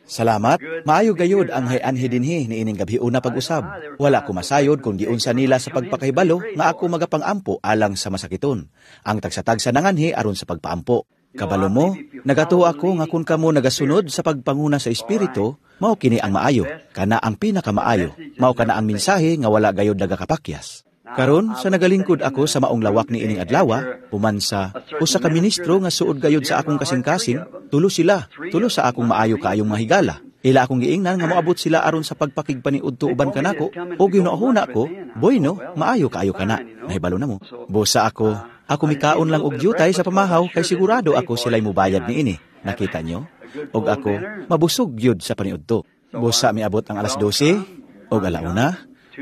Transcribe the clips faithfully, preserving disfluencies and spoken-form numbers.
Salamat, maayo gayud ang hay-anhi dinhi niining gabhiuna pag-usab. Wala ko masayod kung giunsa nila sa pagpakahibalo nga ako magapang-ampo alang sa masakiton. Ang tagsa-tagsa nanganhi aron sa pagpaampo. Kabalo mo, nagatuo ako nga kung kamo nagasunod sa pagpanguna sa Espiritu, mao kini ang maayo, kana ang pinakamaayo, mao kana ang mensahe nga wala gayud nagakapakyas. Karon sa nagalingkod ako sa maong lawak ni ining adlaw, human sa usa ka ministro nga suod gayud sa akong kasing-kasing, tulo sila, tulo sa akong maayo kaayong mga higala. Ila akong giingnan nga moabot sila aron sa pagpakigpaniudto uban kanako, ug gihuna-huna ko, boy no, maayo kaayo kana. Nahibalo na mo. Busa ako, ako mikaon lang og jutay sa pamahaw kay sigurado ako sila'y mubayad niini. Nakita nyo? Og ako, mabusog gyud sa paniudto. Busa miabot ang alas dose, og alauna,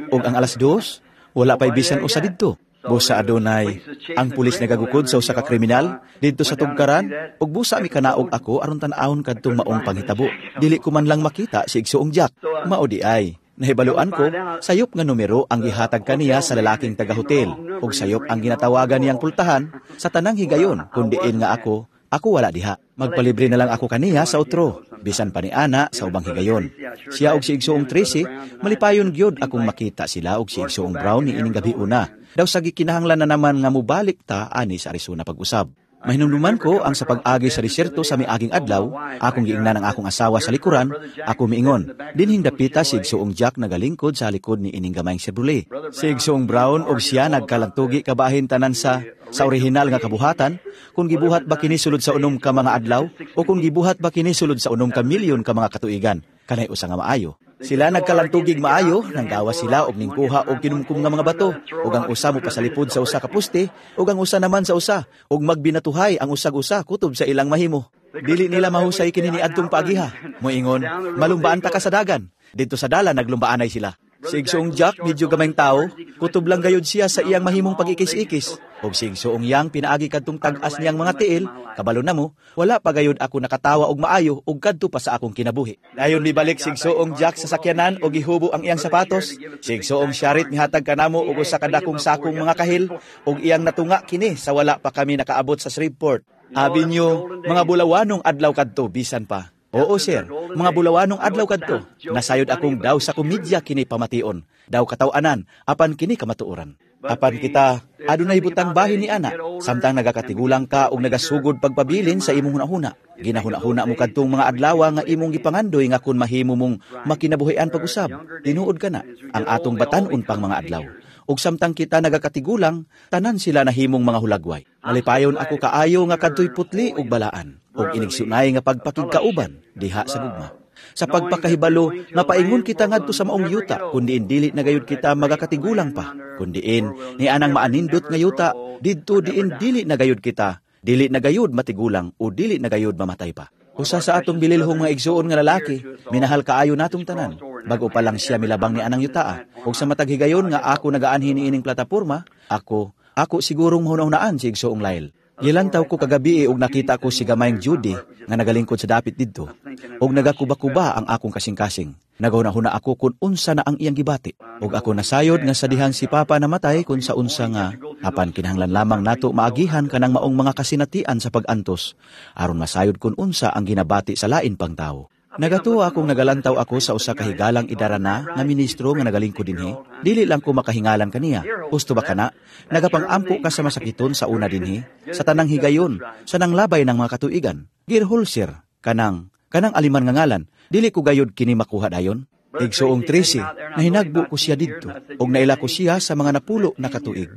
og ang alas dos, wala pa'y bisan usa didto. Busa adunay ang pulis nagagukod sa usa ka kriminal didto sa tugkaran ug busa mikanaog ako aron tan-awon kadtong maong panghitabo. Dili ko man lang makita si Igsuong Jack. Mao di ay. Nahibaluan ko, sayop nga numero ang gihatag kaniya sa lalaking taga-hotel ug sayop ang ginatawagan niyang pultahan sa tanang higayon kun diin nga ako, ako wala diha. Magpalibre na lang ako kaniya sa otro, bisan pa ni ana sa ubang higayon. Siya og si Igsuong Tracy, malipayon gyud akong makita sila og si Igsuong Brown ni ining gabi una. Daw sa gikinahanglan na naman nga mubalik ta ani sa Arizona pag-usab. Mahinumduman ko ang sa pag-agi sa disyerto sa miaging adlaw, akong giingnan ang akong asawa sa likuran, ako miingon, dinhing dapita si Igsuong Jack nagalingkod sa likod ni ining gamayng Chevrolet. Si Igsuong Brown og siya nagkalantugi kabahin tanan sa sa orihinal nga kabuhatan, kung gibuhat ba kini sulod sa unom ka mga adlaw o kung gibuhat ba kini sulod sa unom ka milyon ka mga katuigan, kanay usa nga maayo. Sila nagkalantugig maayo, nanggawas sila og ningkuha og kinumkum nga mga bato, ug ang usa mo pasalipod sa usa ka poste, ug ang usa naman sa usa, ug magbinatuhay ang usag usa kutob sa ilang mahimo. Dili nila mahusay kini niadtong paagiha. Moingon, malumbaan ta ka sa dagan. Didto sa dalan naglumbaanay sila. Si Igsuong Jack medyo gamayng tao, kutob lang gayud siya sa iyang mahimong pag-ikis-ikis. Ug si Igsuong Yang pinaagi kadtong tag-as niyang mga tiil, kabalo na mo, wala pa gayud ako nakatawa og maayo ug kadto pa sa akong kinabuhi. Dayon mibalik si Igsuong Jack sa sakyanan ug gihubo ang iyang sapatos. Si Igsuong Sharrit mihatag kanamo og usa ka dakong sakong mga kahil ug iyang natunga kini sa wala pa kami nakaabot sa Shreveport. Abi nyo, mga bulawanong adlaw kadto bisan pa. Oo, sir. Mga bulawanong adlaw kadto. Nasayod akong daw sa komedya kini pamation. Daw kataw-anan, apan kini kamatuoran. Apan kita, adunay butang bahin ni ana, samtang nagakatigulang ka og nagasugod pagpabilin sa imong hunahuna. Ginahuna-huna mo kadtong mga adlaw nga imong gipangandoy nga kun mahimo mong makinabuhian pag-usab. Tinuod kana ang atong batan-on pang mga adlaw. Ug samtang kita nagakatigulang, tanan sila nahimong mga hulagway. Malipayon ako kaayo nga kadtoy putli ug balaan, ug inigsunay nga pagpakigkauban diha sa gugma. Sa pagpakahibalo nga paingon kita ngadto sa maong yuta, kun diin dili na gayud kita magakatigulang pa, kun diin ni anang maanindot nga yuta, didto diin dili na gayud kita, dili na gayud matigulang o dili na gayud mamatay pa. Usa sa atong bililhong mga igsuon nga lalaki, minahal kaayo natong tanan. Bago pa lang siya milabang ni anang yutaa. Ug sa matag higayon nga ako nagaanhi niining plataporma, ako, ako sigurong mahuna-hunaan si Igsoong Lyle. Gilantaw ko kagabi ug nakita ko si gamayng Judy nga nagalingkod sa dapit didto. Ug nagakuba-kuba ang akong kasing-kasing. Nagahuna-huna ako kung unsa na ang iyang gibati. Ug ako nasayod nga sa dihang si Papa namatay kung sa unsa nga apan kinahanglan lamang nato maagihan kanang maong mga kasinatian sa pag-antos aron masayod kung unsa ang ginabati sa lain pang tawo. Nagatuo akong nagalantaw ako sa usa ka higalang idarana nga ministro nga nagalingkod dinhi. Dili lang ko makahingalan kaniya. Husto ba kana? Nagapang-ampo ka sa masakiton sa una dinhi, sa tanang higayon, sa nanglabay ng mga katuigan. Girholser, kanang, kanang aliman nga ngalan, dili ko gayud kini makuha dayon. Igsuong Tracy, nahinagbo ko siya didto, ug naila ko siya sa mga napulo na katuig.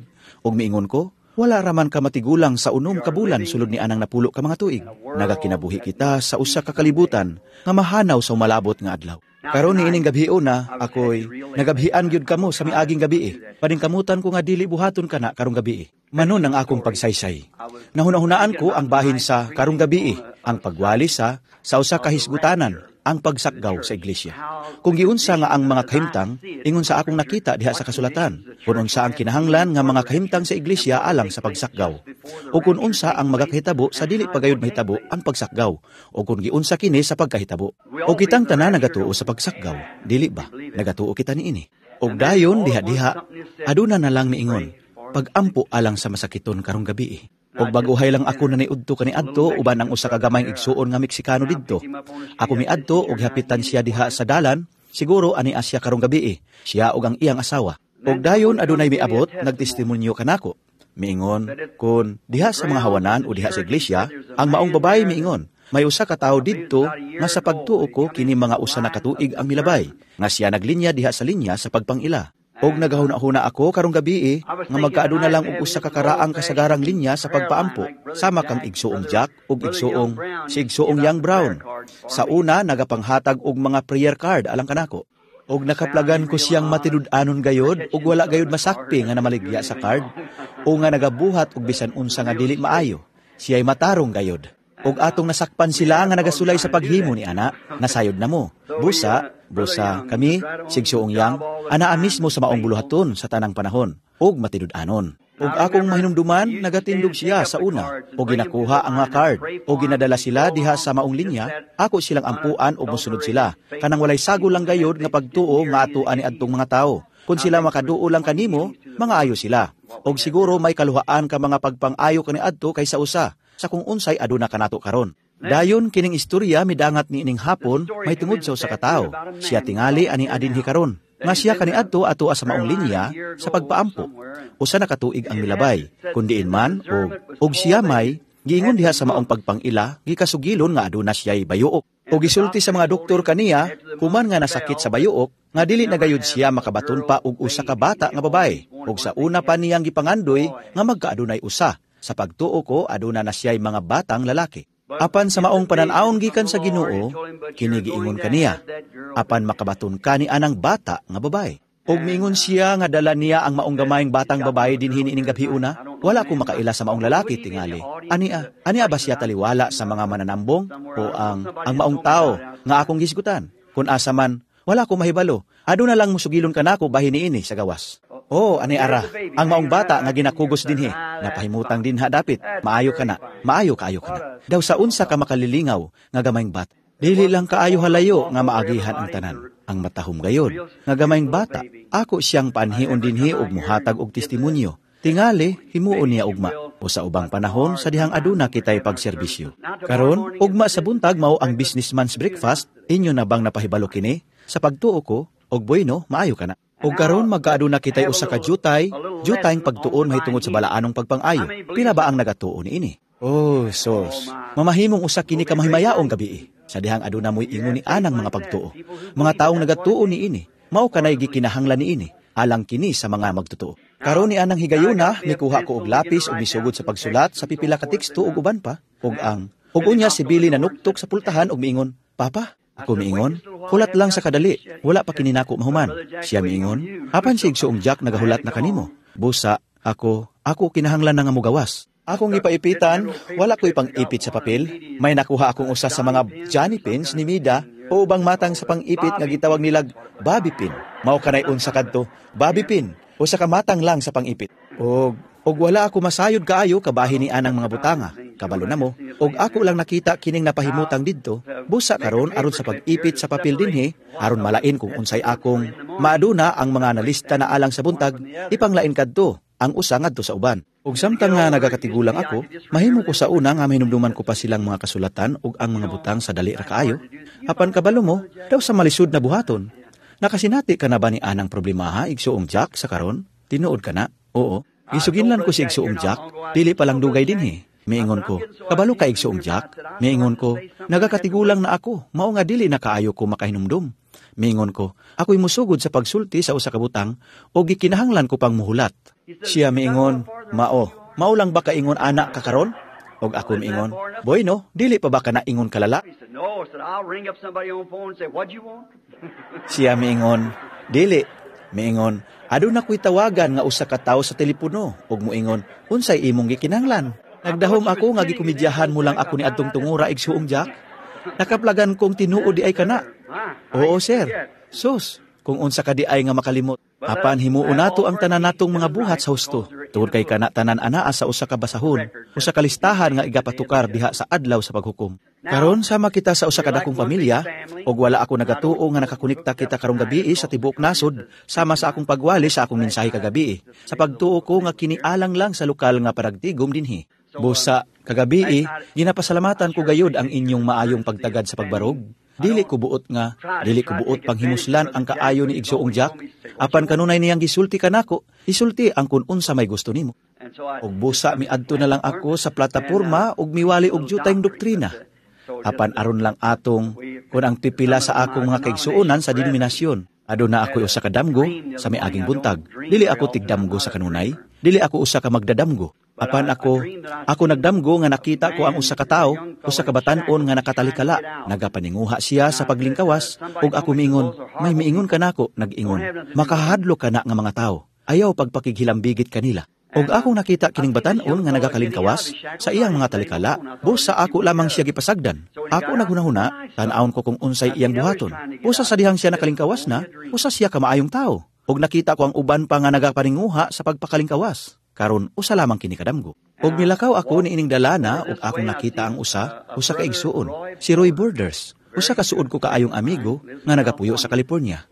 Ug miingon ko, wala raman ka matigulang sa unom ka bulan sulod ni anang napulo ka mga tuig. Nagakinabuhi kita sa usa ka kalibutan nga mahanaw sa umalabot nga adlaw. Karon niining gabhiona, ako'y nagabhian gyud kamo sa miaging gabi. Paningkamutan ko nga dili buhaton kana karong gabi. Manon ang akong pagsaysay. Nahuna-hunaan ko ang bahin sa karong gabi, ang pagwali sa sa usa ka hisgutanan, ang pagsakgaw sa iglesia. Kung giunsa nga ang mga kahimtang, ingon sa akong nakita diha sa kasulatan, kung unsa ang kinahanglan nga mga kahimtang sa iglesia alang sa pagsakgaw, o kung unsa ang magakahitabo sa dili pagayod mahitabo ang pagsakgaw, o kung giunsa kini sa pagkahitabo. O kitang tanan nagatuo sa pagsakgaw, dili ba? Nagatuo kita niini. Og dayon diha-diha, aduna na lang niingon, pagampo alang sa masakiton karong gabi. Og bag-ohay lang ako na niudto kaniadto uban ang usa ka gamayng igsuon nga Meksikano didto. Ako miadto og gihapitan siya diha sa dalan, siguro ani siya karong gabii, siya og ang iyang asawa. Og dayon adunay miabot, nagtestimonyo kanako. Miingon, kun diha sa mga hawanan o diha sa iglesia, ang maong babae miingon, may usa ka tawo didto nga sa pagtuo ko kini mga usa na katuig ang milabay, nga siya naglinya diha sa linya sa pagpangila. Og nagahuna-huna ako karong gabii nga magkaaduna lang og usa ka karaang kasagarang linya sa pagpaampo sama kang igsuong Jack ug igsuong si igsuong Young Brown. Sa una nagapanghatag og mga prayer card alang kanako. Og nakaplagan ko siyang matinud-anon gayod ug wala gayod masakpi nga namaligya sa card o nga nagabuhat og bisan unsa nga dili maayo. Siya'y matarong gayod. Og atong nasakpan sila nga nagasulay sa paghimo ni ana, nasayod na mo. Busa, busa kami, si igsuong Yang, anaa mismo sa maong buluhaton sa tanang panahon, ug matinud-anon. Ug akong mahinumduman, nagatindog siya sa una, o ginakuha ang mga card, o ginadala sila diha sa maong linya, ako silang ampuan o musunod sila. Kanang walay sagol lang gayod nga pagtuo nga atoan ni adtong mga tao. Kung sila makaduo lang kanimo, mga ayo sila. Og siguro may kaluhaan ka mga pagpang-ayo kaniadto kaysa usa, sa kung unsay aduna kanato karon. Dayon kining istorya midangat ni ining hapon may tungod sa usa ka tawo. Siya tingali ani adinhi karon. Nga siya kaniadto ato sa maong linya sa pagpaampo. Usa na katuig ang milabay, kundiin man og og siya may giingon diha sa maong pagpangila gikasugilon nga aduna siya'y bayuok. Og gisulti sa mga doktor kaniya human nga nasakit sa bayuok nga dili na gayud siya makabaton pa og usa ka bata nga babae. Og sa una pa niyang gipangandoy nga magkaadunay usa. Sa pagtuo ko aduna na siya'y mga batang lalaki. Apan sa maong panan-awon gikan sa Ginoo, kini giingon kaniya, apan makabaton ka ni anang bata nga babae. Og miingon siya nga dala niya ang maong gamayng batang babae dinhi niining gabi una, wala ko makaila sa maong lalaki tingali. Ania, ania ba siya taliwala sa mga mananambong o ang ang maong tao nga akong gisgutan? Kung asa man, wala ko mahibalo. Aduna lang musugilon kanako bahin niini sa gawas. Oh, ani ara, ang maong bata nga ginakugos dinhi, napahimutang dinha dapit, maayo ka na, maayo kaayo ka na. Daw sa unsa ka makalilingaw nga gamayng bata. Dili lang kaayo halayo nga maagihan ang tanan. Ang matahom gayod, nga gamayng bata, ako siyang paanhion dinhi og muhatag og testimonyo. Tingali, himuon niya ugma, o sa ubang panahon sa dihang aduna kitay pagserbisyo. Karon, ugma sa buntag mao ang businessman's breakfast, inyo na bang napahibalo kini? Sa pagtuo ko, og bueno, maayo ka na. Og karon magkaaduna kitay usa ka jutay, jutayng pagtuon mahitungod sa balaanong pagpangayo. Pila ba ang nagatuo niini? Oh, sos. Mamahimong usa kini ka mahimayaong gabii. Sa dihang aduna mo'y ingon ni anang mga pagtuo. Mga taong nagatuo niini, mao kanay gikinahanglan niini, alang kini sa mga magtotoo. Karon ni anang higayuna, mikuha ko og lapis ug misugod sa pagsulat sa pipila ka teksto ug uban pa, ug ang ug unya si Billy nanuktok sa pultahan ug miingon, "Papa," ako miingon, "hulat lang sa kadali, wala pa kini nako mahuman." Siya miingon, "Apan si igsuong Jack nagahulat na kanimo." Busa, ako, ako kinahanglan na nga mogawas. Akong ipaipitan, wala ko'y pang-ipit sa papel. May nakuha akong usa sa mga Johnny pins ni Mida o ubang matang sa pang-ipit nga gitawag nilag Bobby pin. Mao kanay unsa kadto, Bobby pin, usa ka matang lang sa pang-ipit. Og og wala ako masayod kaayo kabahin ni anang mga butanga. Kabalo na mo. Og ako lang nakita kining napahimutang didto. Busa karon aron sa pag-ipit sa papel dinhi, aron malain kung unsay akong maaduna ang mga nalista na alang sa buntag, ipanglain kadto ang usa ngadto sa uban. Ug samtang nga nagakatigulang ako, mahimo ko sa una nga mahinumduman ko pa silang mga kasulatan ug ang mga butang sa dali ra kaayo. Apan kabalo mo, daw sa malisod na buhaton. Nakasinati ka na ba ni anang problemaha igsuong Jack sa karon? Tinuod ka na? Oo. Gisuginlan ko si igsuong Jack, dili pa lang dugay dinhi. Miingon ko, kabalo ka igsuong Jack? Miingon ko, nagakatigulang na ako, mao nga dili na kaayo ko makahinumdum. Miingon ko, ako'y musugod sa pagsulti sa usa ka butang o gikinahanglan ko pang muhulat. Siya miingon, mao, mao lang ba kaingon anak ka karon? Og ako miingon, boy no, dili pa ba ka naingon kalala? He said, no. I said, I'll ring up somebody on phone and say, what'd you want? Siya miingon, dili. Miingon, aduna ko'y tawagan nga usa ka tawo sa telepono ug muingon, unsay imong gikinahanglan? Nagdahom ako nga gikomedyahan mo lang ako ni adtong tungura igsuong Jack. Nakaplagan kong tinuod di ay kana. Oo, sir. Sus, kung unsa ka di ay nga makalimot. Apan himuon nato ang tanan natong mga buhat sa husto. Tungod kay kana tanan anaa sa usa ka basahon, usa ka listahan nga igapatukar diha sa adlaw sa paghukom. Karon sama kita sa usa ka dakong pamilya ug wala ako nagatuo nga nakakonekta kita karong gabii sa tibuok nasod sama sa akong pagwali sa akong mensahe kagabii. Sa pagtuo ko nga kini alang lang sa lokal nga paragtigom dinhi. Busa, kagabii, ginapasalamatan ko gayud ang inyong maayong pagtagad sa pagbarog. Dili ko buot nga, dili ko buot panghimuslan ang kaayo ni Igsoong Jack. Apan kanunay niyang gisulti kanako, isulti ang kun unsa may gusto nimo. Og busa miadto na lang ako sa plataporma og miwali og jutayng doktrina. Apan aron lang atong kun ang pipila sa akong mga kaigsuonan sa denominasyon. Aduna ako'y usa ka damgo sa miaging buntag. Dili ako tigdamgo sa kanunay, dili ako usa ka magdadamgo. Apan ako, ako nagdamgo nga nakita ko ang usa ka tawo, usa ka batan-on nga nakatalikala, nagapaninguha siya sa paglingkawas, ug ako miingon, may miingon kanako, nag-ingon, makahadlok kana nga mga tawo, ayaw pagpakighilambigit kanila. Og akong nakita kining batan-on nga nagakalingkawas sa iyang mga talikala, busa ako lamang siya gipasagdan. Ako naghunahuna, tan-awon ko kung unsay iyang buhaton. Busa sa dihang siya nakalingkawas na, usa siya ka maayong tawo. Og nakita ko ang uban pa nga nagapaninguha sa pagpakalingkawas. Karon usa lamang kini kadamgo. Og nilakaw ako niining dalana ug akong nakita ang usa, usa ka igsuon, si Roy Borders. Usa ka suod ko kaayong amigo nga nagapuyo sa California.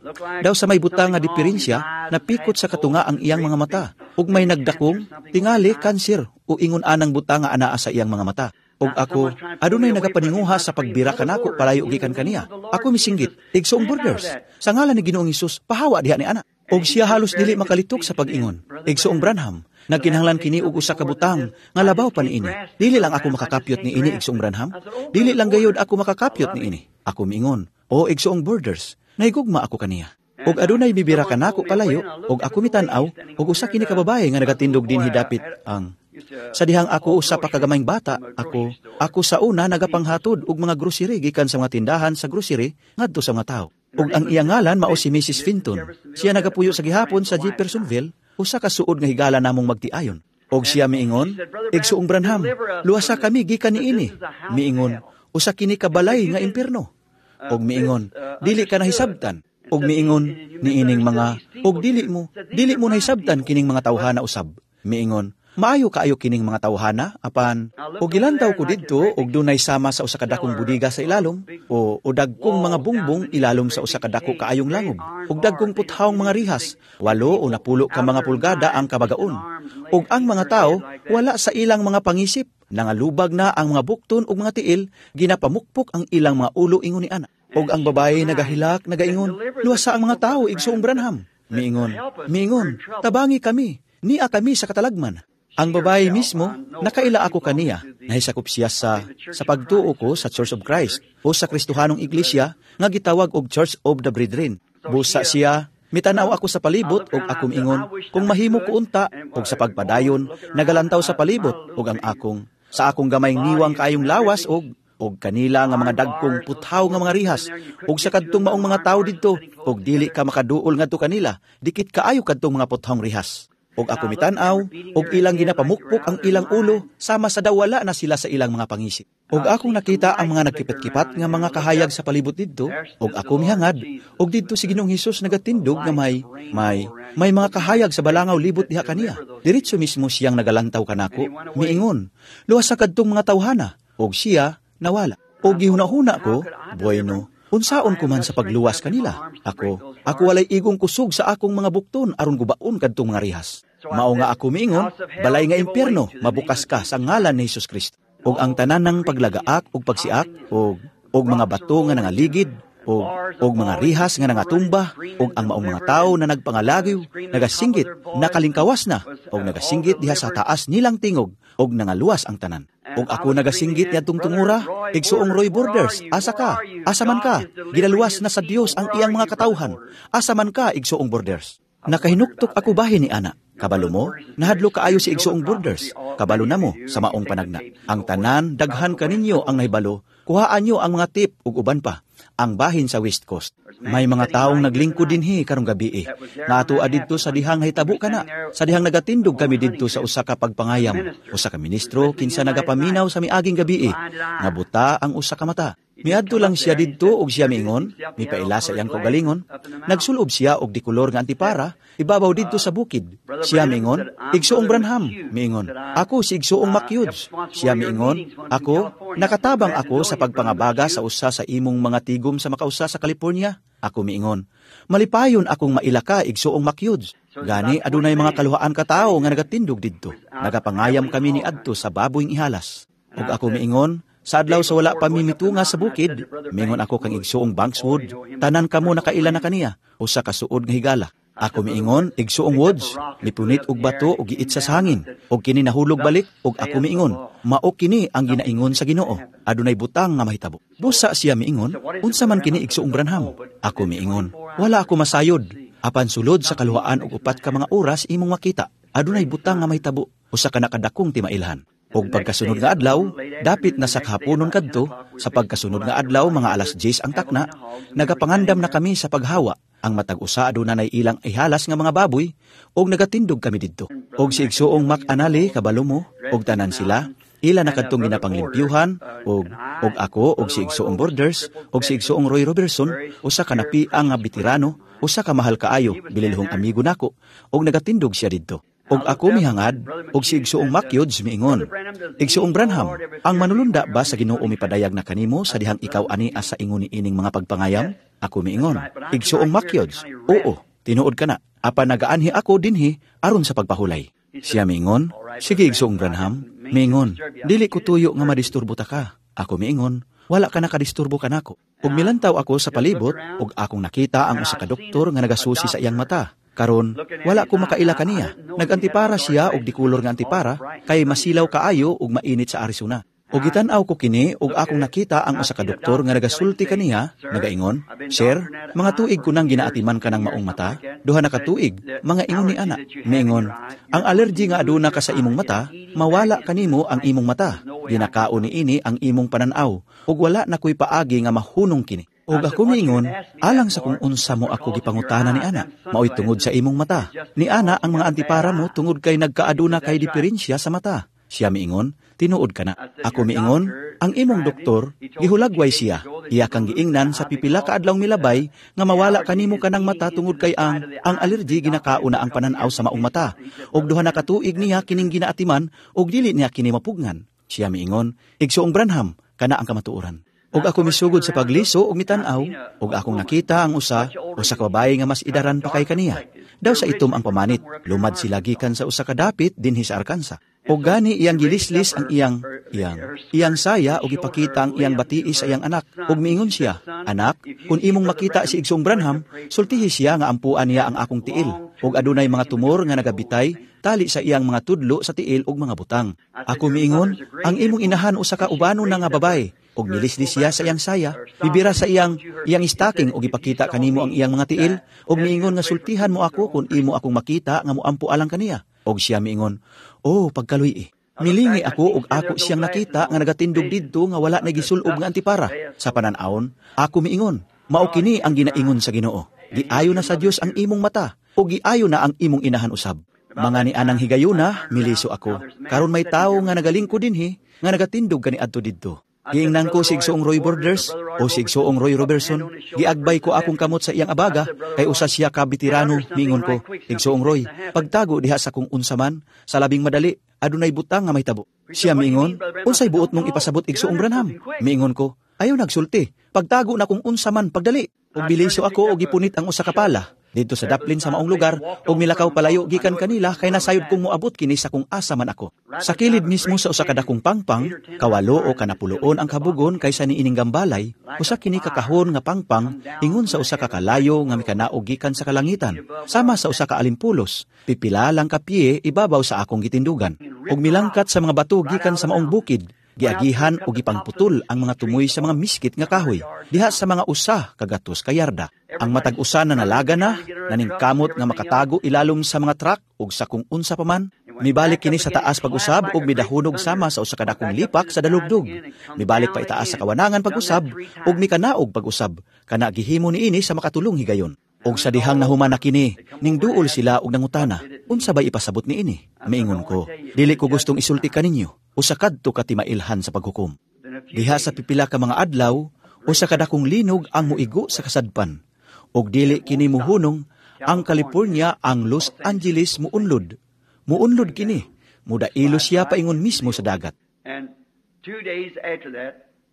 Daw sa may butang nga diferensya, napikot sa katunga ang iyang mga mata. Ug may nagdakong, tingali kanser o ingon anang butang nga anaa sa iyang mga mata. Ug ako, adunay nagapaninguha sa pagbira kanako palayo gikan kaniya. Ako misinggit, Igsoong Borders. Sa ngalan ni Ginoong Hesus, pahawa diha ni ana. Og siya halos dili makalitok sa pag-ingon. Igsoong Branham, nagkinahanglan kini og usa ka butang nga labaw pa niini. Dili lang ako makakapyot niini, Igsoong Branham. Dili lang gayud ako makakapyot niini. Ako miingon, o Igsoong Borders, nahigugma ako kaniya. Og adunay bibira kanako palayo, og ako mitan-aw, og usa kini ka babaye nga nagatindog dinhi dapit ang Sa dihang ako usa pa kagamayng bata, ako ako sa una nagapanghatod og mga grocery gikan sa mga tindahan sa grocery ngadto sa mga tawo. Ug ang iyang ngalan mao si Missus Finton. Siya nagapuyo sa gihapon sa Jeffersonville, usa ka suod nga higala namong magtiayon. Og siya miingon, Igsoong Branham, luwasa kami gikan niini. Miingon, usa kini ka balay nga impierno. Og miingon, dili ka nahisabtan. Og miingon, niining mga, og dili mo, dili mo nahisabtan kining mga tawhana usab. Miingon, maayo kaayo kining mga tawhana, apan, og gilantaw ko didto, og dunay sama sa usa ka dakong budiga sa ilalom, o, o dagkong mga bungbong ilalom sa usa ka dako kaayong langob, og dagkong puthawng mga rihas, walo o napulo ka mga pulgada ang kabagaon. Og ang mga tao, wala sa ilang mga pangisip, nangalubag na ang mga bukton ug mga tiil, ginapamukpok ang ilang mga ulo ingon ni ana. Og ang babae nagahilak, nagaingon, luwasa ang mga tao, Igsoong Branham. Miingon, miingon, tabangi kami, nia kami sa katalagman. Ang babae mismo, nakaila ako kaniya, nahisakop siya sa, sa pagtuo ko sa Church of Christ o sa Kristohanong Iglesia nga gitawag og Church of the Brethren. Busa siya, mitanaw ako sa palibot og akong ingon, kung mahimo ko unta og sa pagpadayon, nagalantaw sa palibot og ang akong, sa akong gamayng niwang kaayong lawas og og kanila nga mga dagkong puthaw nga mga rihas og sa kadtong maong mga tawo didto og dili ka makaduol ngadto kanila, dikit kaayo kadtong mga puthawng rihas. Og ako mitan-aw, og ilang ginapamukpok ang ilang ulo, sama sa dawala na sila sa ilang mga pangisip. Og akong nakita ang mga nagkipat-kipat nga mga kahayag sa palibot didto, og ako mihangad, og didto si Ginoong Hesus nagatindog nga may, may, may mga kahayag sa balangaw libot diha kaniya. Diretso mismo siyang nagalantaw kanako, miingon, luwas sa kadtong mga tawhana, og siya nawala. Og gihuna-huna ko, bueno, unsaon ko man sa pagluwas kanila. Ako, ako walay igong kusog sa akong mga bukton aron gubaon kadtong mga rihas. Mao nga ako miingon, balay nga impyerno, mabukas ka sa ngalan ni Hesus Kristo. Og ang tanan ng paglagaak og pagsiak og og mga bato nga nangaligid og og mga rihas nga nangatumba og ang maong mga tawo na nagpangalagyo, nagasinggit, nakalingkawas na og nagasinggit diha sa taas nilang tingog og nangaluwas ang tanan. Og ako nagasinggit niadtong tungura, Igsoong Roy Borders, asa ka? Asa man ka? Ginaluwas na sa Dios ang iyang mga katawhan. Asa man ka, Igsoong Borders? Nakahinuktok ako bahin ni ana. Kabalo mo, nahadlo kaayo si Igsoong Borders. Kabalo na mo sa maong panagna. Ang tanan, daghan kaninyo ang nahibalo. Kuhaan nyo ang mga tip ug uban pa. Ang bahin sa West Coast. May mga taong naglingkod dinhi karong gabi eh. Natua didto sa dihang hitabo kana. Sa dihang nagatindog kami didto sa usa ka pagpangayam. Usa ka ministro kinsa nagapaminaw sa miaging gabi eh. Nga buta ang usa ka mata. Miadto lang siya didto og siya miingon, mipaila sa iyang kaugalingon. Nagsulob siya og dikolor nga antipara, ibabaw didto sa bukid. Siya miingon, Igsoong Branham, miingon, ako si Igsoong Makyuds. Siya miingon, ako, nakatabang ako sa pagpangabaga sa usa sa imong mga tigom sa makausa sa California. Ako miingon, malipayon akong maila ka, Igsoong Makyuds. Gani adunay mga kaluhaan ka tawo nga nagatindog didto. Nagapangayam kami ni adto sa baboyng ihalas. Ug ako miingon, sa adlaw sa wala pa mi mitunga sa bukid, miingon ako kang igsuong Banks Wood, tanan kamo nakaila na kaniya, usa ka suod nga higala. Ako miingon, igsuong Woods, mipunit og bato ug giitsa sa hangin, ug kini nahulog balik, ug ako miingon, mao kini ang ginaingon sa Ginoo, adunay butang nga mahitabo. Busa siya miingon, unsa man kini igsuong Branham? Ako miingon, wala ako masayod, apan sulod sa kaluhaan og upat ka mga oras imong makita, adunay butang nga mahitabo, usa ka nakadakong timailhan. Og pagkasunod nga adlaw, dapit na sa kahaponon kadto, sa pagkasunod nga adlaw mga alas diyes ang takna, nagapangandam na kami sa paghawa. Ang matag usa aduna nay ilang ihalas nga mga baboy, og nagatindog kami didto. Og si igsuong McAnally kabalo mo, og tanan sila, ila na kadtong ginapanglimpiuhan, og, og ako, og si igsuong Borders, og si igsuong Roy Robertson, usa ka napiang nga veterano, usa ka mahal kaayo, bililhong amigo nako, og nagatindog siya didto. Og ako mihangad, og si igsuong McHughes miingon. Igsuong Branham, ang manulunda ba sa Ginoo mipadayag na kanimo sa dihang ikaw ani asa ingon ni ining mga pagpangayam? Ako miingon. Igsuong McHughes, oo, tinuod ka na. Apan nagaanhi ako dinhi aron sa pagpahulay. Siya miingon, sige igsuong Branham, miingon, dili ko tuyo nga madisturbo ta ka. Ako miingon, wala ka nakadisturbo kanako. Ug milantaw ako sa palibot, ug akong nakita ang usa ka doktor nga nagasusi sa iyang mata. Karon, wala ko makaila kaniya. Nag-antipara siya og dikulor nga antipara kay masilaw kaayo ug mainit sa Arizona. Og gitan-aw ko kini ug akong nakita ang usa ka doktor nga nagasulti kaniya, nagaingon, "Sir, mga tuig ko nang ginaatiman ka ng maong mata, duha na ka tuig, mga ingon ni ana." Miingon, "Ang allergy nga aduna ka sa imong mata, mawala kanimo ang imong mata. Ginakaon ni ini ang imong pananaw ug wala na ko'y paagi nga mahunong kini." Ug ako miingon, alang sa kung unsa mo ako gipangutana ni ana, mao'y tungod sa imong mata. Ni ana ang mga antipara mo tungod kay nagkaaduna kay diferensya sa mata. Siya miingon, tinuod ka na. Ako miingon, ang imong doktor, gihulagway siya. Iya kang giingnan sa pipila ka adlaw milabay nga mawala kanimo kanang mata tungod kay ang ang allergy ginakaon na ang pananaw sa maong mata. Ug duha na ka tuig niya kining ginaatiman ug dili niya kini mapugnan. Siya miingon, igsuong Branham, kana ang kamatuoran. Ug ako misugod sa pagliso ug mitan-aw, ug akong nakita ang usa, usa ka babaye nga mas idaran pa kay kaniya. Daw sa itom ang pamanit, lumad sila gikan sa usa ka dapit dinhi sa Arkansas. Og gani iyang gilislis ang iyang iyang iyang saya ug ipakita ang iyang batii sa iyang anak. Ug miingon siya, anak, kung imong makita si Igsoong Branham, sultihi siya nga ampuan niya ang akong tiil. Ug adunay mga tumor nga nagabitay tali sa iyang mga tudlo sa tiil ug mga butang. Ako miingon, ang imong inahan usa ka ubano na nga babae. Ug nilislis siya sa iyang saya, bibira sa iyang iyang stocking ug ipakita kanimo ang iyang mga tiil, ug miingon nga sultihan mo ako kung imo akong makita nga moampo alang kaniya. Og siya miingon, oh, pagkaluy Milingi ako ug ako siyang nakita nga nagatindog didto nga wala na gisulob nga antipara. Sa panan-awon, ako miingon, mao kini ang ginaingon sa Ginoo. Giayo na sa Dios ang imong mata, ug giayo na ang imong inahan usab. Mga ni anang higayuna, miliso ako. Karon may tawo nga nagalingkod dinhi, nga nagatindog kaniadto didto. Giingnan ko si Igsoong Roy Borders o si Igsoong Roy Robertson. Giagbay ko akong kamot sa iyang abaga, kay usa siya ka veterano, miingon ko. Igsoong Roy, pagtago diha sa kung unsa man, sa labing madali, adunay butang nga mahitabo. Siya miingon, unsay buot mong ipasabot Igsoong Branham? Miingon ko, ayaw nagsulti, pagtago na kung unsa man pagdali. Ug biliso ako og gipunit ang usa ka pala. Didto sa daplin sa maong lugar, ug milakaw palayo gikan kanila kay nasayod kong moabot kini sa kung asa man ako. Sa kilid mismo sa usa ka dakong pangpang, kawalo o kanapuloon ang kabugon kaysa niining gambalay, usa kini ka kahon nga pangpang ingon sa usa ka kalayo nga mikanaog gikan sa kalangitan, sama sa usa ka alimpulos, pipila lang ka piye ibabaw sa akong gitindugan. Ug milangkat sa mga bato gikan sa maong bukid, giagihan o gipangputol ang mga tumoy sa mga miskit nga kahoy, diha sa mga usa kagatos ka yarda. Ang matag usa na nalaga na, naningkamot nga makatago ilalom sa mga truck ug sa kung unsa pa man, mibalik kini sa taas pag-usab ug midahunog sama sa usa ka dakong lipak sa dalugdog. Mibalik pa itaas sa kawanangan pag-usab ug mikanaog pag-usab, kana gihimo niini sa makatulong higayon. Og sa dihang nahuman na kini, ning duol sila og nangutana, unsa bay ipasabot niini? Miingon ko, dili ko gustong isulti kaninyo, usa kadto ka timailhan sa paghukom. Diha sa pipila ka mga adlaw, usa ka dakong linog ang muigo sa kasadpan. Og dili kini muhunong, ang California ang Los Angeles muunlod. Muunlod kini, mudailo siya paingon mismo sa dagat.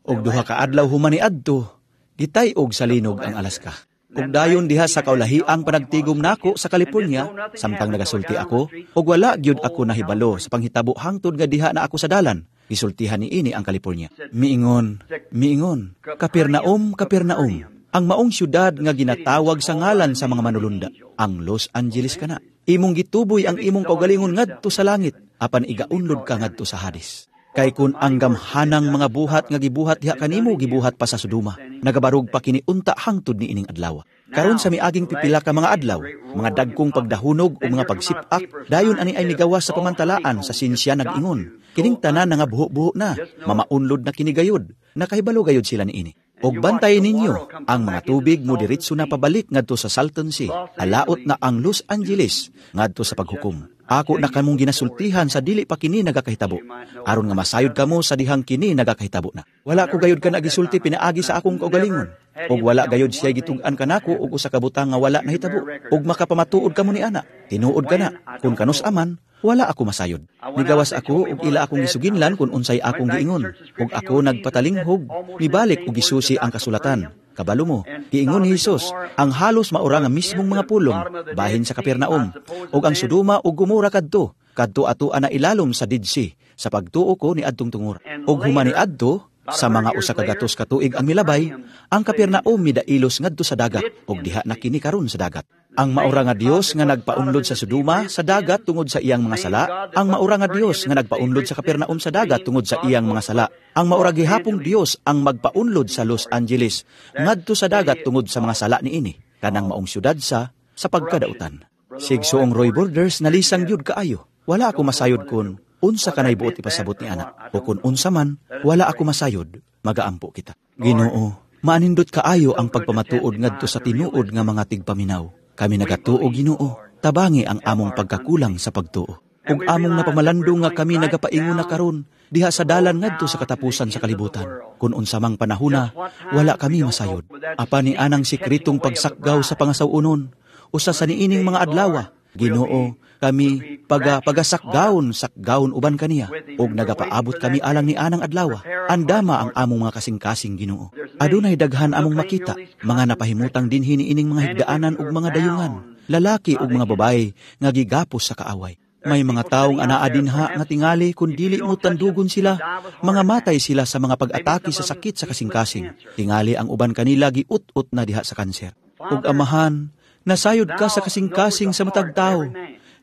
Og duha ka adlaw human niadto, gitay-og sa linog ang Alaska. Ug dayon diha sa kaulahiang panagtigom nako sa California, samtang nagasulti ako, ug wala gyud ako nahibalo sa panghitabo hangtod nga diha na ako sa dalan. Gisultihan ni ini ang California. Miingon, miingon, Capernaum, Capernaum, ang maong syudad nga ginatawag sa ngalan sa mga manulunda, ang Los Angeles kana. Imong gituboy ang imong kaugalingon ngadto sa langit, apan igaunlod ka ngadto sa Hades. Kay kun ang gamhanang mga buhat nga gibuhat diha kanimo gibuhat pa sa Sodoma, nagabarog pa kini unta hangtod ni ining adlaw. Karon sa miaging pipila ka mga adlaw, mga dagkong pagdahunog o mga pagsipak, dayon ani ay migawas sa pamantalaan sa sinsya nag-ingon. Kining tanan nga buho-buho na, mamaunlod na kini gayud, nakahibalo gayud sila niini. Og bantay ninyo, ang mga tubig mo diretso na pabalik ngadto sa Salton Sea, alaot na ang Los Angeles ngadto sa paghukom. Ako na kamong ginasultihan sa dili pa kini nagakahitabo, aron nga masayod kamo sa dihang kini nagakahitabo na. Wala ko gayud kana gisulti pinaagi sa akong kaugalingon, ug wala gayud siya gitug-an kanako og usa ka butang nga wala nahitabo, ug makapamatuod kamo ni ana. Tinuod kana, kun kanus aman, wala ako masayod. Nigawas ako ug ila akong gisuginlan kung unsay akong giingon, ug ako nagpatalinghog, mibalik ug gisusi ang kasulatan. Kabalo mo, giingon ni Hesus, ang halos maura nga mismong mga pulong, bahin sa Capernaum, ug ang Sodoma ug Gomora kadto, kadto ato ana ilalom sa Dead Sea, sa pagtuo ko ni adtong tungor. Ug human ni adto, sa mga usa ka gatos ka tuig ang milabay, ang Capernaum midailos ngadto sa dagat, ug diha na kini karon sa dagat. Ang maura nga Dios nga nagpaunlod sa Sodoma sa dagat tungod sa iyang mga sala, ang maura nga Dios nga nagpaunlod sa Capernaum sa dagat tungod sa iyang mga sala, ang maura gihapong Dios ang magpaunlod sa Los Angeles ngadto sa dagat tungod sa mga sala niini, kanang maong syudad sa sa pagkadautan. Sigsuong Roy Borders nalisang gyud kaayo. Wala ako masayod kun unsa kanay buot ipasabot ni ana, o kun unsa man, wala ako masayod, magaampo kita. Ginoo, maanindot kaayo ang pagpamatuod ngadto sa tinuod nga mga tigpaminaw. Kami nagatuo, Ginoo, tabangi ang among pagkakulang sa pagtuo. Ug among napamalandong nga kami nagapaingon na karon diha sa dalan ngadto sa katapusan sa kalibutan. Kun unsa mang panahona, wala kami masayod. Apan ni anang sikretong pagsakgaw sa pangasaw-onon, usa sa niining mga adlawa, Ginoo, kami paga pagasakgawon sakgawon uban kaniya ug nagapaabot kami alang ni anang adlawa. Andama ang among mga kasing-kasing, Ginoo. Adunay daghan among makita, mga napahimutang dinhi niining mga higdaanan ug mga dayungan, lalaki ug mga babaye nga gigapos sa kaaway. May mga taong anaa dinha nga tingali kun dili mo tandugon sila, mga matay sila sa mga pag-atake sa sakit sa kasing-kasing. Tingali ang uban kanila giut-ut na diha sa kanser. Ug Amahan, nasayod ka sa kasing-kasing sa matag tawo.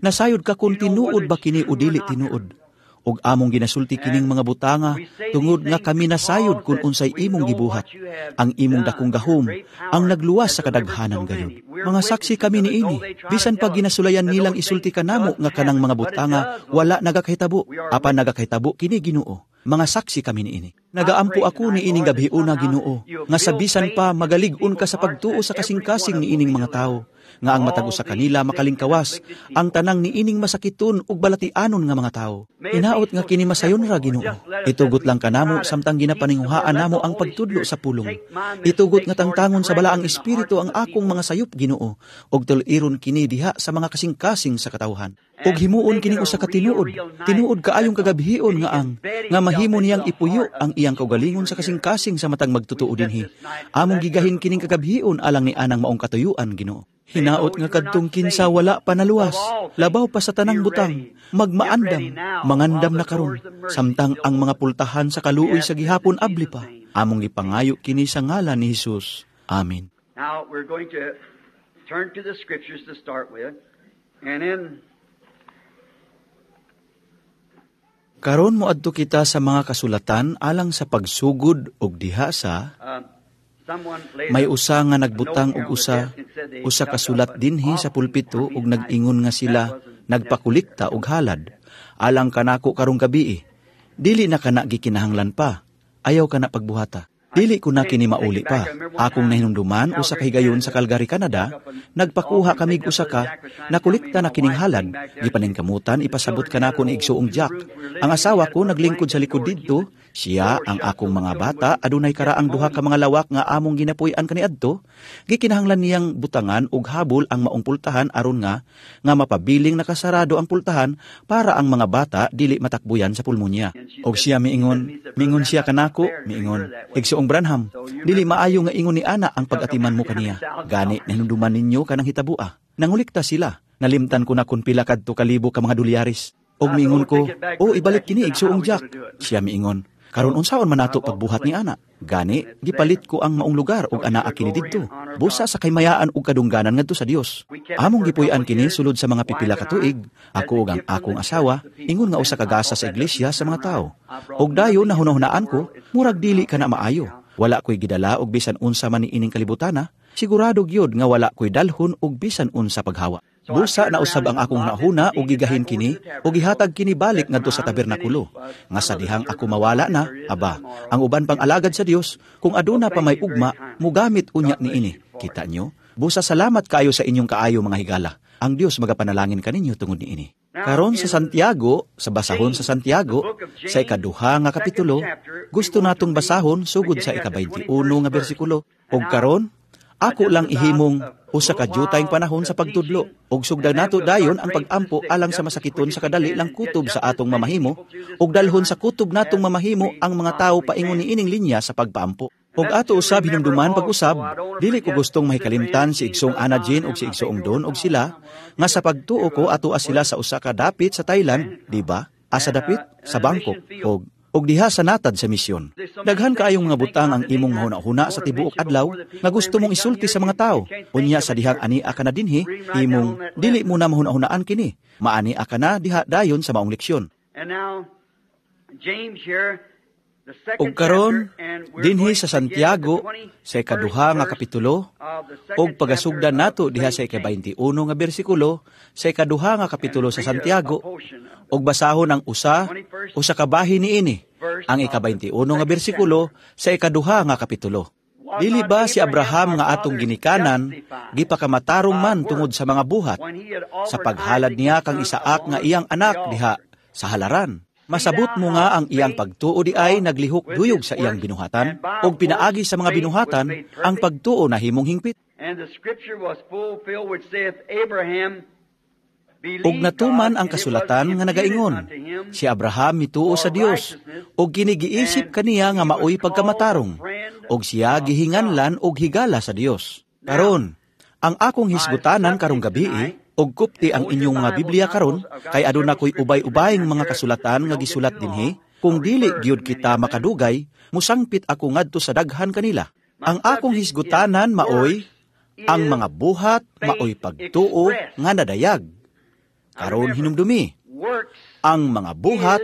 Nasayod ka kung tinuod ba kini o dili tinuod. Ug among ginasulti kining mga butanga tungod nga kami nasayod kung unsay imong gibuhat. Ang imong dakong gahom ang nagluwas sa kadaghanan gayud. Mga saksi kami niini, bisan pa ginasulayan nilang isulti kanamo nga kanang mga butanga wala nagakahitabo, apan nagakahitabo kini, Ginoo. Mga saksi kami niini. Nagaampo ako ni ining gabhiuna, Ginoo, nga sa bisan pa magalig-on ka sa pagtuo sa kasing-kasing niining mga tawo, nga ang matag usa kanila makalingkawas, ang tanang niining masakiton ug balatianon nga mga tawo. Hinaot nga kini masayon ra, Ginoo. Itugot lang kanamo samtang ginapaninguhaan namo ang pagtudlo sa pulong. Itugot nga tangtangon sa Balaang Espiritu ang akong mga sayop, Ginoo, ug tul-iron kini diha sa mga kasing-kasing sa katawhan. Ug himuon kining usa ka tinuod, tinuod kaayong kagabhion nga ang nga mahimo niyang ipuyo ang iyang kaugalingon sa kasing-kasing sa matag magtotoo dinhi. Among gigahin kining kagabhion alang ni anang maong katuyuan, Ginoo. Hinaot nga kadtong kinsa wala pa naluwas, labaw pa sa tanang butang, magmaandam, mangandam na karon, samtang ang mga pultahan sa kaluoy sa gihapon abli pa. Among gipangayo kini sa ngalan ni Hesus. Amen. Now we're going to turn to the scriptures to start with, and in Karon moadto kita sa mga kasulatan alang sa pagsugod og diha sa uh, someone laid may a usa nga nagbutang note og here on the usa desk and said they usa took ka up sulat an dinhi sa offering pulpito for me ug tonight. nag-ingon nga That sila wasn't nagpakolekta necessary. og halad alang kanako karong gabii. Dili na kana gikinahanglan pa. Ayaw kana pagbuhata. I Dili ko na take, kini take mauli it back. pa. I remember one Akong time nahinumduman usa ka Calgary, higayon sa Canada, Calgary, took Canada, up an nagpakuha offering, kamig picked up usa Brother ka, Jack was trying to tell me, nakolekta and na my kining wife halad, came back there. She, gipaningkamutan the ipasabot children had kanako an ni old igsuong two Jack. rooms we were Ang living in. asawa Had ko to put naglingkod sa blankets likod door to keep didto, the Siya ang akong mga bata adunay karaang duha ka mga lawak nga among ginapuy-an kaniadto, gikinahanglan niyang butangan og habol ang maong pultahan aron nga nga mapabiling nakasarado ang pultahan para ang mga bata dili matakbuyan sa pulmonya. Og siya miingon, miingon siya kanako, miingon, Igsoong Branham, dili maayo nga ingon ni ana ang pag-atiman mo kaniya. Gani nahinumduman ninyo kanang hitabua. Nangulikta sila. Nalimtan ko na kun pila kadto kalibo ka mga dolyares. Og miingon ko, "Oh, ibalik kini, Igsoong Jack." Siya miingon, "Karon unsaon man nato pagbuhat ni ana?" Gani, gipalit ko ang maong lugar ug anaa kini didto. Busa sa kaymayaan ug kadungganan ngadto sa Dios. Among gipuy-an kini sulod sa mga pipila ka tuig, ako ug ang akong asawa, ingon nga usa ka gasa sa iglesia sa mga tawo. Og dayon nahunahunaan ko, murag dili kana maayo. Wala ko'y gidala og bisan unsa man niining kalibutana, sigurado gyud nga wala ko'y dalhon og bisan unsa paghawa. Busa na usab ang akong nahuna ug gigahin kini ug gihatag kini balik ngadto sa tabernakulo. Nga sa dihang ako mawala na, aba, ang uban pang alagad sa Dios, kung aduna pa may ugma, mugamit unya niini. Kita nyo? Busa salamat kaayo sa inyong kaayo, mga higala. Ang Dios magapanalangin kaninyo tungod niini. Karon sa Santiago, sa basahon sa Santiago, sa ikaduha nga kapitulo, gusto natong basahon sugod sa ika-twenty-one nga bersikulo. Ug karon, ako lang ihimong usa ka jutayng panahon sa pagtudlo ug sugdan nato dayon ang pag-ampo alang sa masakiton sa kadali lang kutob sa atong mamahimo ug dalhon sa kutob natong mamahimo ang mga tawo paingon niining linya sa pagpaampo. Ug ato usab hinumduman pag-usab, dili ko gustong mahikalimtan si Igsoong Anna Jean ug si Igsoong Don ug sila nga sa pagtuo ko ato sila sa usa ka dapit sa Thailand, di ba? Asa dapit sa Bangkok ug ug diha sa natad sa misyon. Daghan kaayong mga butang ang imong mahuna-huna sa tibuok adlaw nga gusto mong isulti sa mga tao. Unya sa dihang ani ka na dinhi, imong dili mo na mahuna-hunaan kini. Maani ka na diha dayon sa maong leksyon. Ug karon dinhi sa Santiago sa ikaduha nga kapitulo ug pagasugdan nato diha sa ika-twenty-one nga bersikulo sa ikaduha nga kapitulo sa Santiago ug basahon ang usa usa ka bahin niini, ang ika-twenty-one nga bersikulo sa ikaduha nga kapitulo. Dili ba si Abraham nga atong ginikanan gipakamatarong man tungod sa mga buhat sa paghalad niya kang Isaak nga iyang anak diha sa halaran? Masabot mo nga ang iyang pagtuo di ay naglihok duyog sa iyang binuhatan, ug pinaagi sa mga binuhatan, ang pagtuo nahimong hingpit. Ug natuman ang kasulatan nga nagaingon, si Abraham mituo sa Dios, ug kinigiisip kaniya nga maoy pagkamatarong, ug siya gihinganlan og higala sa Dios. Karon, ang akong hisgutanan karong gabii, og kupti ang inyong mga Biblia karon, kay aduna ko'y ubay-ubayng mga kasulatan nga gisulat dinhi, kung dili gyud kita makadugay, musangpit ako ngadto sa daghan kanila. Ang akong hisgutanan maoy ang mga buhat maoy pagtuo nga nadayag. Karon hinumdumi, ang mga buhat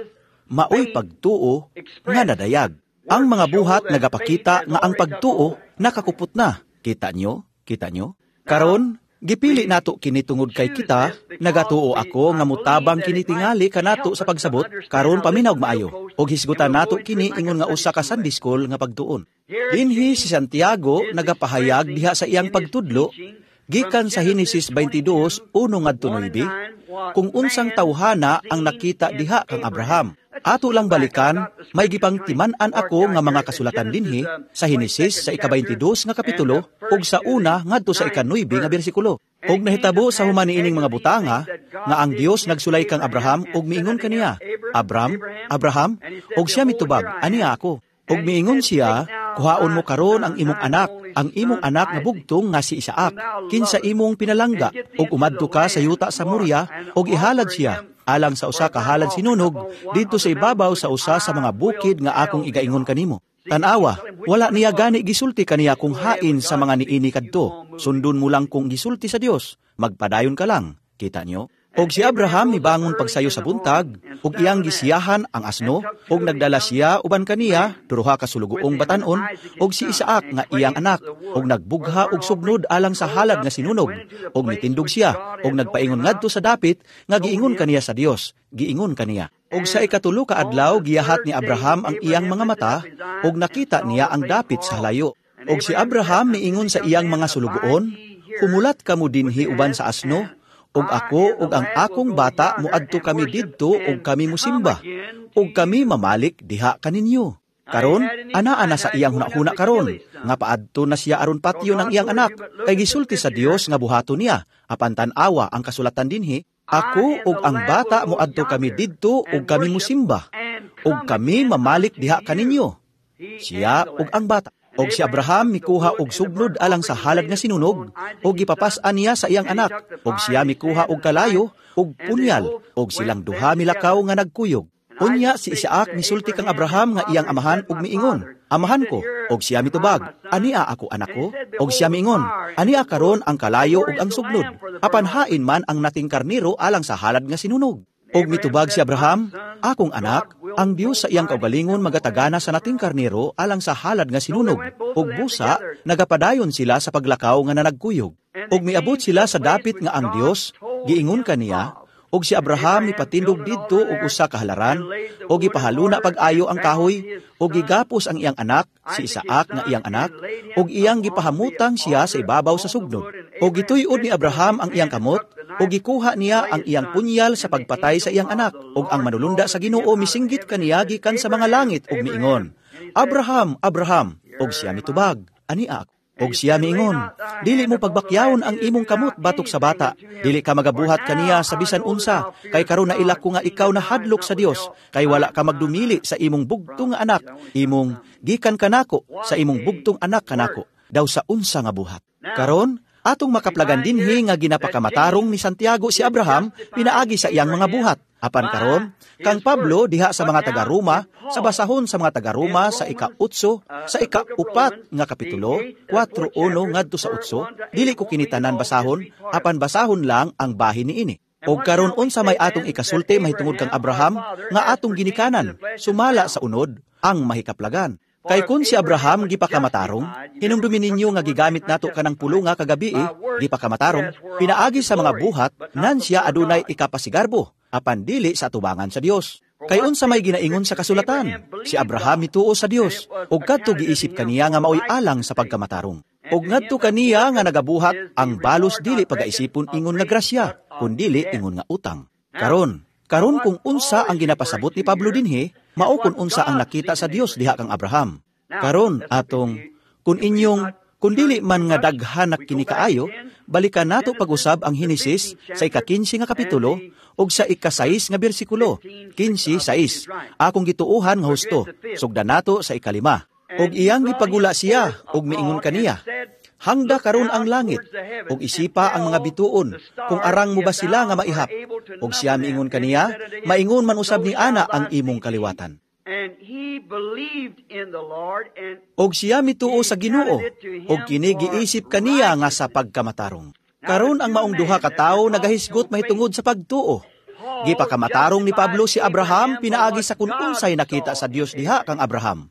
maoy pagtuo nga nadayag. Ang mga buhat nagapakita nga ang pagtuo nakakupot na. Kita nyo? Kita nyo? Karon, gipili nato kini tungod kay kita, nagatuo ako nga mutabang kini tingali kanato sa pagsabot, karon paminaw maayo, og hisgutan nato kini ingon nga usa ka Sunday school nga pagtuon. Dinhi si Santiago nagapahayag diha sa iyang pagtudlo, gikan sa Henesis twenty-two, uno ngadto nuebe, kung unsang tawhana ang nakita diha kang Abraham. Ato lang balikan, may gipangtiman-an ako nga mga kasulatan dinhi sa Henesis sa ika-twenty-two nga kapitulo ug sa una ngadto sa ika-nuebe nga bersikulo. Ug nahitabo sa human niining mga butanga nga ang Dios nagsulay kang Abraham ug miingon kaniya, "Abram, Abraham," ug siya mitubag, "Aniya ako." Ug miingon siya, "Kuhaon mo karon ang imong anak, ang imong anak nga bugtong nga si Isaac, kinsa imong pinalangga, ug umadto ka sa yuta sa Moria, ug ihalad siya alang sa usa ka halad sinunog didto sa ibabaw sa usa sa mga bukid nga akong igaingon kanimo." Tan-awa, wala niya gani gisulti kaniya kung hain sa mga niini kadto. Sundon mo lang kung gisulti sa Dios, magpadayon ka lang. Kita nyo? Og si Abraham mibangon pagsayo sa buntag, ug iyang gisiyahan ang asno, ug nagdala siya uban kaniya duha ka sulugoong batan-on, ug si Isaac nga iyang anak, ug nagbugha og sugnod alang sa halad nga sinunog, ug mitindog siya, ug nagpaingon ngadto sa dapit nga giingon kaniya sa Dios, giingon kaniya. Ug sa ikatulo ka adlaw giyahat ni Abraham ang iyang mga mata, ug nakita niya ang dapit sa halayo. Ug si Abraham miingon sa iyang mga sulugoon, "Humulat kamo dinhi uban sa asno, Ug ako ug ang akong bata moadto kami didto ug kami mosimba. Ug kami mamalik diha kaninyo. Karon, anaa na sa iyang hunahuna karon, nga paadto na siya aron patyon ang iyang anak, kay gisulti sa Dios nga buhaton niya, apan tan-awa ang kasulatan dinhi, ako ug ang bata moadto kami didto ug kami mosimba, ug kami mamalik diha kaninyo. Siya ug ang bata. Og si Abraham mikuha og sugnod alang sa halad nga sinunog, ug gipapas-an niya sa iyang anak, ug siya mikuha og kalayo ug punyal, ug silang duha milakaw nga nagkuyog. Unya si Isaac misulti kang Abraham nga iyang amahan ug miingon, "Amahan ko." Og siya mitubag, "Ania ako, anak ko?" Og siya miingon, "Ania karon ang kalayo ug ang sugnod, apan hain man ang nating karniro alang sa halad nga sinunog?" Og mitubag si Abraham, "Akong anak, ang Dios sa iyang kaugalingon magatagana sa nating karniro alang sa halad nga sinunog." Ug busa nagapadayon sila sa paglakaw nga nanagkuyog. Ug miabot sila sa dapit nga ang Dios giingon kaniya, og si Abraham mipatindog didto og usa ka halaran, og gipahaluna pag-ayo ang kahoy, og gigapos ang iyang anak, si Isaac nga iyang anak, og iyang gipahamutang siya sa ibabaw sa sugnod. Og gituy-od ni Abraham ang iyang kamot, og gikuha niya ang iyang punyal sa pagpatay sa iyang anak, og ang manulunda sa Ginoo misinggit kaniya gikan sa mga langit og miingon, "Abraham, Abraham!" Og siya mitubag, "Ania ako." Og siya miingon, "Dili mo pagbakyawon ang imong kamot batok sa bata. Dili ka magabuhat kaniya sa bisan unsa, kay karon nailak ko nga ikaw nahadlok sa Dios, kay wala ka magdumili sa imong bugtong nga anak, imong gikan kanako sa imong bugtong anak kanako, daw sa unsa nga buhat." Karon, atong makaplagan dinhi nga ginapakamatarong ni Santiago si Abraham pinaagi sa iyang mga buhat. Apan karon, kang Pablo diha sa mga taga-Roma, sa basahon sa mga taga-Roma sa ika-otso, sa ika-upat nga kapitulo, kwatro uno ngadto sa otso, dili ko kinitanan basahon, apan basahon lang ang bahin niini. Og karon unsa may atong ikasulti mahitungod kang Abraham nga atong ginikanan, sumala sa unod ang mahikaplagan. Kay kun si Abraham gipakamatarong, hinumdumi ninyo nga gigamit nato kanang pulunga kagabi, gipakamatarong, pinaagi sa mga buhat, nan siya adunay ikapasigarbo, apan dili sa atubangan sa Dios. Kay unsa may ginaingon sa kasulatan, si Abraham mituo sa Dios, ug kadto giisip kaniya nga maoy alang sa pagkamatarong. Ug ngadto kaniya nga nagabuhat, ang balos dili pagaisipon ingon nga grasya, kundili ingon nga utang. Karon, karon kung unsa ang ginapasabot ni Pablo dinhi, mao kun unsa ang nakita sa Dios diha kang Abraham. Karon atong kun inyong kun dili man nga daghan na kini kaayo, balikan nato pag-usab ang Henesis sa ika-kinse nga kapitulo ug sa ika-sais nga bersikulo, kinse sais. Akong gituohan nga husto, sugdan nato sa ikalima. Ug iyang gipagula siya ug miingon kaniya, "Hangda karon ang langit, ug isipa ang mga bituon, kung arang mo ba sila nga maihap." Ug siya miingon kaniya, "Maingon man usab ni ana ang imong kaliwatan." Og siya mituo sa Ginoo, ug kini giisip kaniya nga sa pagkamatarong. Karon ang maong duha ka tawo nagahisgot mahitungod sa pagtuo. Gipakamatarong ni Pablo si Abraham pinaagi sa kun unsay nakita sa Dios diha kang Abraham.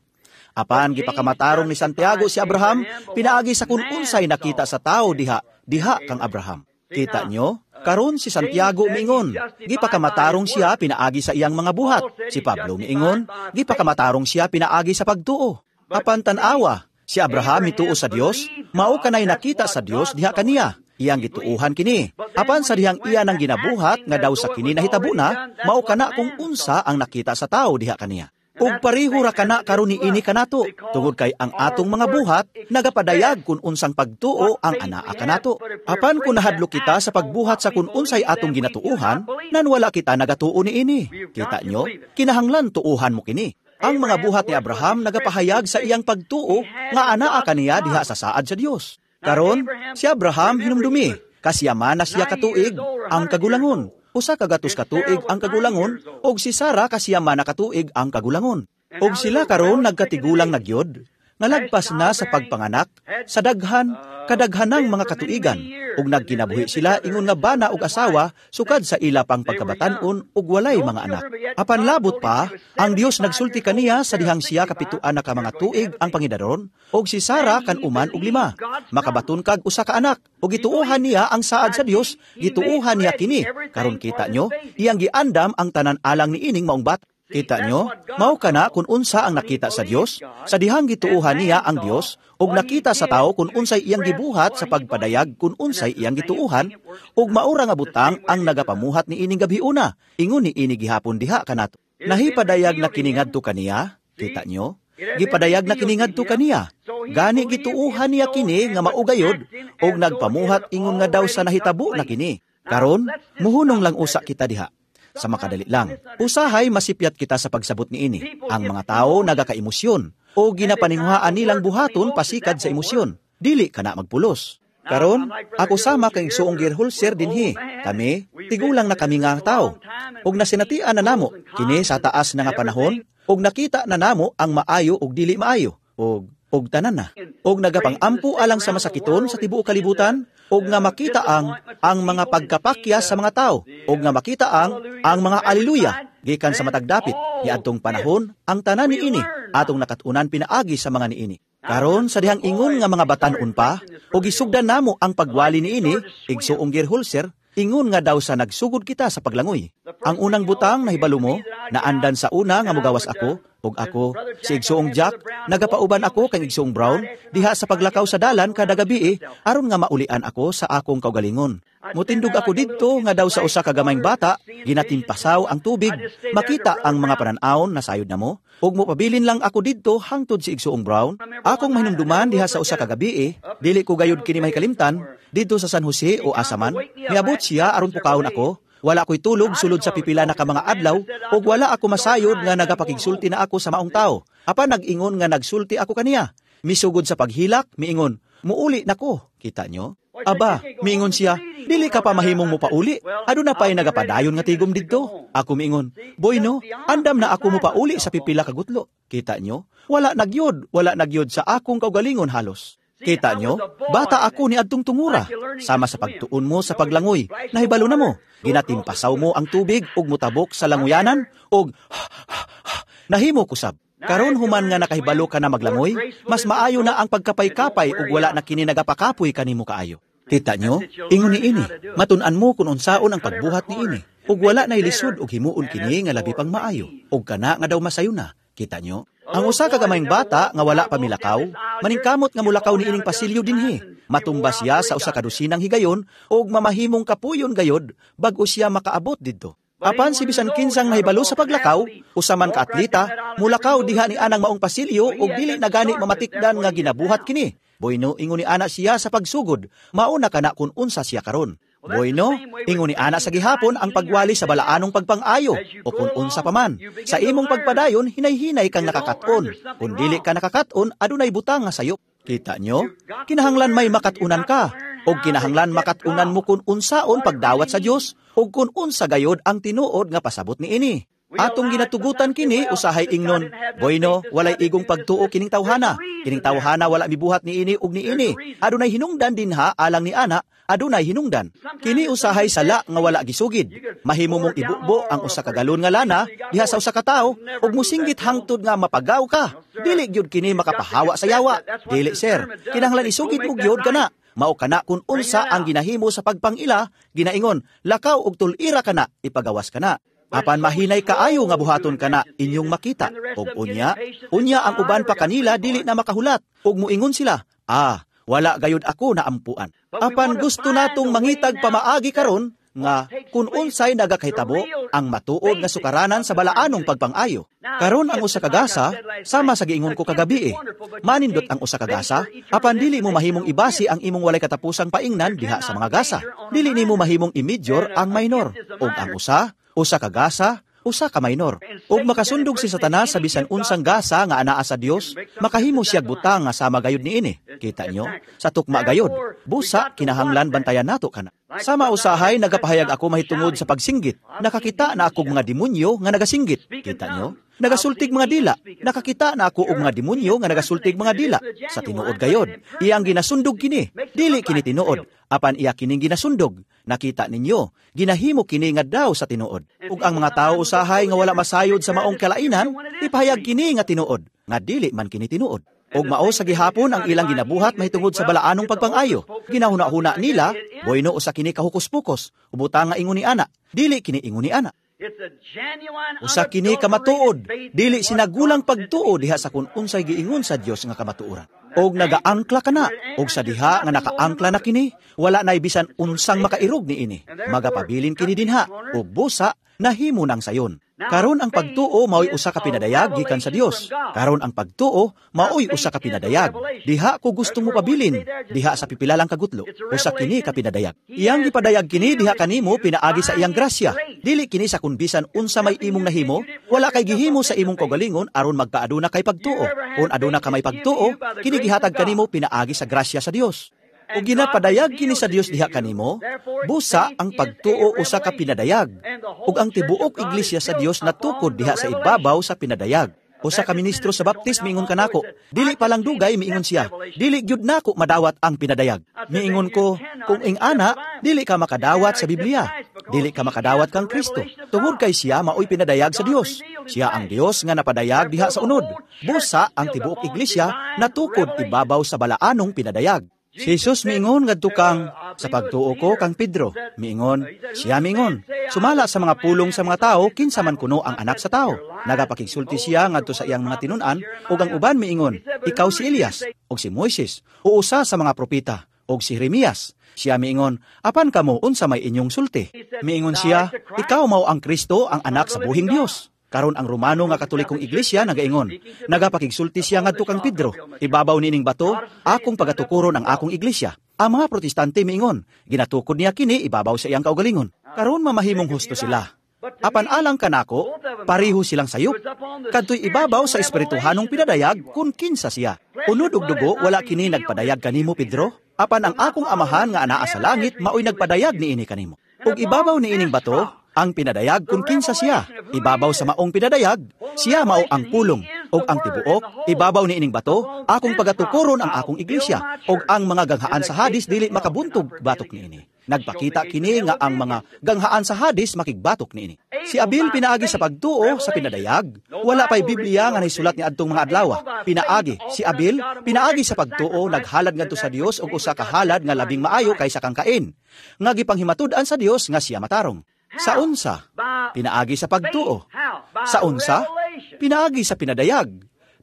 Apan gipakamatarong ni Santiago si Abraham pinaagi sa kun unsay nakita sa tao diha diha kang Abraham. Kita nyo? Karon si Santiago miingon, gipakamatarong siya pinaagi sa iyang mga buhat. Si Pablo miingon, gipakamatarong siya pinaagi sa pagtuo. Apan tan-awa, si Abraham mituo sa Dios, mao kanay nakita sa Dios diha kaniya. Iyang gituohan kini. Apan sa dihang iya nang ginabuhat nga daw sa kini nahitabo na, mao kana kung unsa ang nakita sa tao diha kaniya. Ug pareho ra kana karon niini kanato, tungod kay ang atong mga buhat nagapadayag kun unsang pagtuo ang anaa kanato. Apan kun nahadlok kita sa pagbuhat sa kun unsay atong ginatuohan, nan wala kita nagatuo niini. Kita nyo, kinahanglan tuohan mo kini. Ang mga buhat ni Abraham nagapahayag sa iyang pagtuo nga anaa kaniya diha sa saad sa Dios. Karon, si Abraham hinumdumi, kasiyaman na siya katuig ang kagulangon. Usa ka gatos katuig ang kagulangon, og si Sara kasiyaman na katuig ang kagulangon. Og sila karon nagkatigulang na gyud, nga lagpas na sa pagpanganak, sa daghan, kadaghanang mga katuigan, ug nagkinabuhi sila ingon nga bana og asawa sukad sa ila pang pagkabatan-on ug walay mga anak. Apan labot pa, ang Dios nagsulti kaniya sa dihang siya kapituan na ka mga tuig ang pangidaron, og si Sara kan uman og lima. Makabaton kag usa ka anak, ug gituohan niya ang saad sa Dios, gituohan niya kini. Karon kita nyo, iyang giandam ang tanan alang niining maong bata. Kita nyo, mao kana kung unsa ang nakita sa Dios, sa dihang gituuhan niya ang Dios, ug nakita sa tao kung unsay iyang gibuhat sa pagpadayag kung unsay iyang gituuhan, ug maura nga butang ang nagapamuhat ni ining gabhiuna, ingon ni ini gihapon diha kanato. Nahipadayag na kini ngadto kaniya, kita nyo? Gipadayag na kini ngadto kaniya. Gani gituuhan niya kini nga mao gayod, ug nagpamuhat ingon nga daw sa nahitabo na kini. Karon, muhunong lang usa kita diha. Sa makadali lang, usahay masipyat kita sa pagsabot niini. Ang mga tao nagakaemosyon o ginapaninguhaan nilang buhaton pasikad sa emosyon. Dili ka na magpulos. Karon, ako sama kang igsuong Gerholser dinhi. Kami, tigulang na kami nga tao. Ug nasinatian na namo, kini sa taas na nga panahon, ug nakita na namo ang maayo ug dili maayo, ug og tanan na. Og nagapang-ampo alang sa masakiton sa tibuok kalibutan, og nga makita ang ang mga pagkapakya sa mga tao, og nga makita ang ang mga aliluya gikan sa matag dapit niadtong panahon ang tanan niini atong nakat-unan pinaagi sa mga niini. Karon sa dihang ingon nga mga batan-on pa, og gisugdan namo ang pagwali niini, igsuong Gerholser, ingon nga daw sa nagsugod kita sa paglangoy. Ang unang butang nahibalo mo, naandan sa una nga mogawas ako, ug ako, si Igsuong Jack, nagapauban ako kang Igsuong Brown, diha sa paglakaw sa dalan kada gabi, aron nga maulian ako sa akong kaugalingon. Mutindog ako didto nga daw sa usa ka gamayng bata, ginatimpasaw ang tubig, makita ang mga panan-awon na sayod namo, ug mopabilin lang ako didto hangtod si Igsuong Brown. Akong mahinumduman diha sa usa ka gabi, dili ko gayud kini mahikalimtan, didto sa San Jose o asa man, niabot siya aron pukawon ako. Wala ako'y tulog sulod sa pipila na ka mga adlaw, ug wala ako masayod nga nagapakigsulti na ako sa maong tao. Apan nag-ingon nga nagsulti ako kaniya. Misugod sa paghilak, miingon, muuli nako. Kita nyo? Aba, miingon siya, dili ka pa mahimong mopauli. Aduna pa'y nagapadayon nga tigom didto. Ako miingon, boy no, andam na ako mopauli sa pipila kagutlo. Kita nyo? Wala nagyod, wala nagyod sa akong kaugalingon halos. Kita nyo, bata ako ni adtong tungura. Sama sa pagtuon mo sa paglangoy, nahibalo na mo. Ginatimpasaw mo ang tubig ug mutabok sa languyanan ug nahimo kusab. Karon human nga nakahibalo ka na maglangoy, mas maayo na ang pagkapay-kapay ug wala na kini nagapakapoy kanimo kaayo. Kita nyo, ingon ni ini, matun-an mo kung unsaon ang pagbuhat ni ini, ug wala na ilisod ug himuon kini nga labi pang maayo, ug kana nga daw masayo na. Kita nyo? Ang usa ka gamayng bata nga wala pa milakaw, maningkamot nga mulakaw niining pasilyo dinhi. Matumba siya sa usa ka dosinang higayon ug mamahimong kapuyon gayod bag-o siya makaabot didto. Apan si bisan kinsang nahibalo sa paglakaw, usa man ka atleta, mulakaw diha ni anang maong pasilyo ug dili na gani mamatikdan nga ginabuhat kini. Boyno, ingon ni ana siya sa pagsugod, mauna kana kun unsa siya karon. Boyno, ingon ni ana sa gihapon ang pagwali sa balaanong pagpang-ayo o kung unsa paman. Sa imong pagpadayon, hinay-hinay kang nakakaton. Kung dili ka nakakaton, adunay butang nga sayop. Kita nyo? Kinahanglan may makatunan ka. O kinahanglan makatunan mo kung unsaon pagdawat sa Dios o kung unsa gayod ang tinuod nga pasabot niini. Atong ginatugutan kini usahay ingnon, boyno, walay igong pagtuo kining tawhana. Kining tawhana wala mibuhat niini ug niini. Adunay hinungdan dinha alang ni ana, adunay hinungdan. Kini usahay sala nga wala gisugid. Mahimo mong ibubo ang usa ka galon nga lana diha sa usa ka tawo ug mosinggit hangtod nga mapagaw ka. Dili gyud kini makapahawa sa yawa. Dili sir, kinahanglan isugid mo gyud kana. Mao kana kun unsa ang ginahimo sa pagpangila, ginaingon, lakaw og tul-ira kana, ipagawas kana. Apan mahinay kaayo nga buhaton kana inyong makita. Og unya, unya ang uban pa kanila dili na makahulat. Og muingon sila, ah, wala gayud ako na ampuan. Apan gusto natong mangitag pamaagi karon nga kun unsay nagakahitabo ang matuod nga sukaranan sa balaanong pagpangayo. Karon ang usa ka gasa, sama sa giingon ko kagabi eh. Manindot ang usa ka gasa, apan dili mo mahimong ibasi ang imong walay katapusang paingnan diha sa mga gasa. Dili nimo mahimong i-major ang minor. Og ang usa, usa ka gasa, usa ka minor. Ug makasundog si Satanas sa bisan unsang gasa nga anaa sa Dios, makahimo siyag butang nga sama gayud niini. Kita nyo? Sa tukma gayud. Busa, kinahanglan bantayan nato kana. Sama usahay, nagapahayag ako mahitungod sa pagsinggit. Nakakita na ako mga demonyo nga nagasinggit. Kita nyo? Nagasultig mga dila. Nakakita na ako og mga demonyo nga nagasultig mga dila. Sa tinuod gayod, iyang ginasundog kini. Dili kini tinuod, apan iya kining ginasundog. Nakita ninyo, ginahimo kini nga daw sa tinuod. Ug ang mga tao usahay nga wala masayod sa maong kalainan, ipahayag kini nga tinuod, nga dili man kini tinuod. Og mao sa gihapon ang ilang ginabuhat mahitungod sa balaanong pagpangayo. Ginahuna-huna nila, boyno usa kini kahukus-pukos, ubutang nga ingon ni ana, dili kini ingon ni ana. Usa kini kamatuod, dili sinagulang pagtuo diha sa kun unsay giingon sa Dios nga kamatuoran. Og nagaangkla kana, og sa diha nga nakaangkla na kini, wala nay bisan unsang makairog niini. Magapabilin kini dinha, og busa nahimo nang sayon. Karon ang pagtuo mao'y usa ka pinadayag gikan sa Dios. Karon ang pagtuo mao'y usa ka pinadayag. Diha ko gustong mopabilin, diha sa pipila lang kagutlo, usa kini ka pinadayag. Iyang gipadayag kini diha kanimo pinaagi sa iyang grasya. Dili kini sa kun bisan unsa may imong nahimo, wala kay gihimo sa imong kaugalingon aron magkaaduna kay pagtuo. Kun aduna ka may pagtuo, kini gihatag kanimo pinaagi sa grasya sa Dios. O ginapadayag kini sa Dios diha kanimo, busa ang pagtuo usa ka pinadayag. Ug ang tibuok iglesia sa Dios natukod diha sa ibabaw sa pinadayag. Usa ka ministro sa Baptist miingon kanako, dili pa lang dugay miingon siya, dili gyud nako madawat ang pinadayag. Miingon ko, kung ing-ana, dili ka makadawat sa Biblia, dili ka makadawat kang Kristo. Tungod kay siya maoy pinadayag sa Dios. Siya ang Dios nga napadayag diha sa unod. Busa ang tibuok iglesia natukod ibabaw sa balaanong pinadayag. Si Jesus miingon ngadto kang sa pagtuo ko kang Pedro. Miingon, siya miingon, sumala sa mga pulong sa mga tao kinsa man kuno ang anak sa tao. Nagapakigsulti siya ngadto sa iyang mga tinun-an ug ang uban miingon, ikaw si Elias ug si Moises o usa sa mga propeta ug si Jeremias. Siya miingon, apan kamo unsa may inyong sulti? Miingon siya, ikaw mao ang Kristo, ang anak sa buhing Dios. Karon ang Romano nga Katolikong Iglesia nagaingon, nagapakigsulti siya ngadto kang Pedro, ibabaw nining bato, akong pagatukuron ang akong iglesia. Ang mga Protestante miingon, ginatukod niya kini ibabaw sa iyang kaugalingon. Karon mamahimong husto sila. Apan alang kanako, pareho silang sayop. Kadto'y ibabaw sa espirituhanong pinadayag kung kinsa siya. Unod og dugo, wala kini nagpadayag kanimo, Pedro. Apan ang akong amahan nga anaa sa langit maoy nagpadayag niini kanimo. Ug ibabaw niining bato, ang pinadayag kung kinsa siya. Ibabaw sa maong pinadayag, siya mao ang pulong. Og ang tibuok, ibabaw niining bato, akong pagatukuron ang akong iglesia. Og ang mga ganghaan sa Hadis dili makabuntog batok niini. Nagpakita kini nga ang mga ganghaan sa Hadis makigbatok niini. Si Abil pinaagi sa pagtuo sa pinadayag. Wala pa'y Biblia nga naisulat ni adtong mga adlaw. Pinaagi si Abil pinaagi sa pagtuo naghalad ngadto sa Dios og usa ka halad nga labing maayo kaysa kang Cain, nga gipanghimatud-an sa Dios nga siya matarong. Sa unsa? Pinaagi sa pagtuo. Sa unsa? Pinaagi sa pinadayag.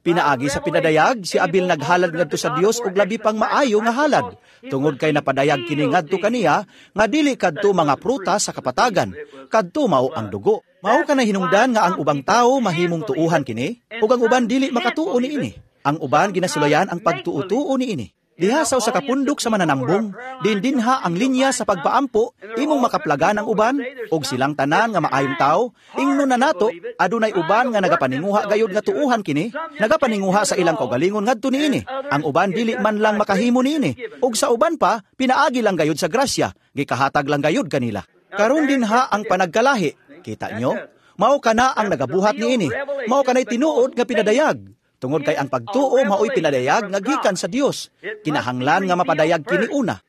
Pinaagi sa pinadayag, si Abil naghalad ngadto sa Dios og labi pang maayo nga halad. Tungod kay napadayag kini ngadto kaniya nga dili kadto mga prutas sa kapatagan, kadto mao ang dugo. Mao kanay hinungdan nga ang ubang tawo mahimong tuuhan kini ug ang uban dili makatuo niini. Ang uban ginasulayan ang pagtuo-tuo niini. Diha sa usa ka pundok sa mananambong, din dinha ang linya sa pagpaampo, imong makaplagan ang uban, og silang tanan nga maayong tawo, ingnon na nato, adunay uban nga nagapaninguha gayud nga tuuhan kini, nagapaninguha sa ilang kaugalingon ngadto niini. Ang uban dili man lang makahimo niini, ug sa uban pa, pinaagi lang gayud sa grasya, gikahatag lang gayud kanila. Karon dinha ang panagkalahi, kita nyo? Mao kana ang nagabuhat niini, mao kanay tinuod nga pinadayag. Tungod kay ang pagtuo mao'y pinadayag nga gikan sa Dios. Kinahanglan nga mapadayag kini una.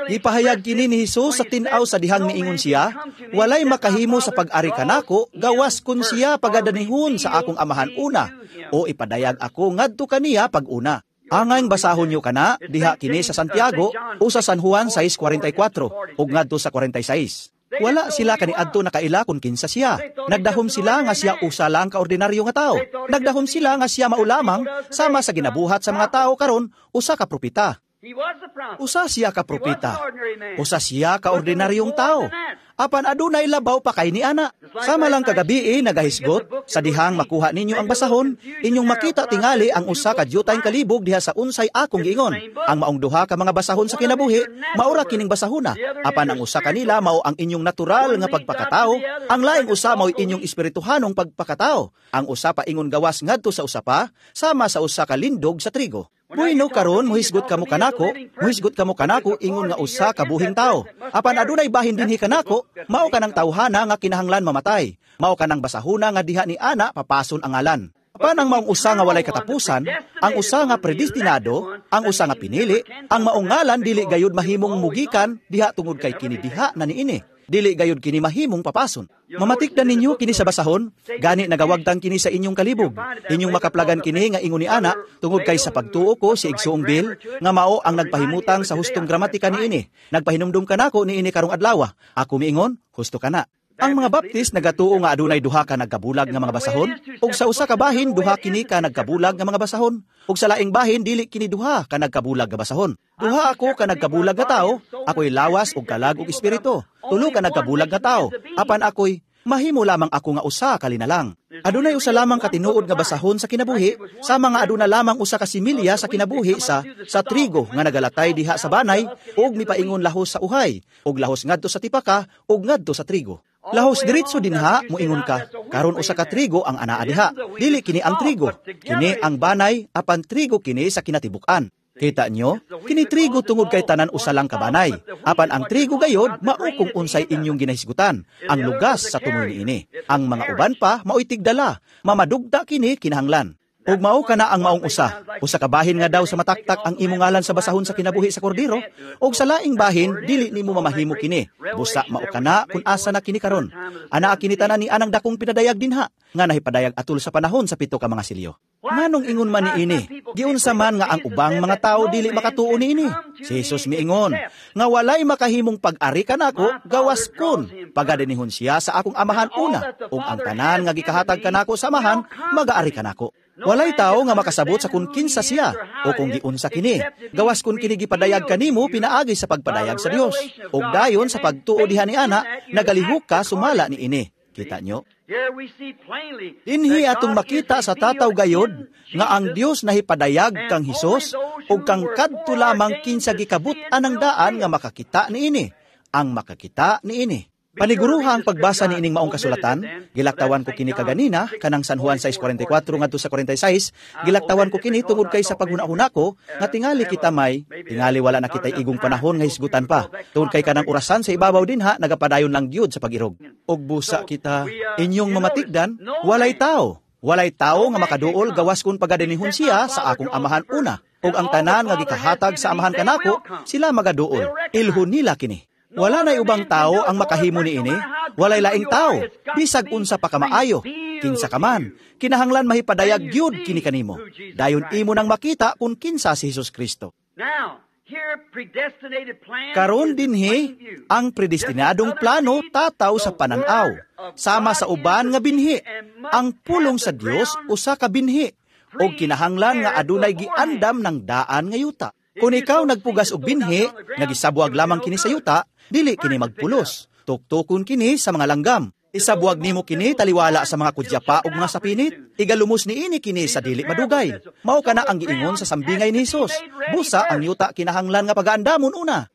Gipahayag kini ni Hesus sa tin-aw sa dihang miingon siya, walay makahimo sa pag-ari kanako gawas kun siya pagadanihon sa akong amahan una o ipadayag ako ngadto kaniya pag-una. Angayng basahon niyo kana diha kini sa Santiago o sa San Juan sais kwarenta y kwatro ug ngadto sa kwarenta y sais. Wala sila kaniadto nakaila kung kinsa siya. Nagdahom sila nga siya usa lang ka ordinaryo nga tao. Nagdahom sila nga siya mao lamang sama sa ginabuhat sa mga tao karon usa ka propeta. Usa siya ka propeta. Usa siya ka ordinaryong tao. Apan adunay labaw pa kay ni ana. Sama lang kagabi eh, nagahisgot, sa dihang makuha ninyo ang basahon, inyong makita tingali ang usa ka dyutay kalibog diha sa unsay akong giingon. Ang maong duha ka mga basahon sa kinabuhi, maura kining basahona. Apan ang usa kanila mao ang inyong natural nga pagpakatao, ang laing usa mao'y inyong espirituhanong pagpakatao. Ang usa pa ingon gawas ngadto sa usa pa, sama sa usa ka lindog sa trigo. Bueno, karon muhisgot kamo kanako, muhisgot kamo kanako ingon nga usa ka buhing tao. Apan adunay bahin dinhi kanako, mao kanang tawhana nga kinahanglan mamatay. Mao kanang basahuna nga diha ni ana papason ang ngalan. Apan ang maong usa nga walay katapusan, ang usa nga predestinado, ang usa nga pinili, ang maong ngalan dili gayud mahimong mugikan diha tungod kay kini diha na niini. Dili gayud kini mahimong papason. Mamatikdan ninyo kini sa basahon, gani nagawagtang kini sa inyong kalibog. Inyong makaplagan kini nga ingon ni ana, tungod kay sa pagtuo ko si Igsoong Bill, nga mao ang nagpahimutang sa hustong gramatika niini. Nagpahinumdum kanako niini karong adlaw. Ako miingon, husto kana. Ang mga Baptist nagatuo nga adunay duha ka nagkabulag nga mga basahon, ug sa usa ka bahin duha kini ka nagkabulag nga mga basahon, ug sa laing bahin dili kini duha ka nagkabulag nga basahon. Duha ako ka nagkabulag nga tawo, ako'y lawas ug kalag ug espiritu. Tulo ka nagkabulag nga tawo, apan ako'y mahimo lamang ako nga usa ka linalang. Adunay usa lamang ka tinuod nga basahon sa kinabuhi, sama nga aduna lamang usa ka similya sa kinabuhi sa sa trigo nga nagalatay diha sa banay ug mipaingon lahos sa uhay, ug lahos ngadto sa tipaka ug ngadto sa trigo. Lahos diretso dinha moingon ka, karon usa ka trigo ang anaa diha. Dili kini ang trigo, kini ang banay apan trigo kini sa kinatibuk-an. Kita nyo? Kini trigo tungod kay tanan usa lang ka banay. Apan ang trigo gayod mao kung unsay inyong ginahisgutan, ang lugas sa tumoy niini. Ang mga uban pa maoy tigdala, mamadugta kini kinahanglan. Ug mao kana ang maong usa, usa ka bahin nga daw sa mataktak ang imong ngalan sa basahon sa kinabuhi sa kordero, ug sa laing bahin dili nimo mamahimo kini. Busa mao kana kun asa na kini karon. Anaa kini tanan ni anang dakong pinadayag dinha, nga nahipadayag atul sa panahon sa pito ka mga silyo. Nganong ingon man niini? Giunsa man nga ang ubang mga tao dili makatuo niini. Si Jesus miingon nga walay makahimong pag-ari kanako gawas kun pagadinihon siya sa akong amahan una, ug ang tanan nga gikahatag kanako sa amahan magaari kanako. Walay tao nga makasabot sa kung kinsa siya o kung giunsa kini. Gawas kun kini gipadayag kanimo pinaagi sa pagpadayag sa Dios. Ug dayon sa pagtuo diha ni ana, nagalihok ka sumala niini. Kita nyo? Dinhi atong makita sa tataw gayod nga ang Dios nahipadayag kang Hesus ug kang kadto lamang kinsa gikabut-an ang daan nga makakita niini. Ang makakita niini. Paniguruha ang pagbasa ni ining maong kasulatan, gilaktawan ko kini kaganina, kanang San Juan sais kwarenta y kwatro ngadto sa kwarenta y sais, gilaktawan ko kini tungod kay sa paghuna-huna ko, nga tingali kita may, tingali wala na kita'y igong panahon nga hisgutan pa, tungod kay kanang orasan sa ibabaw dinha, nagapadayon lang gyud sa pag-irog. Og busa kita, inyong mamatigdan, walay tao, walay tao nga makaduol gawas kun pagadinihon siya sa akong amahan una, ug ang tanan nga gikahatag sa amahan kanako, sila magaduol, ilhon nila kini. Wala na'y ubang tao ang makahimo niini, walay laing tao, bisag unsa pa kamaayo, kinsa ka man, kinahanglan mahipadayag gyud kini kanimo. Dayon imo nang makita kung kinsa si Hesus Kristo. Karon dinhi, ang predestinadong plano tataw sa pananaw, sama sa uban nga binhi. Ang pulong sa Dios usa ka binhi, og kinahanglan nga adunay giandam ng daan nga yuta. Kung ikaw nagpugas og binhi, nga gisabuag lamang kini sa yuta, dili kini magpulos. Tuktukon kini sa mga langgam. Isabuag nimo kini taliwala sa mga kudyapa ug mga sapinit. Igalumos niini kini sa dili madugay. Mao kana ang giingon sa sambingay ni Hesus. Busa ang yuta kinahanglan nga pagaandamon una.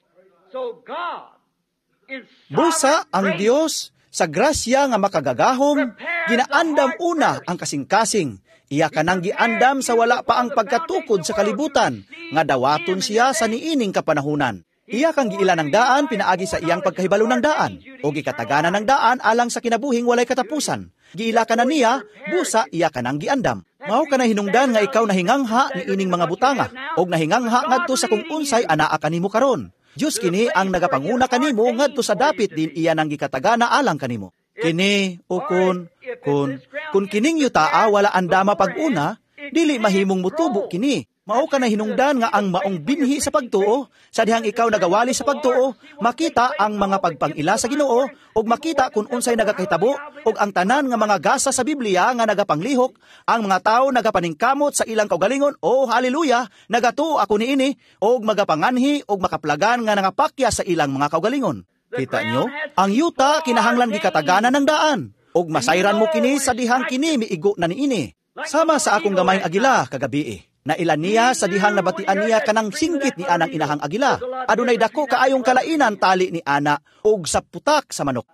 Busa ang Dios sa grasya nga makagagahom, ginaandam una ang kasing-kasing. Iya kanang giandam sa wala pa ang pagkatukod sa kalibutan, nga dawaton siya sa niining kapanahunan. Iya kang giila ng daan, pinaagi sa iyang pagkahibalo ng daan, o gikataganan ng daan alang sa kinabuhing walay katapusan. Giila ka na niya, busa iya kanang giandam. Mao ka na hinungdan nga ikaw nahingangha ni ining mga butanga, og nahingangha ngadto sa kung unsay anaa kanimo karon. Diyos kini ang nagapanguna kanimo ngadto sa dapit din iya nang gikatagana alang kanimo. Kini o kun, kun, kun kining yutaa wala andama pag-una, dili mahimong mutubo kini. Mao ka na hinungdan nga ang maong binhi sa pagtuo, sa dihang ikaw nagawali sa pagtuo, makita ang mga pagpangila sa Ginoo, ug makita kung unsay nagakahitabo, ug ang tanan nga mga gasa sa Biblia nga nagapanglihok, ang mga tao nagapaningkamot sa ilang kaugalingon, oh haleluya, nagatuo ako niini, ug magapanganhi ug makaplagan nga nangapakya sa ilang mga kaugalingon. Kita nyo? Ang yuta kinahanglan gikataganan ng daan, ug masayran mo kini sa dihang kini miigo na niini. Sama sa akong gamayng agila kagabi. Nailan niya sa dihang nabatian niya kanang singgit ni anang inahang agila. Adunay dako kaayong kalainan tali ni ana og sa putak sa manok.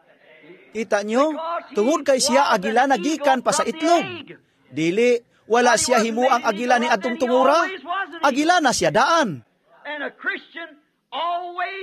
Kita nyo? Tungod kay siya agila nagikan pa sa itlog. Dili, wala siya himuang agila ni adtong tungura. Agila na siya daan.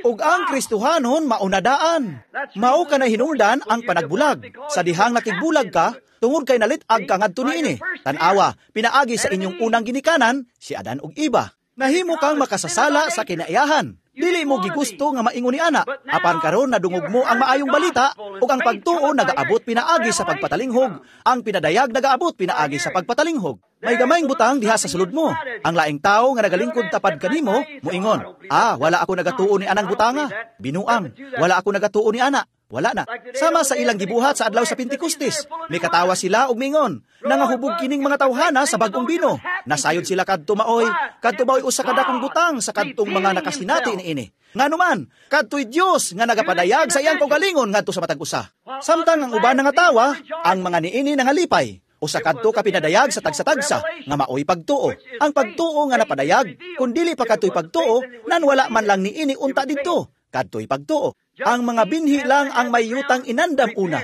Ug ang Kristohanon mauna daan. Mao ka na hinungdan ang panagbulag. Sa dihang nakigbulag ka, tungod kay nalit-ag ka ngadto niini. Tan-awa, pinaagi sa inyong unang ginikanan, si Adan ug Iba. Nahimo kang makasasala sa kinaiyahan. Dili mo gigusto nga maingon ni ana. Apan karon nadungog mo ang maayong balita ug ang pagtuo nagaabot pinaagi sa pagpatalinghog. Ang pinadayag nagaabot pinaagi sa pagpatalinghog. May gamayng butang diha sa sulod mo. Ang laing tao nga nagalingkod tapad kanimo, moingon, ah, wala ako nagatuo ni anang butanga. Binuang, wala ako nagatuo ni ana. Wala na. Sama sa ilang gibuhat sa adlaw sa Pentecostes. Mikatawa sila og mingon, nangahubog kining mga tawhana sa bagong bino. Nasayod sila kadto maoy, kadto maoy usa ka dakong butang sa kadtong mga nakasinati niini. Nganuman, kadto'y Dios nga nagapadayag sa iyang kaugalingon ngadto sa matag usa. Samtang ang uban nangatawa, ang mga niini nangalipay. Usa kadto ka pinadayag sa tagsa-tagsa nga maoy pagtuo. Ang pagtuo nga napadayag, kun dili pa kadto'y pagtuo, nan wala man lang niini unta didto. Kadto'y pagtuo. Ang mga binhi lang ang may yutang inandam una.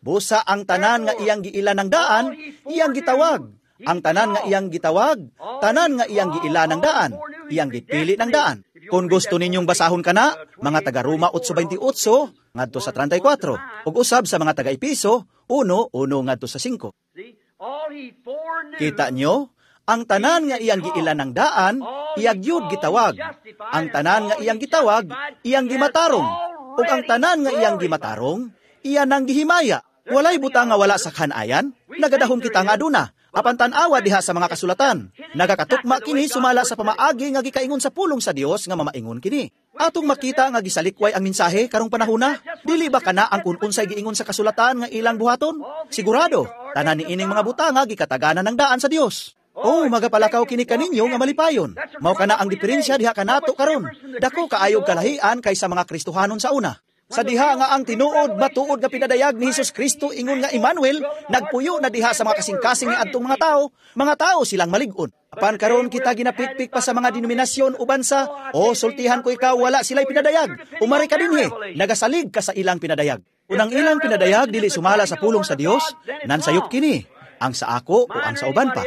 Busa ang tanan nga iyang giila ng daan, iyang gitawag. Ang tanan nga iyang gitawag, tanan nga iyang giila ng daan, iyang gipili ng daan. Kung gusto ninyong basahon kana, mga taga Roma eight twenty-eight ngadto sa thirty-four ug usab sa mga taga Epeso one one ngadto sa five. Kita nyo, ang tanan nga iyang giila ng daan, iyang gyud gitawag. Ang tanan nga iyang gitawag, iyang gimatarong. Ug ang tanan nga iyang gimatarong, iya nang gihimaya. Walay butang nga wala sa kanayan, nagadahom kita nga aduna. Apan tan-awa diha sa mga kasulatan. Nagakatukma kini sumala sa pamaagi nga gikaingon sa pulong sa Dios nga mamaingon kini. Atong makita nga gisalikway ang mensahe karong panahona, dili ba kana ang kun unsay giingon sa kasulatan nga ilang buhaton? Sigurado, tanan niining mga butanga gikataganan ng daan sa Dios. Oh, magapalakaw kini kaninyo nga malipayon. Mao kana ang diferensya diha kanato karon. Dako kaayog kalahian kaysa mga Kristohanon sa una. Sa diha nga ang tinuod matuod nga pinadayag ni Hesus Kristo ingon nga Emmanuel, nagpuyo na diha sa mga kasing-kasing ni adtong mga tao, mga tao silang malig-on. Apan karon kita ginapikpik pa sa mga denominasyon uban sa, "Oh, sultihan ko ikaw, wala sila'y pinadayag. Umari ka dinhi, nagasalig ka sa ilang pinadayag." Kung ang ilang pinadayag dili sumala sa pulong sa Dios, nansayop kini, ang sa ako o ang sa uban pa.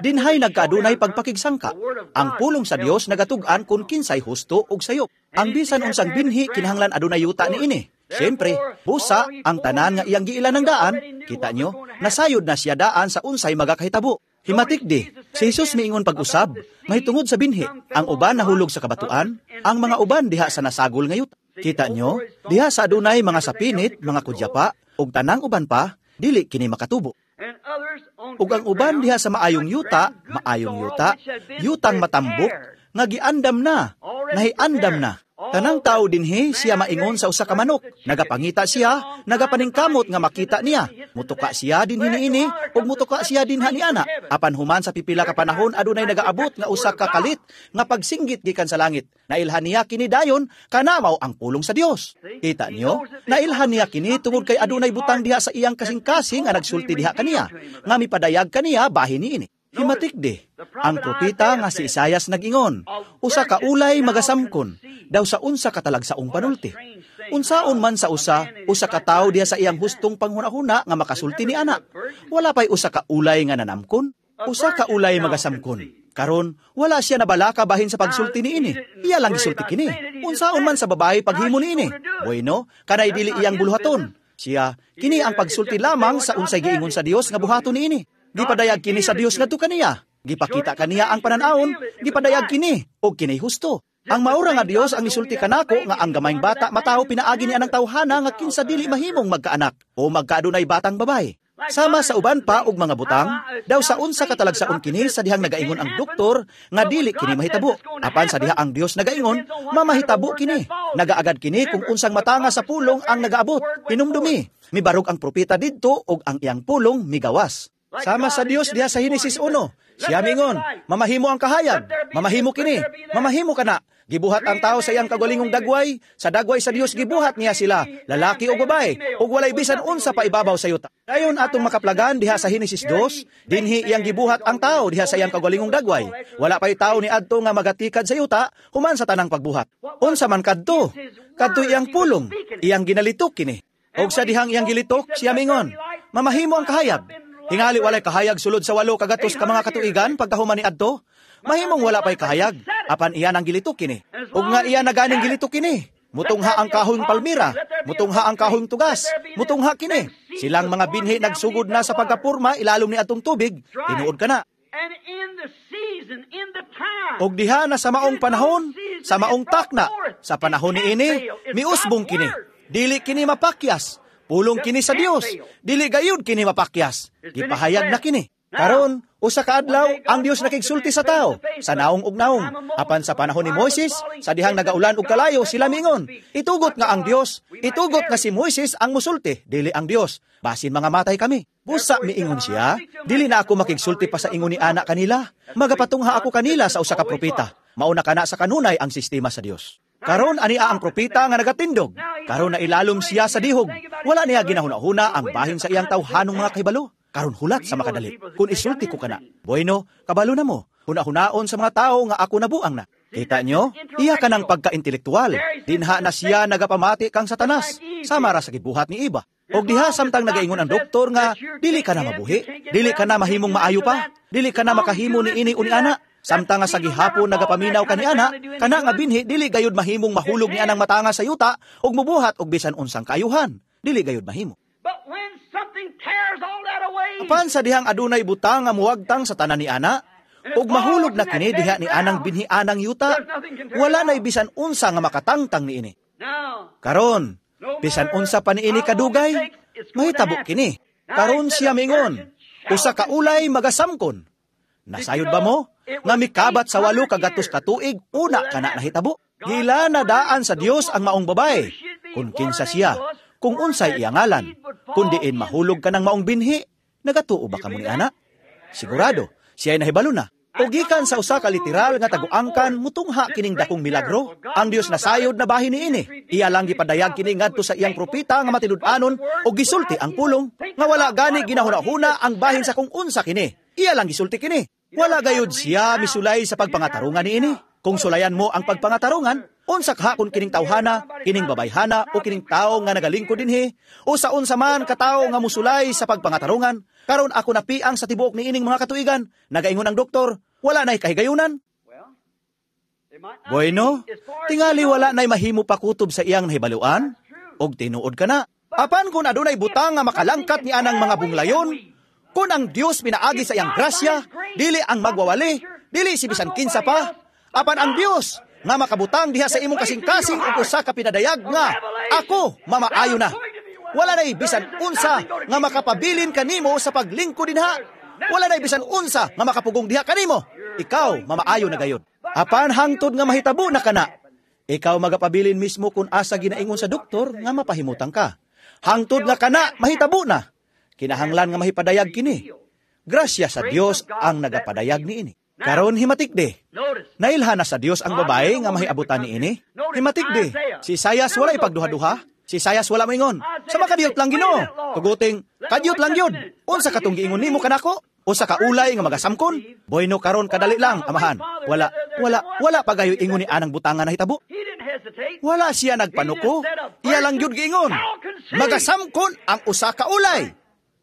Dinhay nagkaadunay pagpakigsangka. Ang pulong sa Dios nagatug-an kung kinsay husto ug sayop. Ang bisan unsang binhi kinahanglan adunay yuta niini. Siyempre, busa ang tanan nga iyang giila ng daan, kita nyo, nasayod na siya daan sa unsay magakahitabo. Himatik di, si Jesus miingon pag-usab, mahitungod sa binhi, ang uban nahulog sa kabatuan, ang mga uban diha sa nasagol nga yuta. Kita nyo, diha sa adunay mga sapinit, mga kudyapa, ug tanang uban pa, dili kini makatubo. Ug ang uban diha sa maayong yuta, maayong yuta, yutang matambok, nga giandam na, nahiandam na. Tanang tao dinhi siya maingon sa usa ka manok. Nagapangita siya, nagapaningkamot nga makita niya. Mutuka siya dinhi niini ug mutuka siya dinha ni ana. Apan human sa pipila ka panahon adunay nagaabot nga usa ka kalit nga pagsinggit gikan sa langit. Nailhan niya kini dayon, kana mao ang pulong sa Dios. Kita niyo, nailhan niya kini tungod kay adunay butang diha sa iyang kasing-kasing nga nagsulti diha kaniya, nga mipadayag kaniya bahin niini. Himatik di, ang propeta nga si Isayas nag-ingon, usa ka ulay magasamkon, daw sa unsa katalagsaong panulti. Unsaon man sa usa, usa ka tawo diha sa iyang hustong panghuna-huna nga makasulti ni ana. Wala pa'y usa ka ulay nga nanamkon, usa ka ulay magasamkon. Karon, wala siya nabalaka bahin sa pagsulti niini. Iya lang gisulti kini. Unsaon man sa babae paghimo niini. Bueno, kanay dili iyang buluhaton. Siya, kini ang pagsulti lamang sa unsay giingon sa Dios nga buhaton niini. Gipadayag kini sa Dios ngadto kaniya. Gipakita kaniya ang pananawon, gipadayag kini og kini husto. Ang maura nga Dios ang nisulti kanako nga ang gamayng bata matawo pinaagi ni anang tawhana nga kinsa dili mahimong magkaanak o magkaadunay batang babae. Sama sa uban pa og mga butang, daw sa unsa katalagsaon kini sa dihang nagaingon ang doktor nga dili kini mahitabo. Apan sa diha ang Dios nagaingon, mamahitabo kini. Nagaagad kini kung unsang matanga sa pulong ang nagaabot. Hinumdumi, mibarog ang propeta didto og ang iyang pulong migawas. Sama sa Dios diha sa Henesis one. Siya mingon, "Mamahimo ang kahayag, mamahimo kini, mamahimo kana." Gibuhat ang tao sa iyang kagalingong dagway, sa dagway sa Dios gibuhat niya sila, lalaki o babae, ug walay bisan unsa pa ibabaw sa yuta. Dayon atong makaplagan diha sa Henesis two, dinhi iyang gibuhat ang tao diha sa iyang kagalingong dagway. Wala pay tao ni adto nga magatikad sa yuta human sa tanang pagbuhat. Unsa man kadto? Kadto iyang pulong, iyang ginalitok kini. Og sa dihang iyang gilitok, siya mingon, "Mamahimo ang kahayag." Hingali walay kahayag sulod sa walo kagatos ka mga katuigan pagkahuman ni adto. Mahimong wala pa'y kahayag, apan iyan ang gilitok kini. Ug nga iya naganing gilitok kini. Mutungha ang kahoyng palmira, mutungha ang kahoyng tugas, mutungha kini. Silang mga binhi nagsugod na sa pagkapurma ilalom ni atong tubig, tinuod ka na. Og diha na sa maong panahon, sa maong takna, sa panahon niini, miusbong kini. Dili kini mapakyas. Pulong kini sa Dios, dili gayud kini mapakyas. Gipahayag na kini. Karon, usa ka adlaw, ang Dios nakigsulti sa tao, sa naong ug naong. Apan sa panahon ni Moises, sa dihang nagaulan og kalayo, sila mingon, itugot nga ang Dios, itugot nga si Moises ang musulti, dili ang Dios. Basin mga matay kami. Busa miingon siya, dili na ako makigsulti pa sa ingon ni ana kanila. Magapatungha ako kanila sa usa ka propeta. Mauna kana sa kanunay ang sistema sa Dios. Karon ania ang propeta nga nagatindog. Karon na ilalom siya sa dihog. Wala niya ginahuna-huna ang bahin sa iyang tawhanong mga kahibalo. Karon hulat sa makadali. Kung isulti ko kana, bueno, kabalo na mo. Huna-hunaon sa mga tao nga ako nabuang na. Kita nyo? Iya ka ng pagka-intelektual. Dinha na siya nagapamati kang Satanas. Sama ra sa gibuhat ni Iba. Og diha samtang nagaingon ang doktor nga dili ka na mabuhi, dili ka na mahimong maayo pa, dili ka na makahimo ni ini uni ana. Samtang nga sa gihapon nagapaminaw kani ana, kana nga binhi dili gayud mahimong mahulog ni anang matanga sa yuta ug mubuhat og bisan unsang kaayuhan. Dili gayud mahimo. But when something tears all that away, Apan sa dihang adunay butang nga muwagtang sa tanan ni ana, ug mahulog na kini diha ni anang binhi anang yuta, wala na'y bisan unsa nga makatangtang niini. now, Karon, bisan unsa pa niini kadugay, mahitabo kini. Karon siya mingon, usa ka ulay magasamkon. Nasayod ba mo? Nga mikabat sa walo kagatos katuig, una kana nahitabo. Gila na daan sa Dios ang maong babae. Kung kinsa siya, kung unsay iya ngalan, kung diin mahulog ka ng maong binhi, nagatuo ba kamo ni ana? Sigurado, siya'y nahibalo na. O gikan sa usa ka literal nga taguangkan mutungha kining dakong milagro. Ang Dios nasayod na bahin niini. Iya lang gipadayag kini ngadto sa iyang propeta nga matinud-anon o gisulti ang pulong nga wala gani ginahuna-huna ang bahin sa kung unsa kini. Iya lang gisulti kini. Wala gayud siya misulay sa pagpangatarungan niini. Kung sulayan mo ang pagpangatarungan, unsa kaha kung kining tawhana, kining babayhana o kining tawo nga nagalingkod dinhi, o sa unsa man katawo nga musulay sa pagpangatarungan, karon ako napiang sa tibuok niining mga katuigan, nagaingon ang doktor, wala na'y kahigayunan. well, there might not Bueno, be, as far as tingali you know. wala na'y mahimo pakutob sa iyang nahibaluan, og tinuod ka na. Apan kung adunay butang nga makalangkat ni anang mga bunglayon, kung ang Dios pinaagi sa iyang grasya, dili ang magwawali, dili si bisan kinsa pa, apan ang Dios nga makabutang diha sa imong kasing-kasing og usa ka pinadayag nga ako mamaayo na. Wala na'y bisan unsa nga makapabilin kanimo sa paglingkod dinha. Wala na'y bisan unsa nga makapugong diha kanimo. Ikaw mamaayo na gayud. Apan hangtod nga mahitabo na kana, ikaw magapabilin mismo kung asa ginaingon sa doktor nga mapahimutang ka. Hangtod nga kana mahitabo na. Kinahanglan nga mahipadayag kini. Grasya sa Dios ang nagapadayag niini. Karon himatikdi. Notice, Nailhan na sa Dios ang babae nga mahiabutan niini. Himatikdi. Si Isayas wala ipagduha-duha. Si Isayas wala moingon. Sa makadiyot lang Ginoo. Tuguting, kadiyot lang yun. Unsa katong giingon nimo kanako? Usa ka ulay nga magasamkon? Bueno karon kadali lang, amahan. Wala, wala, wala pa gayo ingon ni anang butangan na hitabo. he didn't hesitate. Wala siya nagpanuko. Iya lang yun giingon. Magasamkon ang usa ka ulay.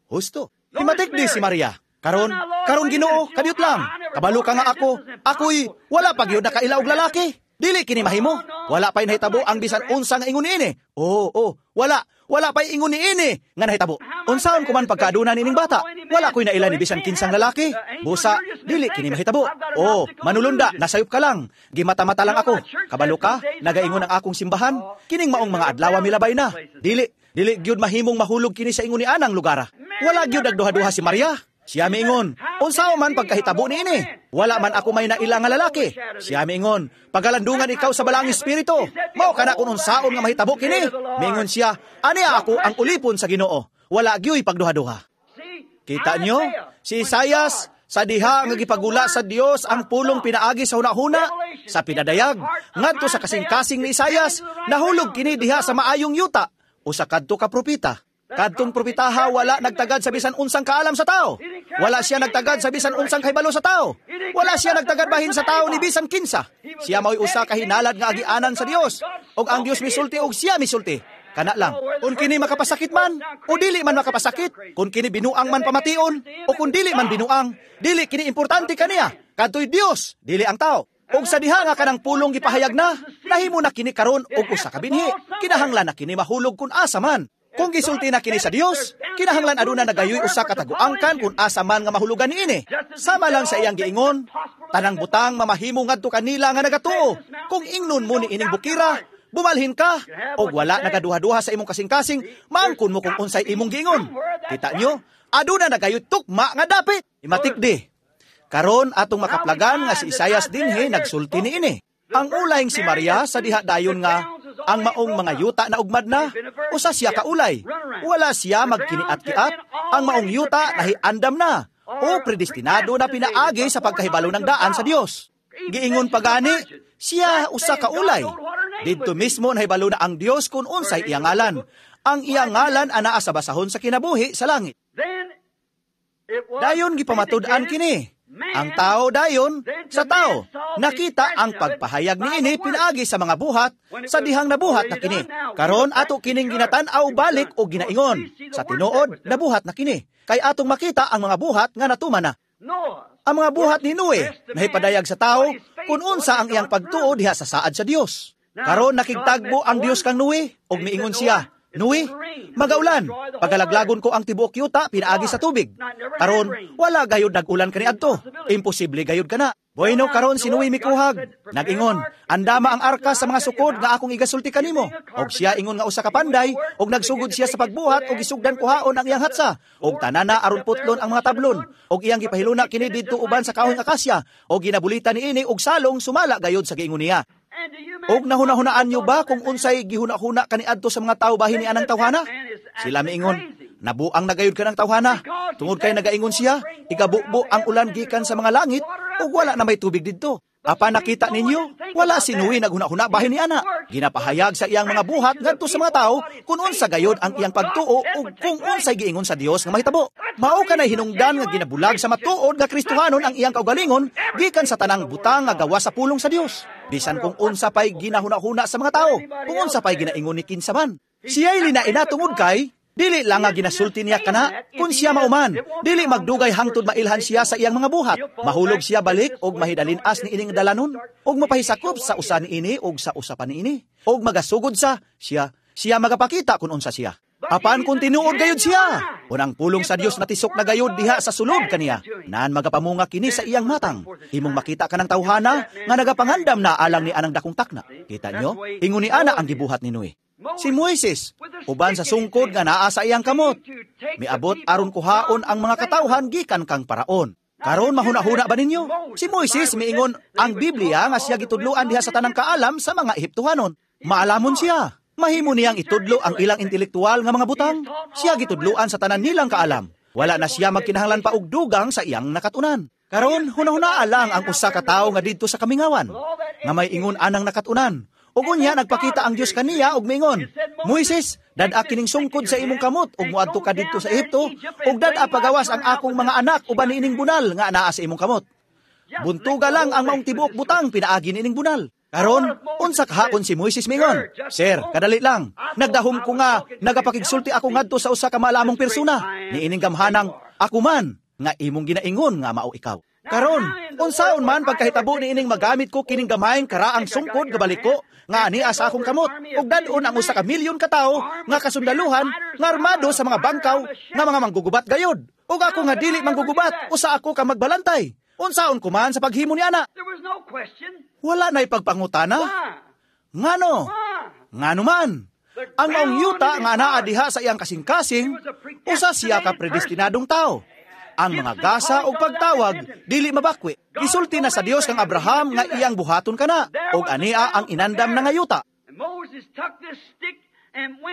Husto. Himatikdi si Maria. Karon, karon Ginoo, kadiyot lang. Kabalo ka nga ako. Ako'y wala pa gyud nakaila og lalaki. Dili kini mahimo. Wala pa'y nahitabo ang bisan unsa nga ingon niini. Oo, oh, wala. Wala pa'y ingon niini nga nahitabo. Unsaon ko man pagkaaduna niining bata? Wala ko'y naila ni bisan kinsang lalaki. Busa, dili kini mahitabo. Oh, manulunda, nasayop ka lang. Gimata-mata lang ako. Kabalo ka, nagaingon ang akong simbahan. Kining maong mga adlaw milabay na. Dili, dili gyud mahimong mahulog kini sa ingon ni anang lugara. Wala gyud nagduha-duha si Maria. Siya miingon, unsaon man pagkahitabo niini? Wala man ako may naila nga lalaki. Siya miingon, pagalandungan ikaw sa balaang espiritu. Mao kana kung unsaon nga mahitabo kini. Miingon siya, ani ako ang ulipon sa Ginoo. Wala gyuy pagduha-duha. See, Kita nyo? Si Isayas, sa diha nga gipagula sa Dios ang pulong pinaagi sa hunahuna, sa pinadayag, ngadto sa kasing-kasing ni Isayas, nahulog kini diha sa maayong yuta, usa kadto ka propeta. Kadtong propetaha wala nagtagad sa bisan unsang kaalam sa tao. Wala siya nagtagad sa bisan unsang kahibalo sa tao. Wala siya nagtagad bahin sa tao ni bisan kinsa. Siya mao'y usa ka hinalad nga agianan sa Dios. Og ang Dios misulti og siya misulti. Kana lang. Kung kini makapasakit man o dili man makapasakit, kung kini binuang man pamation o kung dili man binuang, dili kini importante kaniya. Kadto'y Dios, dili ang tao. Og sa diha nga kanang pulong gipahayag na, nahimo na kini karon og usa ka binhi. Kinahanglan na kini mahulog kun asa man. Kung gisulti na kini sa Dios, kinahanglan aduna nagayoy usa ka taguangkan kung asa man nga mahulugan niini. Sama lang sa iyang giingon, tanang butang mamahimo ngadto kanila nga nagatuo. Kung ingnon mo ni ining bukira, Bumalhin ka, og wala nagaduha-duha sa imong kasing-kasing, maangkon mo kung unsay imong giingon. Kita nyo, aduna na gayud tukma nga dapit. Imatik di. Karon atong makaplagan nga si Isayas dinhi nagsulti niini. Ang ulayng si Maria sa diha dayon nga ang maong mga yuta na ugmad na, usa siya kaulay. Wala siya magkiniat-kiat, ang maong yuta nahiandam na, o predestinado na pinaagi sa pagkahibalo ng daan sa Dios. Giingon pagani, siya usa ka ulay. Didto mismo nahibalo na ang Dios kung unsay iyang ngalan. Ang iyang ngalan anaa sa basahon sa kinabuhi sa langit. Dayon gipamatud-an kini. Ang tao dayon sa tao. Nakita ang pagpahayag niini pinaagi sa mga buhat sa dihang nabuhat na kini. Karon ato kining ginatan-aw balik o ginaingon. Sa tinuod, nabuhat na kini. Kay atong makita ang mga buhat nga natuman na. Ang mga buhat ni Noe, nahipadayag sa tao kung unsa ang iyang pagtuo diha sa saad sa Dios. Karon nakigtagbo ang Dios kang Noe ug miingon siya, Noe, magaulan, pagalaglagon ko ang tibuok yuta pinaagi sa tubig. Karon wala gayud nag-ulan kaniadto. Imposible gayud kana. Bueno, karon si Noe mikuhag. Nag-ingon, andama ang arka sa mga sukod nga akong igasulti kanimo. Og siya ingon nga usa ka panday, og nagsugod siya sa pagbuhat og gisugdan kuhaon ang iyang hatsa. Og tanana aron putlon ang mga tablon. Og iyang gipahiluna kini didto uban sa kahoy nga akasya, og ginabulitan niini og salong sumala gayud sa giingon niya. Og nahuna-hunaan nyo ba kung unsay gihuna-huna kaniadto sa mga tao bahin ni anang tawhana? Sila miingon, nabuang nagayod ka ng tawhana. Tungod kay nagaingon siya, igabubo ang ulan gikan sa mga langit ug wala na may tubig didto. Apan nakita ninyo, wala si Noe naghuna-huna bahin ni ana. Ginapahayag sa iyang mga buhat ngadto sa mga tao kung unsa gayod ang iyang pagtuo ug kung unsay giingon sa Dios nga mahitabo. Mao kanay hinungdan nga ginabulag sa matuod nga Kristohanon ang iyang kaugalingon gikan sa tanang butang nga gawa sa pulong sa Dios. Bisan kung unsa pay ginahuna-huna sa mga tao, kung unsa pay ginaingon ni kinsa man. Siya'y linaina tungod kay dili lang nga ginasulti niya kana, kung siya mauman, dili magdugay hangtod mailhan siya sa iyang mga buhat. Mahulog siya balik og mahidalin-as ni ining dalanon, og mapahisakop sa usa niini og sa usa pa niini, og magasugod sa siya, siya magapakita kung unsa siya. Apan kung tinuod gayud siya, kun ang pulong sa Dios natisok na gayud diha sa sulod kaniya, naan magapamunga kini sa iyang matang. Imong makita kanang tawhana nga nagapangandam na alang ni anang dakong takna. Kita nyo? Ingon ni ana ang gibuhat ni Noe. Si Moises, uban sa sungkod nga naa sa iyang kamot, miabot aron kuhaon ang mga katawhan gikan kang Paraon. Karon mahuna-huna ba ninyo? Si Moises miingon ang Biblia nga siya gitudloan diha sa tanang kaalam sa mga Ehiptohanon. Maalamon siya. Mahimo niyang itudlo ang ilang intelektual nga mga butang. Siya gitudloan sa tanan nilang kaalam. Wala na siya magkinahanglan pa og dugang sa iyang nakatunan. Karon hunahunaa lang ang usa ka tawo nga didto sa kamingawan, nga may ingon anang nakatunan. Ug unya nagpakita ang Dios kaniya og miingon, Moises, dad-a kining sungkod sa imong kamot ug moadto ka didto sa Ehipto ug dad-a pagawas ang akong mga anak uban niining bunal nga anaa sa imong kamot. Buntuga lang ang maong tibuok butang pinaagi niining bunal. Karon, unsa kahapon si Moises mingon, Sir, kadali lang. Nagdahom ko nga nagapakigsulti ako ngadto sa usa ka maalamong persona. Niining gamhanang ako man nga imong ginaingon nga mao ikaw. Karon, unsaon man pagkahitabo niining magamit ko kining gamayng karaang sungkod gabaliko nga ania sa akong kamot ug dad-on ang usa ka milyon ka tawo nga kasundaluhan nga armado sa mga bangkaw nga mga manggugubat gayod. Ug ako nga dili manggugubat, usa ako ka magbalantay. Unsaon ko man sa paghimo ni ana? Wala na'y pagpangutana. Ngano? Ngano man? Ang maong yuta nga anaa diha sa iyang kasing-kasing, usa siya ka predestinadong tao. Ang mga gasa o pagtawag, dili mabakwi. Gisulti na sa Dios kang Abraham nga iyang buhaton kana, og ania ang inandam na nga yuta.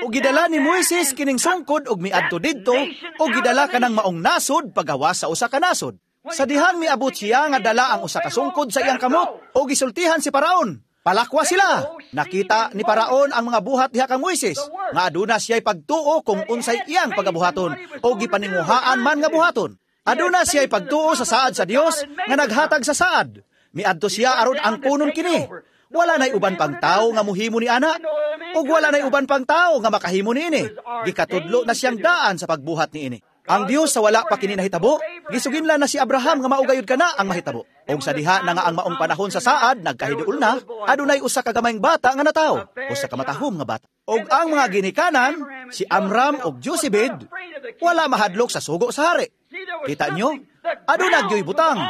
Og gidala ni Moises kining sungkod og miadto didto, og gidala kanang maong nasod pagawas sa usa ka nasod. Sa dihang miabot siya nga dala ang usa ka sungkod sa iyang kamot, og gisultihan si Paraon. Palakwa sila. Nakita ni Paraon ang mga buhat diha kang Moises, nga aduna siya'y pagtuo kung unsay iyang pagabuhaton, o gipaninguhaan man nga buhaton. Aduna siya'y pagtuo sa saad sa Dios nga naghatag sa saad. Miadto siya aron ang kunon kini. Wala na'y uban pang tao nga muhimo ni ana, ug wala na'y uban pang tao nga makahimo niini. Gikatudlo na siyang daan sa pagbuhat niini. Ang Dios sa wala pa kini nahitabo, gisuginlan na si Abraham nga maugayod kana ang mahitabo. Og sa diha na nga ang maong panahon sa saad nagkahiduol na, adunay usa ka gamayng bata nga natawo, usa ka matahom nga bata. Og ang mga ginikanan, si Amram og Josebed, wala mahadlok sa sugo sa hari. Kita nyo? Aduna gyoy butang.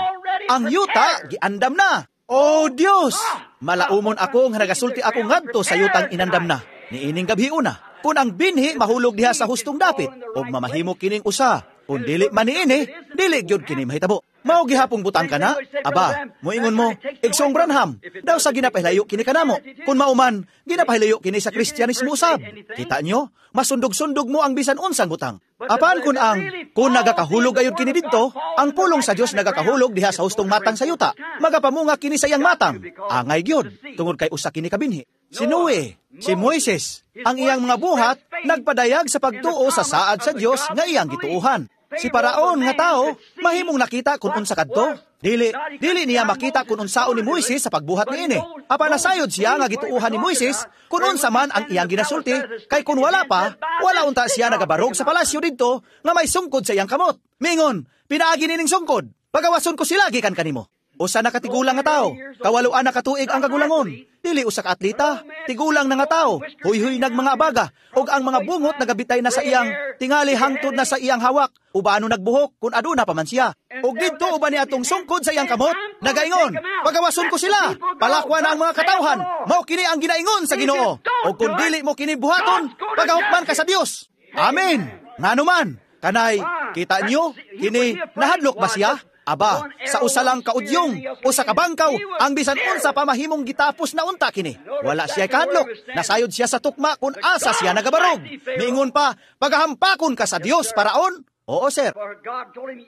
Ang yuta giandam na. O Dios, malaumon ako nga nagasulti ako ngadto sa yutang inandam na. Niining gabi una, kung ang binhi mahulog diha sa hustong dapit, og mamahimo kining usa. Kung dili man niini, dili gyud kini mahitabo. Mao gihapong butang ka na? Aba, moingon mo, Igsoong Branham, daw sa ginapahilayo kini kanamo. Kung mauman, ginapahilayo kini sa Kristyanismo usab. Kita nyo, masundog-sundog mo ang bisan unsang butang. Apan kun ang, kung nagakahulog ayod kini didto, ang pulong sa Dios nagakahulog diha sa hustong matang sa yuta. Magapamunga kini sa iyang matang. Angay gyud, tungod kay usa kini kabinhi. Si Noe, si Moises, ang iyang mga buhat, nagpadayag sa pagtuo sa saad sa Dios nga iyang gituohan. Si Paraon nga tao, mahimong nakita kung unsa kadto. Dili, dili niya makita kung unsaon ni Moises sa pagbuhat niini. Apan nasayod siya nga gituohan ni Moises kung unsa man ang iyang ginasulti, kay kung wala pa, wala unta siya nagabarog sa palasyo didto nga may sungkod sa iyang kamot. Mingon, pinaagi nining sungkod, pagawason ko sila gikan kanimo. Usa na katigulang nga tao, kawaluan na katuig ang kagulangon. Dili usa ka atleta, tigulang na nga tao, huyhuy nag mga abaga, ug ang mga bungot nagabitay na sa iyang tingali hangtod na sa iyang hawak, ubano nagbuhok kun aduna pa man siya. Ug didto uban ni atong sungkod sa iyang kamot, nagaingon, pagawason ko sila, palakwa na ang mga katawhan, mao kini ang ginaingon sa Ginoo. Ug kun dili mo kini buhaton, pagahukman ka sa Dios. Amen. Ngano man, kanay kita niyo kini nahadlok ba siya? Aba, sa usa lang kaudyong o sa kabangkaw, ang bisan unsa pa mahimong gitapos na unta kini. Wala siya kahadlok, nasayod siya sa tukma kung asa siya nagabarog. Miingon pa, pagahampakon ka sa Dios, Paraon? Oo, sir.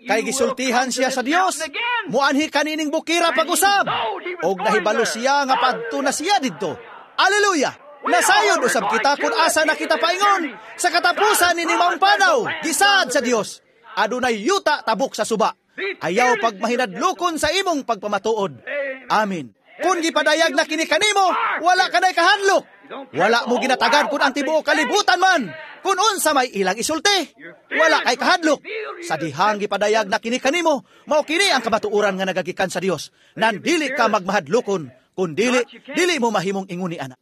Kay gisultihan siya sa Dios, muanhi kanining bukira pag-usab. Og nahibalo siya nga padto na siya didto. Aleluya! Nasayod usab kita kung asa na kita paingon. Sa katapusan nining maong panaw, gisaad sa Dios. Adunay yuta tabok sa suba. Ayaw pagmahinadlokon sa imong pagpamatuod. Amen. Kung gipadayag na kini kanimo, wala ka na'y kahadlok. Wala mo ginatagan kung ang tibuok kalibutan man. Kung unsa may ilang isulti, wala kay kahadlok. Sa dihang gipadayag na kini kanimo, mao kini ang kamatuoran nga nagagikan sa Dios. Nandili ka magmahadlokon, kun dili, dili mo mahimong ingon ni ana.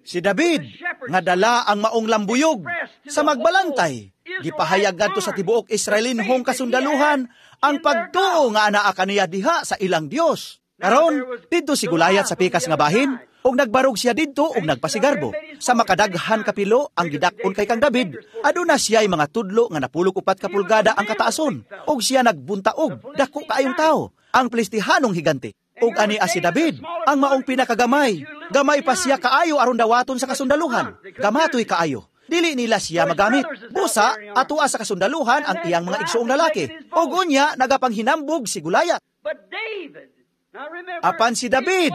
Si David, nga dala ang maong lambuyog sa magbalantay, gipahayag ngadto sa tibuok Israelinhong kasundaluhan ang pagtuo nga anaa kaniya diha sa ilang Dios. Karon, didto si Gulayat sa pikas nga bahin, ug nagbarog siya didto ug nagpasigarbo. Sa makadaghan kapilo ang gidak-on kay kang David, aduna siya'y mga tudlo nga napulog upat ka pulgada ang kataason, ug siya nagbuntaog dako kaayong tawo, ang Pilistihanong higante. Ug ani si David, ang maong pinakagamay. Gamay pa siya kaayo aron dawaton sa kasundaluhan. Gamatoy kaayo. Dili nila siya magamit. Busa, atua sa kasundaluhan ang iyang mga igsuong lalaki. Ug unya, nagapanghinambog si Gulayat. Apan si David,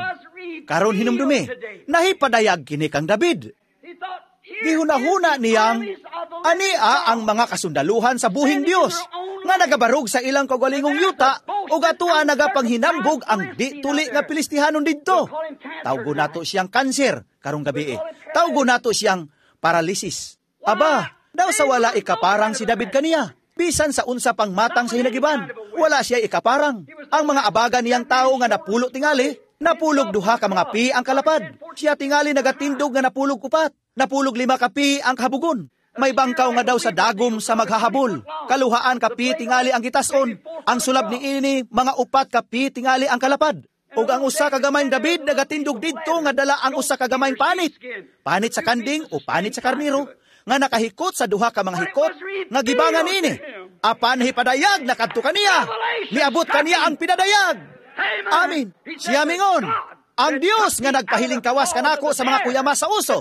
karon hinumdumi, nahipadayag kini kang David. Gihunahuna niyang ania ang mga kasundaluhan sa buhing Dios nga nagabarog sa ilang kaugalingong yuta ug atua nagapanghinambog ang di tuli nga Pilistihanon didto. Tawgo nato siyang kanser karong gabi. Tawgo nato siyang paralysis. Aba, daw sa wala ikaparang si David kaniya. Bisan sa unsa pang matang sa hinagiban, wala siya ikaparang. Ang mga abaga niyang tao nga napulo tingali, napulog duha ka mga pi ang kalapad. Siya tingali nagatindog nga napulog upat. Napulog lima ka pi ang kahabugon. May bangkaw nga daw sa dagom sa maghahabol. Kaluhaan ka pi tingali ang gitason. Ang sulab niini mga upat ka pi tingali ang kalapad. Ug ang usa ka gamayng David nagatindog didto nga dala ang usa ka gamayng panit. Panit sa kanding o panit sa karniro nga nakahikot sa duha ka mga hikot nga gibangan niini. Apan hipadayag na kadto kaniya. Niabot kaniya ang pinadayag. Amen. Siya mingon, ang Dios nga nagpahilingkawas kanako sa mga kuyama sa uso,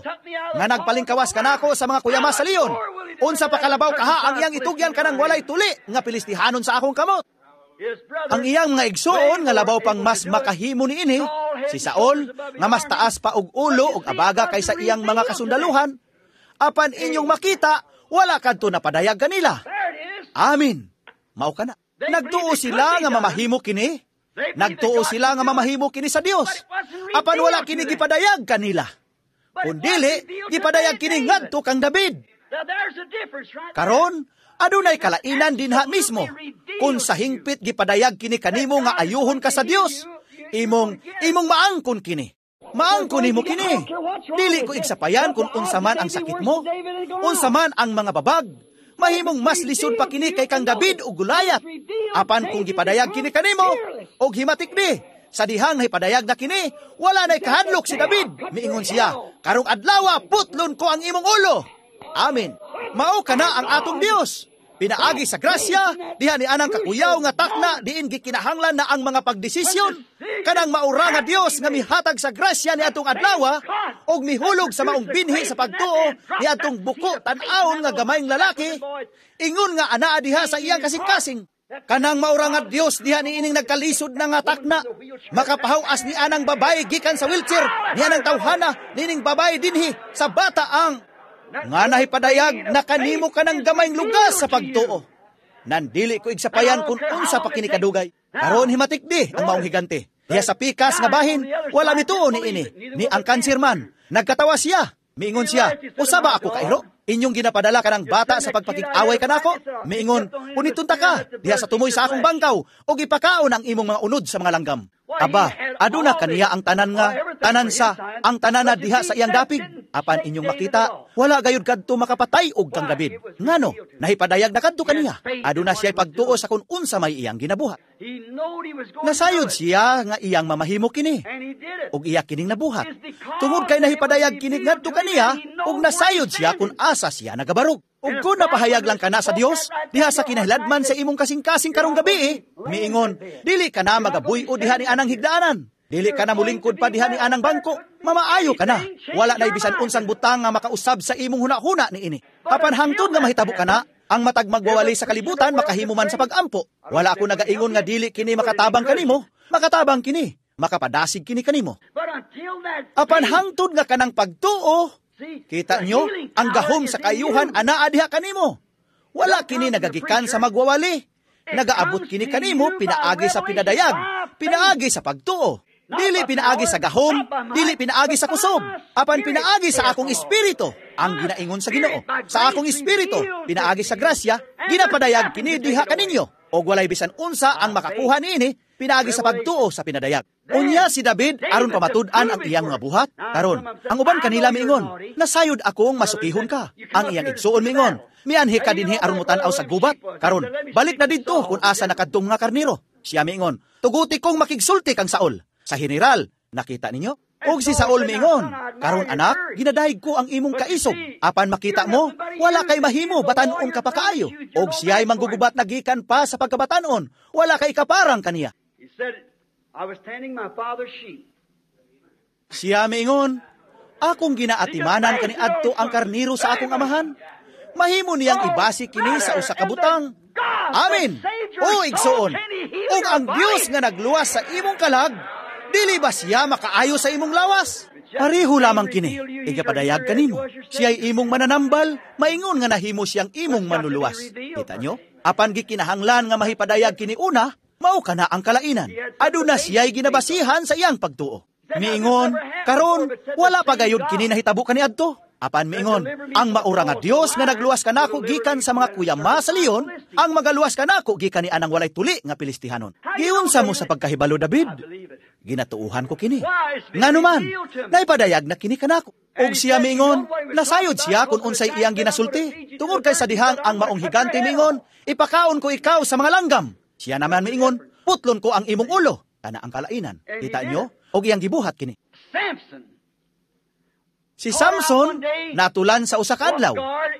nga nagpalingkawas kanako sa mga kuyama sa leon. Unsa pa kalabaw kaha ang iyang itugyan kanang walay tuli nga Pilistihanon sa akong kamot. Ang iyang mga igsuon nga labaw pang mas makahimo niini, si Saul nga mas taas pa og ulo og abaga kaysa iyang mga kasundaluhan. Apan inyong makita, wala kadto napadayag kanila. Amen. Mao kana. Nagtuo sila nga mamahimo kini. Nagtuo sila nga mamahimo kini sa Dios. Apan wala kini gipadayag kanila. Kun dili, gipadayag kini ngadto kang David. Karon, adunay kalainan dinha mismo. Kung sa hingpit gipadayag kini kanimo nga ayuhon ka sa Dios, imong imong maangkon kini. Maangkon nimo kini. Dili ko igsapayan kung unsa man ang sakit mo, unsa man ang mga babag. Mahimong mas lisod pa kini kay kang David ug Gulayat. Apan kung gipadayag kini kanimo, og himatikdi, Sa dihang nahipadayag na kini, wala na'y kahadlok si David. Miingon siya, karong adlawa putlon ko ang imong ulo. Amen. Mao kana ang atong Dios. Pinaagi sa grasya, diha ni anang kakuyaw nga takna, diin gikinahanglan na ang mga pagdesisyon. Kanang maura nga Dios nga mihatag sa grasya ni atong adlawa, og mihulog sa maong binhi sa pagtuo ni atong buko tan-awon nga gamayng lalaki, ingon nga anaa diha sa iyang kasing-kasing. Kanang maura nga Dios diha ni ining nagkalisod na nga takna, makapahawas ni anang babae gikan sa wheelchair, ni anang tawhana nining babae dinhi sa bata ang nga nahipadayag na kanimo kanang gamayng lugas sa pagtuo. Nandili ko igsapayan kung unsa pa kini kadugay. Karon himatikdi ang maong higante. Diha sa pikas nga bahin, wala mituo ni ini, ni ang kansir man. Nagkatawa siya. Miingon siya, usa ba ako kairo? Inyong ginapadala kanang bata sa pagpakig-away kanako? Miingon, punitunta ka diha sa tumoy sa akong bangkaw ug ipakaon ang imong mga unod sa mga langgam. Aba, aduna kaniya ang tanan nga, tanan sa, ang tanan na diha sa iyang dapig. Apan inyong makita, wala gayud kadto makapatay og kang David. Ngano, nahipadayag na kadto kaniya. Aduna siya pagtuo sa kun unsa may iyang ginabuhat. Nasayod siya nga iyang mamahimo kini, ug iya kining nabuhat. Tungod kay nahipadayag kini ngadto kaniya, ug nasayod siya kun asa siya nagabarog. Ug kung napahayag lang kana sa Dios, diha sa kinahiladman sa imong kasing-kasing karong gabi, eh, miingon, dili ka na magabuy-o diha ni anang higdaanan. Dili ka na mulingkod pa diha ni anang bangko. Mamaayo ka na. Wala na bisan unsang butang nga makausab sa imong hunahuna ni ini. Apan hangtod nga mahitabo ka na, ang matag magwawali sa kalibutan makahimo man sa pagampo. Wala ako nagaingon nga dili kini makatabang kanimo, makatabang kini, makapadasig kini kanimo. Apan hangtod nga kanang pagtuo, kita nyo, ang gahom sa kayuhan anaa diha kanimo. Wala kini nagagikan sa magwawali. Nagaabot kini kanimo pinaagi sa pinadayag, pinaagi sa pagtuo. Dili pinaagi sa gahom, dili pinaagi sa kusob, apan pinaagi sa akong espiritu, ang ginaingon sa Ginoo. Sa akong espiritu, pinaagi sa grasya, ginapadayag kini diha kaninyo. Og walay bisan unsa ang makakuha niini, pinaagi sa pagtuo sa pinadayag. Unya si David aron pamatud-an ang iyang mga buhat. Karon, ang uban kanila miingon, nasayod akong masukihon ka. Ang iyang igsuon miingon, mianhi ka dinhi aron motan-aw sa gubat. Karon, balik na didto kung asa nakadtong nga karniro. Siya miingon, tuguti kong makigsulti kang Saul. Sa general, nakita ninyo? Og si Saul miingon, karon anak, ginadayeg ko ang imong kaisog. Apan makita mo, wala kay mahimo, batan-on ka pa kaayo. Og siya'y manggugubat na gikan pa sa pagkabatanon, wala kay kaparang kaniya. He said, I was tending my father's sheep. Siya miingon, akong ginaatimanan kaniadto ang karniro sa akong amahan. Mahimo niyang ibasi kini sa usa ka butang. Amen. O igsuon, ug ang Dios nga nagluwas sa imong kalag, dili ba siya makaayo sa imong lawas? Pareho lamang kini, igapadayag kanimo. Siya'y imong mananambal, maingon nga nahimo siyang imong manluluwas. Kita nyo? Apan gikinahanglan nga mahipadayag kini una, mao kana ang kalainan. Aduna siya'y ginabasihan sa iyang pagtuo. Miingon, karon wala pa gayud kini nahitabo kaniadto. Apan miingon, ang maura nga Dios nga nagluwas kanako gikan sa mga kuyama sa leon, ang magaluwas kanako gikan ni anang walay tuli nga Pilistihanon. Giunsa mo sa pagkahibalo, David? Ginatuuhan ko kini. Nganuman, naipadayag na kini kanako. Og siya miingon, nasayod siya kung unsay iyang ginasulti. Tungod kay sa dihang ang maong higante miingon, ipakaon ko ikaw sa mga langgam. Siya naman miingon, putlon ko ang imong ulo. Kana ang kalainan. Kita nyo? Og iyang gibuhat kini. Samson. Si Samson natulan sa usa ka adlaw.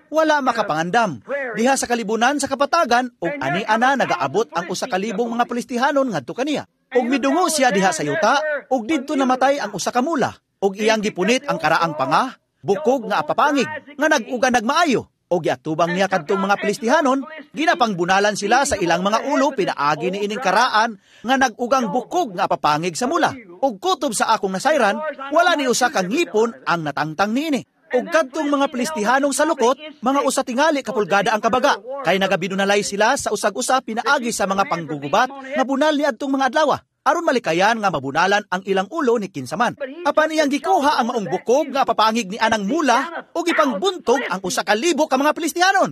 Wala makapangandam. Diha sa kalibunan sa kapatagan ug ani-ana nagaabot ang usa ka libong mga Pilistihanon ngadto kaniya. Ug midungo siya diha sa yuta ug didto namatay ang usa ka mula. Ug iyang gipunit ang karaang panga, bukog nga apapangig nga nag-uga nagmaayo. Ug giatubang niya kadtong mga Pilistihanon, ginapangbunalan sila sa ilang mga ulo pinaagi ni ining karaan nga nag-ugang bukog nga apapangig sa mula. Ug kutob sa akong nasayran, wala ni usa ka ngipon ang natangtang niini. Ug kadtong mga Pilistihanong sa lukot, mga usa tingali ka pulgada ang kabaga, kay nagabinunalay sila sa usag-usa pinaagi sa mga panggugubat nga bunal ni adtong mga adlaw, aron malikayan nga mabunalan ang ilang ulo ni kinsaman. Apan iyang gikuha ang maong bukog nga papangig ni anang mula ug ipangbuntog ang usa ka libo ka mga Pilistihanon.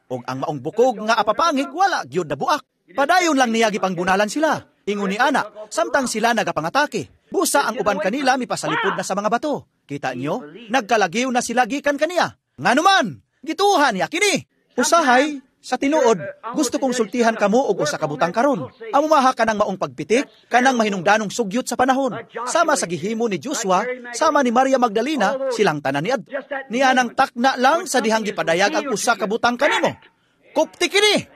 Ug ang maong bukog nga apapangig wala gyud nabuak. Padayon lang niya gipangbunalan sila. Ingon ni ana, samtang sila nagapangatake. Busa ang uban kanila mipasalipod na sa mga bato. Kita nyo, nagkalagiw na sila gikan kaniya. Nganuman, gituhan niya kini. Usahay, Sa tinuod, gusto kong sultihan kamo og usa ka butang karon. Amumaha kanang maong pagpitik, kanang mahinungdanong sugyot sa panahon. Sama sa gihimo ni Joshua, sama ni Maria Magdalena, silang tanan ni adto. Niya nang takna lang sa dihang gipadayag ang usa ka butang kanimo. Kupti kini!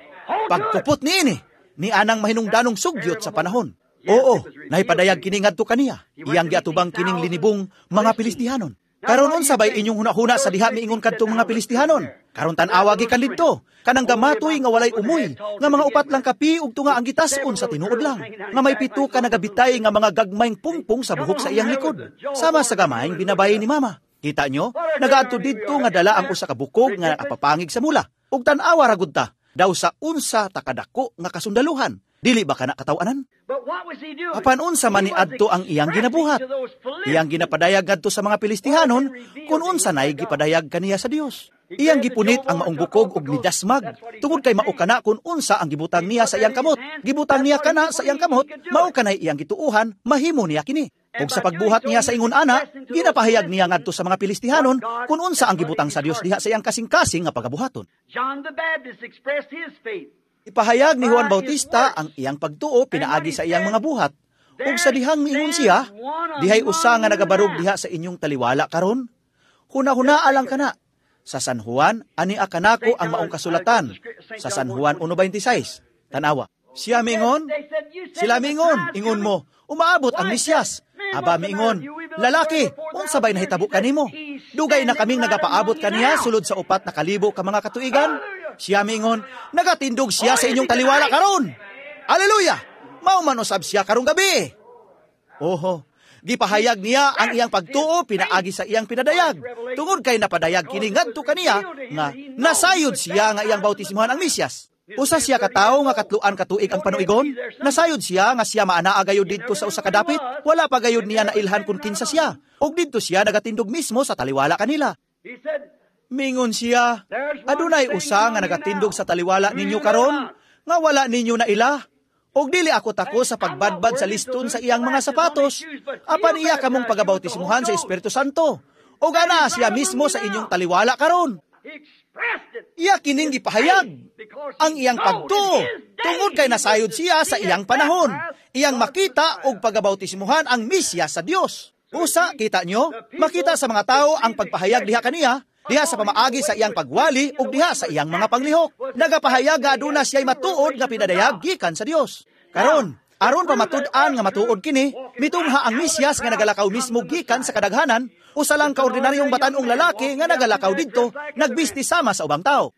Pagkupot niini, ni anang mahinungdanong sugyot sa panahon. Oo, nahipadayag kini ngadto kaniya. Iyang giatubang kining linibong mga Pilistihanon. Karon unsa bay inyong hunahuna sa diha miingon kadtong mga Pilistihanon? Karon tan-awa gikan didto, kanang gamatoy nga walay umoy, nga mga upat lang kapi ug tunga ang gitas-on sa tinuod lang, nga may pito ka nagabitay nga mga gagmayng pungpong sa buhok sa iyang likod, sama sa gamayng binabay ni mama. Kita nyo, nagaadto didto nga dala ang usa ka bukog nga apapangig sa mula. Ug tan-awa ra gud ta, daw sa unsa ta kadako nga kasundaluhan. Dili ba kana kataw-anan? Apan unsa man ni adto ang iyang ginabuhat? Iyang ginapadayag ngadto sa mga Pilistihanon kung unsa nay gipadayag kaniya sa Dios. Iyang gipunit ang maong bukog og nidasmag tungod kay mao kana kung unsa ang gibutang niya sa iyang kamot. Gibutang niya kana sa iyang kamot, mao kanay iyang gituohan, mahimo niya kini. Ug sa pagbuhat niya sa ingon ana, ginapahayag niya ngadto sa mga Pilistihanon kung unsa ang gibutang sa Dios diha sa iyang kasing-kasing nga pagabuhaton. John the Baptist expressed his faith. Ipahayag ni Juan Bautista ang iyang pagtuo pinaagi sa iyang mga buhat. Ug sa dihang miingon siya, dihay usa nga nagabarog diha sa inyong taliwala karon. Huna-hunaa lang kana. Sa San Juan, ani kanako ang maong kasulatan. Sa San Juan one twenty-six. Tanawa. Siya mingon, sila mingon, ingon mo, umaabot ang Mesiyas. Aba miingon, lalaki, unsa bay nahitabo kanimo? Dugay na kaming nagapaabot kaniya sulod sa upat na kalibo ka mga katuigan. Siya mingon, nagatindog siya sa inyong taliwala karon. Aleluya! Mao man usab siya karong gabi. Oho, gipahayag niya ang iyang pagtuo pinaagi sa iyang pinadayag. Tungod kay napadayag kini ngadto kaniya nga nasayod siya nga iyang bautismohan ang Mesiyas. Usa siya ka tawo nga katluan katuig ang panuigon. Nasayod siya nga siya maanaa gayud didto sa usa ka dapit. Wala pa gayud niya nailhan kun kinsa siya. Og didto siya nagatindog mismo sa taliwala kanila. Mingon siya, adunay usa nga nagatindog sa taliwala ninyo karon nga wala ninyo naila. Og dili ako tako sa pagbadbad sa liston sa iyang mga sapatos. Apan iya kamong pagabautismuhan sa Espiritu Santo. Og ana siya mismo sa inyong taliwala karon. Iya kining gipahayag ang iyang pagtuo tungod kay nasayod siya sa iyang panahon. Iyang makita og pagabautismuhan ang Mesiyas sa Dios. Usa, kita nyo, makita sa mga tao ang pagpahayag diha kaniya, diha sa pamaagi sa iyang pagwali ug diha sa iyang mga panglihok. Nagapahayag nga aduna siya'y matuod nga pinadayag gikan sa Dios. Karon, aron pamatud-an nga matuod kini, mitungha ang Mesiyas nga nagalakaw mismo gikan sa kadaghanan, usa lang kaordinaryong batan-ong lalaki nga nagalakaw didto, nagbisti sama sa ubang tao.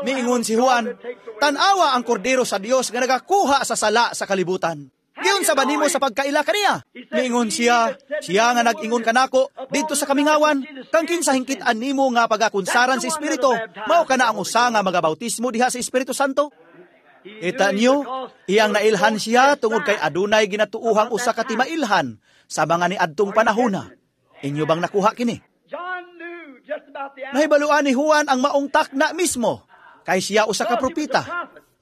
Miingon si Juan, tan-awa ang kordero sa Dios nga nagakuha sa sala sa kalibutan. Giunsa ba nimo sa pagkaila kaniya? Miingon siya, siya nga nag-ingon kanako didto sa kamingawan, kang kinsa hingkit-an nimo nga pagakunsaran sa Espiritu, mao kana ang usa nga magabautismo diha sa Espiritu Santo. Kita niyo, iyang nailhan siya tungod kay adunay ginatuohang usa ka timailhan sa mga niadtong panahona. Inyo bang nakuha kini? Nahibaluan ni Juan ang maong takna mismo, kay siya usa ka propeta.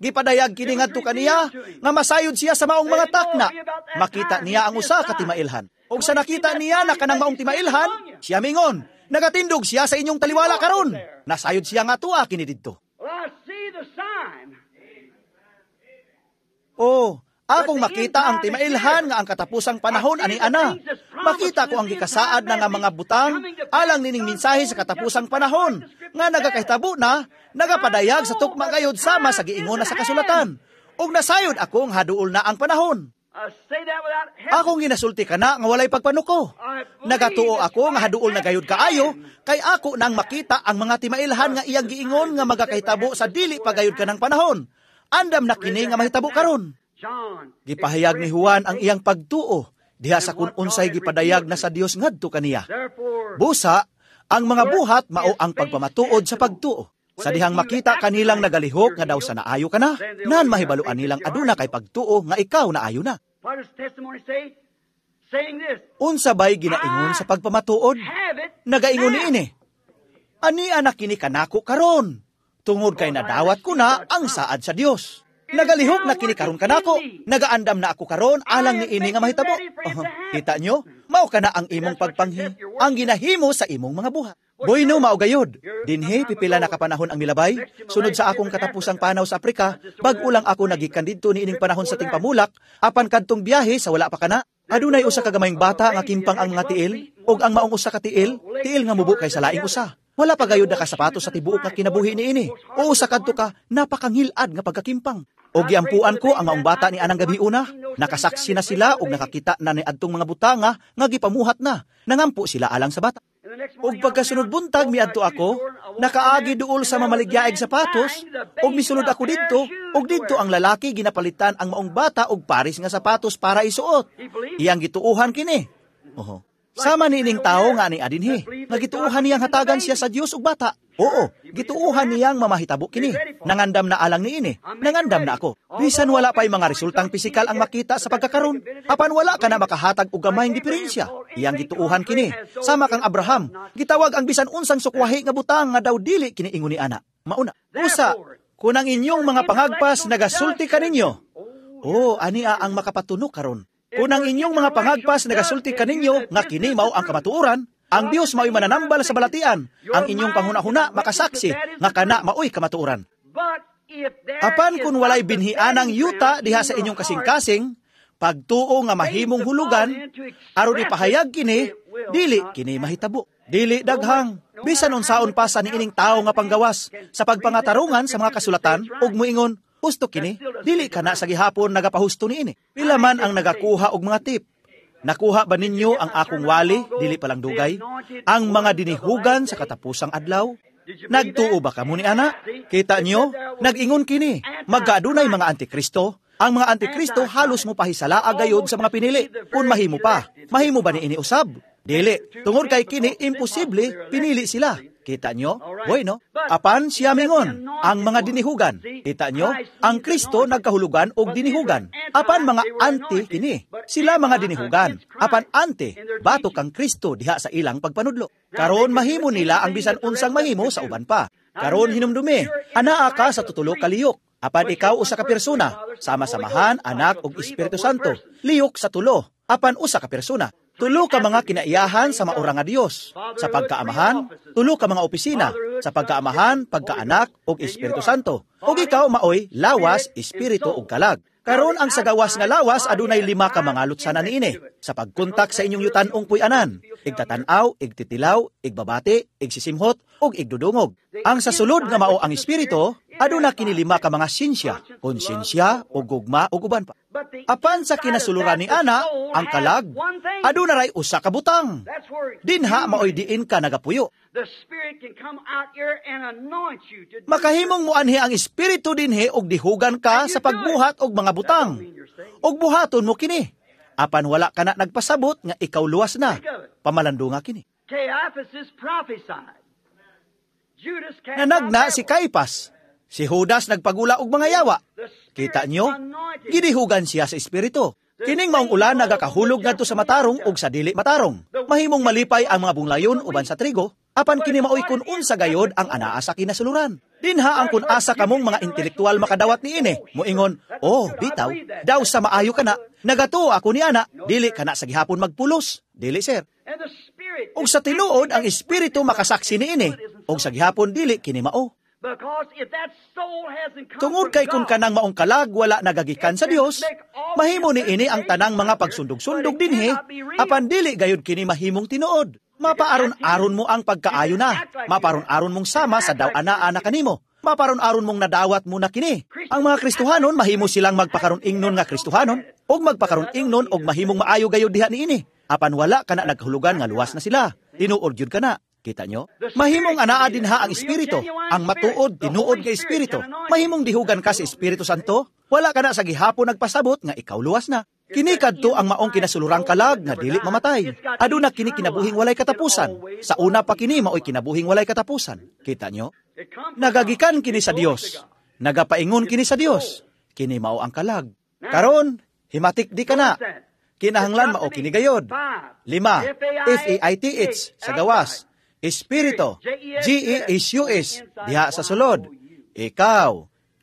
Gipadayag kini ngadto kaniya nga masayod siya sa maong mga takna. Makita niya ang usa ka timailhan. Ug sa nakita niya na kanang maong timailhan, siya mingon, nagatindog siya sa inyong taliwala karon. Nasayod siya nga tuwa kini didto. Oh, akong makita ang timailhan nga ang katapusang panahon ani ana. Makita ko ang gikasaad na nga mga butang alang nining mensahe sa katapusang panahon nga nagakahitabo na, nagapadayag sa tukma gayod sama sa giingon na sa kasulatan. Ug nasayod akong haduol na ang panahon. Akong ginasulti kana nga walay pagpanuko. Nagatuo ako nga haduol na gayod kaayo kay ako nang makita ang mga timailhan nga iyang giingon nga magakahitabo sa dili pa gayod kanang panahon. Andam na kini nga mahitabo karon. Gipahayag ni Juan ang iyang pagtuo diha sa kun unsay gipadayag na sa Dios ngadto kaniya. Busa, ang mga buhat mao ang pagpamatuod sa pagtuo. Sa dihang makita kanilang nagalihok nga daw sa naayo ka na, nan mahibaluan nilang aduna kay pagtuo nga ikaw naayo na. Unsa bay ginaingon sa pagpamatuod? Nagaingon niini, ani anak kini kanako karon, tungod kay nadawat ko na ang saad sa Dios. Nagalihok na kini karon kanako, nagaandam na ako karon alang niini nga mahitabo. Uh, kita nyo, mao kana ang imong pagpanghi, ang ginahimo sa imong mga buhat. Bueno, mao gayod. Dinhi pipila na kapanahon ang milabay. Sunod sa akong katapusang panaw sa Aprika, bag-o lang ako nagikan didto niining panahon sa tingpamulak, apan kadtong biyahe sa wala pa kana. Adunay usa ka gamayng bata nga kimpang ang mga tiil, ug ang maong usa ka tiil, tiil nga mubo kay sa laing usa. Wala pa gayud nakasapatos sa tibuok nga kinabuhi niini. O usa kadto ka napakangilad nga pagkakimpang. Og giampuan ko ang maong bata ni anang gabi una, nakasaksi na sila og nakakita na ni adtong mga butanga nga gipamuhat na. Nangampo sila alang sa bata. Ug pagkasunod buntag miadto ako, nakaagi duol sa mamaligyaeg sapatos, ug misulod ako didto, ug didto ang lalaki ginapalitan ang maong bata og paris nga sapatos para isuot. Iyang gituohan kini. Oho. Sama niining tawo nga ani adinhi, nga gituohan niyang hatagan siya sa Dios ug bata. Oo, gituohan niyang mamahitabo kini. Nangandam na alang niini, nangandam na ako. Bisan wala pa'y mga resultang pisikal ang makita sa pagkakaron, apan wala ka na makahatag og gamayng diferensya. Iyang gituohan kini. Sama kang Abraham, gitawag ang bisan unsang sukwahi nga butang nga daw dili kini ingon ni ana. Mauna. Usa, kun ang inyong mga pangagpas nagasulti kaninyo. Oh, ania ang makapatuno karon. Kung ang inyong mga pangagpas nagasulti kaninyo nga kini mao ang kamatuoran, ang Dios mao'y mananambal sa balatian. Ang inyong panghuna-huna makasaksi nga kana mao'y kamatuoran. Apan kung walay binhianang yuta diha sa inyong kasing-kasing, pagtuo nga mahimong hulugan, aron ipahayag kini, dili kini mahitabo. Dili daghang, bisan unsaon pa sa niining tawo nga panggawas, sa pagpangatarungan sa mga kasulatan, ug moingon, husto kini, dili kana sa gihapon nagapahusto niini. Pila man ang nagakuha og mga tip. Nakuha ba ninyo ang akong wali, dili palang dugay? Ang mga dinihugan sa katapusang adlaw? Nagtuo ba kamo ni ana? Kita nyo, nag-ingon kini, magkaadunay mga antikristo. Ang mga antikristo halos mo pahisala agayod sa mga pinili. Kung mahimo pa, mahimo ba ni ini usab? Dili, tungod kay kini imposible, pinili sila. Kita nyo? Bueno, apan siya mingon, ang mga dinihugan. Kita nyo? Ang Kristo nagkahulugan og dinihugan. Apan mga anti kini. Sila mga dinihugan. Apan anti, batok ang Kristo diha sa ilang pagpanudlo. Karon mahimo nila ang bisan unsang mahimo sa uban pa. Karon hinumdumi, anaa ka sa tutulo ka liyok. Apan ikaw usa ka persona, sama samahan, anak ug Espiritu Santo. Liyok sa tulo, apan usa ka persona. Tulo ka mga kinaiyahan sa maura nga Dios. Sa pagkaamahan, tulo ka mga opisina. Sa pagkaamahan, pagkaanak ug Espiritu Santo. Ug ikaw maoy lawas, espiritu ug kalag. Karon ang sa gawas nga lawas adunay lima ka mga lutsanan niini. Sa pagkontak sa inyong yutan-ong puy-anan, igtatanaw, igtitilaw, igbabati, igsisimhot ug igdudungog. Ang sa sulod nga mao ang espiritu, aduna kini lima ka mga sinsya, konsensya ug gugma ug uban pa. Apan sa kinasuluran ni ana, ang kalag, aduna ray usa ka butang. Dinha maoy diin ka nagapuyo. Makahimong muanhi ang espiritu dinhi og dihugan ka sa pagbuhat og mga butang. Og buhaton mo kini. Apan wala ka na nagpasabot nga ikaw luwas na. Pamalandunga kini. Nanagna si Caipas. Si Judas nagpagula og mga yawa. Kita nyo? Gidihugan siya sa espiritu. Kining maong ulan nagakahulog ngadto sa matarong ug sa dili matarong. Mahimong malipay ang mga bunglayon uban sa trigo, apan kini maoy kun unsa gayod ang anaa sa kinasuluran. Dinha ang kun asa kamong mga intelektual makadawat niini. Moingon, oh, bitaw, daw sa maayo kana, nagatuo ako ni ana, dili kana sa gihapon magpulos. Dili, sir. Ug sa tinuod ang espiritu makasaksi niini, ug sa gihapon dili kini mao. Tungod kay kung kanang maong kalag wala nagagikan sa Dios, mahimo niini ang tanang mga pagsundog-sundog dinhi, apan dili gayud kini mahimong tinuod. Mapaaron-aron mo ang pagkaayo na. Maparon-aron mong sama sa daw ana-ana kanimo. Maparon-aron mong nadawat mo na kini. Ang mga Kristohanon mahimo silang magpakaron-ingnon nga Kristohanon ug magpakaron-ingnon og mahimong maayo gayud diha niini. Apan wala kana nagkahulugan nga luwas na sila. Tinuod gyud kana. Kita nyo? Mahimong anaa dinha ang espiritu, ang matuod, tinuod nga espiritu. Mahimong dihugan ka sa Espiritu Santo, wala ka na sa gihapon nagpasabot nga ikaw luwas na. Kini kadto ang maong kinasulurang kalag nga dili mamatay. Aduna kini kinabuhing walay katapusan. Sa una pa kini maoy kinabuhing walay katapusan. Kita nyo? Nagagikan kini sa Dios. Nagapaingon kini sa Dios. Kini mao ang kalag. Karon, himatik di ka na. Kinahanglan mao kini gayod. Lima, F A I T H sa gawas. Espiritu, G E S U S, diha sa sulod. Ikaw,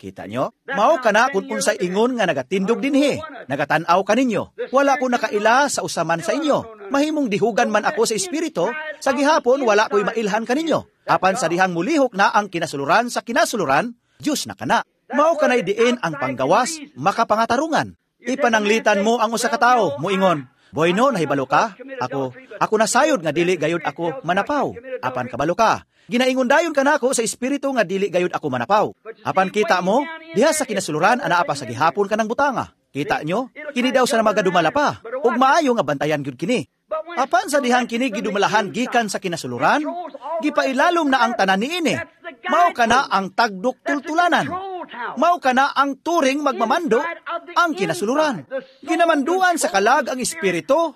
Kita nyo? Mao kana kung unsay ingon nga nagatindog dinhi, nagatan-aw kaninyo. Wala ko nakaila sa usaman sa inyo. Mahimong dihugan man ako sa espiritu, sa gihapon wala ko'y mailhan kaninyo. Apan sa dihang mulihok na ang kinasuluran sa kinasuluran, Diyos na kana. Mao kanay diin ang panggawas, makapangatarungan. Ipananglitan mo ang usa ka tawo, muingon, "Boy no, nahibalo ka? Ako, ako nasayod nga dili gayud ako manapaw. Apan kabalo ka. Ginaingon dayon kanako sa espiritu nga dili gayud ako manapaw." Apan kita mo, diha sa kinasuluran anaa pa sa gihapon kanang butanga. Kita nyo? Kini daw sa magadumala pa. Ug maayo nga bantayan gyud kini. Apan sa dihang kini gidumalahan gikan sa kinasuluran, gipailalom na ang tanan niini. Mao kana ang tagdok tultulanan. Mao kana ang turing magmamando ang kinasuluran. Ginamanduan sa kalag ang espiritu,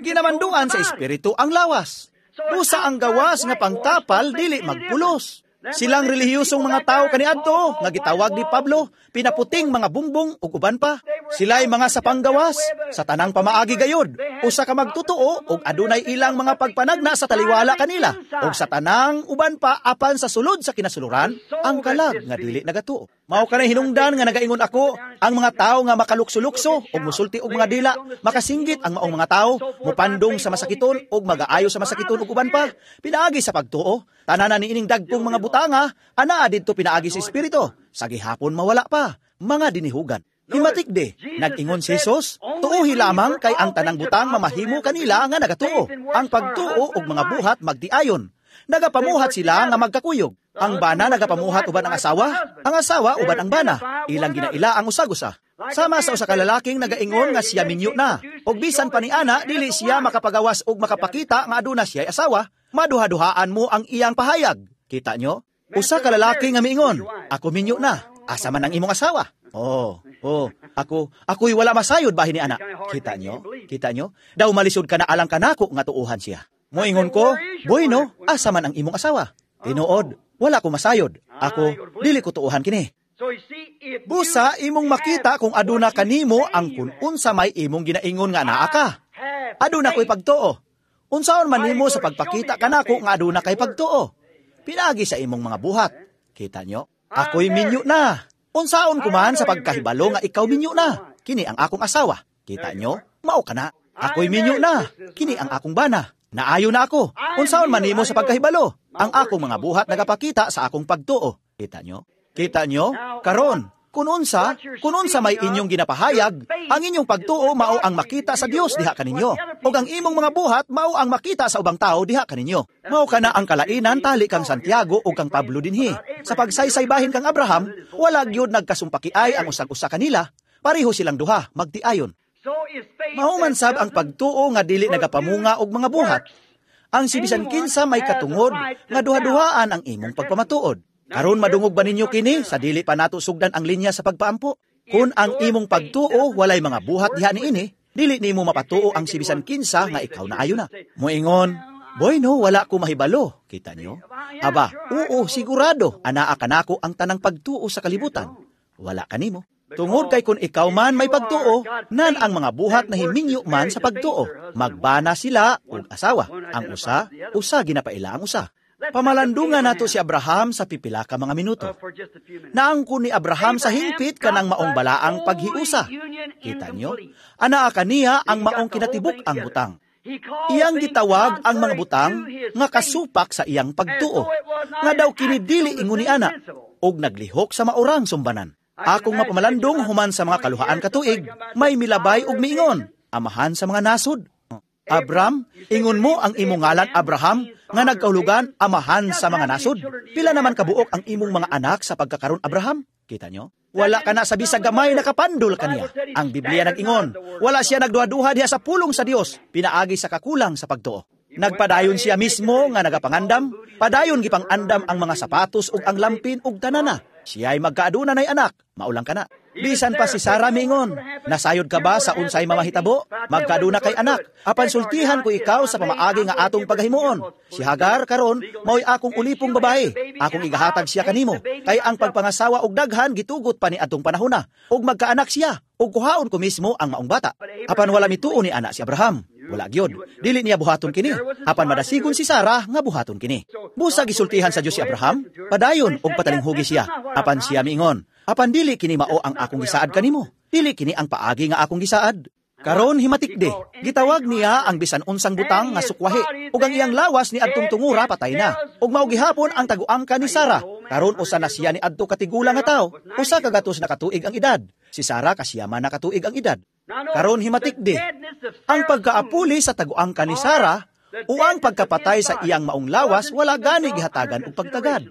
ginamanduan sa espiritu ang lawas. Busa ang gawas nga pangtapal dili magpulos. Silang relihiyosong mga tao kaniadto nga gitawag ni Pablo pinaputing mga bungbong ug uban pa. Sila'y mga sa panggawas sa tanang pamaagi gayud. Usa ka magtotoo ug adunay ilang mga pagpanagna sa taliwala kanila ug sa tanang uban pa apan sa sulod sa kinasuluran ang kalag nga dili nagatuo. Mao kanay hinungdan nga nagaingon ako ang mga tao nga makalukso-lukso ug musulti og mga dila, makasinggit ang maong mga tao, mupandong sa masakiton ug magaayo sa masakiton ug uban pa. Pinaagi sa pagtuo, tanan niining dagkong mga butanga, anaa didto pinaagi sa espiritu. Sa gihapon mawala pa, mga dinihugan. Himatik de, nag-ingon si Jesus, tuuhi lamang kay ang tanang butang mamahimo kanila nga nagatuo. Ang pagtuo ug mga buhat magtiayon. Nagapamuhat sila nga magkakuyog. Ang bana nagapamuhat uban ang asawa, ang asawa uban ang bana. Ilang ginaila ang usag-usa. Sama sa usa ka lalaking nagaingon nga siya minyo na. Og bisan pa ni ana dili siya makapagawas og makapakita nga aduna siya asawa, maduha-duhaan mo ang iyang pahayag. Kita nyo? Usa ka lalaki nga miingon, "Ako minyo na. Asa man ang imong asawa?" Oh, oh, ako, ako'y wala masayod bahin ni ana. Kita nyo? Kita nyo? Daw malisod ka na alang kanako nga tuuhan siya. Moingon ko, "Boy no, asa man ang imong asawa?" "Tinuod, wala ko masayod. Ako, dili ko tuuhan kini." Busa imong makita kung aduna kanimo ang kun unsa may imong ginaingon nga naa ka. Aduna ko'y pagtuo. Unsaon man nimo sa pagpakita kanako nga aduna kay pagtuo? Pinaagi sa imong mga buhat. Kita nyo? Ako'y minyo na. Unsaon kuman sa pagkahibalo nga ikaw minyo na? Kini ang akong asawa. Kita nyo? Mao ka na. Ako'y minyo na. Kini ang akong bana. Naayo na ako. Unsaon man nimo sa pagkahibalo? Ang akong mga buhat nagapakita sa akong pagtuo. Kita nyo? Kita nyo? Karon, kun unsa, kun unsa may inyong ginapahayag, ang inyong pagtuo mao ang makita sa Dios diha kaninyo. Ug ang imong mga buhat mao ang makita sa ubang tao diha kaninyo. Mao kana ang kalainan tali kang Santiago ug kang Pablo dinhi. Sa pagsaysay bahin kang Abraham, wala gyud nagkasumpakiay ang usag-usa kanila. Pareho silang duha, magtiayon. Mao man sab ang pagtuo nga dili nagapamunga og mga buhat. Ang sibisan kinsa may katungod nga duha-duhaan ang imong pagpamatuod. Karon madungog ba ninyo kini sa dili pa nato sugdan ang linya sa pagpaampo? Kun ang imong pagtuo walay mga buhat diha niini, dili nimo mapatuo ang sibisan kinsa nga ikaw na ayo na. Moingon, "Boy no, wala ko mahibalo." Kita nyo? Aba, oo, sigurado, anaa kanako ang tanang pagtuo sa kalibutan. Wala kanimo. Tungod kay kun ikaw man may pagtuo, nan ang mga buhat na himinyo man sa pagtuo. Magbana sila og asawa. Ang usa, usa ginapaila ang usa. Pamalandungan nato si Abraham sa pipila ka mga minuto. Naangkon ni Abraham sa hingpit kanang maong balaang paghiusa. Kita nyo? Anaa kaniya ang maong kinatibuk ang butang. Iyang gitawag ang mga butang nga kasupak sa iyang pagtuo. Nga daw kini dili ingon ni ana, og naglihok sa maurang sumbanan. Akong mapamalandong human sa mga kaluhaan katuig, may milabay og miingon, amahan sa mga nasod. Abram, ingon mo ang imong ngalan Abraham, nga nagkahulugan amahan sa mga nasod. Pila naman kabuok ang imong mga anak sa pagkakaron Abraham? Kita nyo? Wala ka na sa bisag gamay nakapandol kaniya. Ang Biblia nag-ingon, wala siya nagduha-duha diha sa pulong sa Dios, pinaagi sa kakulang sa pagtuo. Nagpadayon siya mismo nga nagapangandam, padayon gipangandam ang mga sapatos ug ang lampin ug tanana. Siya'y magkaaduna nay anak, maulang ka na. Bisan pa si Sara miingon, nasayod ka ba sa unsay mamahitabo? Magkaaduna kay anak, apan sultihan ko ikaw sa pamaagi nga atong pagahimuon. Si Hagar karon mao'y akong ulipong babae, akong igahatag siya kanimo, kay ang pagpangasawa og daghan gitugot pa ni atong panahona, ug magkaanak siya, ug kuhaon ko mismo ang maong bata. Apan wala mituo ni anak si Abraham. Wala gyud. Dili niya buhaton kini. Apan madasigon si Sara nga buhaton kini. Busa gisultihan sa Dios si Abraham, padayon og patalinghugi siya. Apan siya miingon, apan dili kini mao ang akong gisaad kanimo. Dili kini ang paagi nga akong gisaad. Karon himatikde, gitawag niya ang bisan unsang butang nga sukwahi, ug ang iyang lawas ni adtong tungura patay na. Ug mao gihapon ang taguangka ni Sara. Karon usa na siya ni adto katigulang nga tawo, usa ka gatos na katuig ang edad. Si Sara kasiyama na katuig ang edad. Karon himatikde, ang pagkaapuli sa taguangka ni Sara o ang pagkapatay sa iyang maong lawas wala gani gihatagan og pagtagad.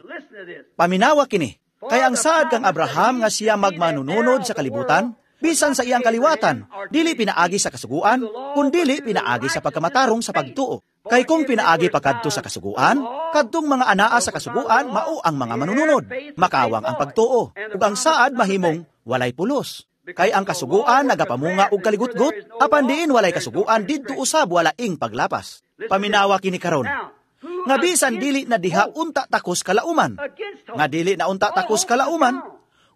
Paminawa kini, kay ang saad kang Abraham nga siya magmanununod sa kalibutan, bisan sa iyang kaliwatan, dili pinaagi sa kasuguan, kundili pinaagi sa pagkamatarong sa pagtuo. Kay kung pinaagi pa kadto sa kasuguan, kadtong mga anaa sa kasuguan mao ang mga manununod. Makawang ang pagtuo, ug ang saad mahimong walay pulos. Kay ang kasuguan nagapamunga og kaligutgot, apan diin walay kasuguan didto usab walaing paglapas. Paminawa kini karon, nga bisan dili na diha unta takos kalauman, nga dili na unta takos kalauman,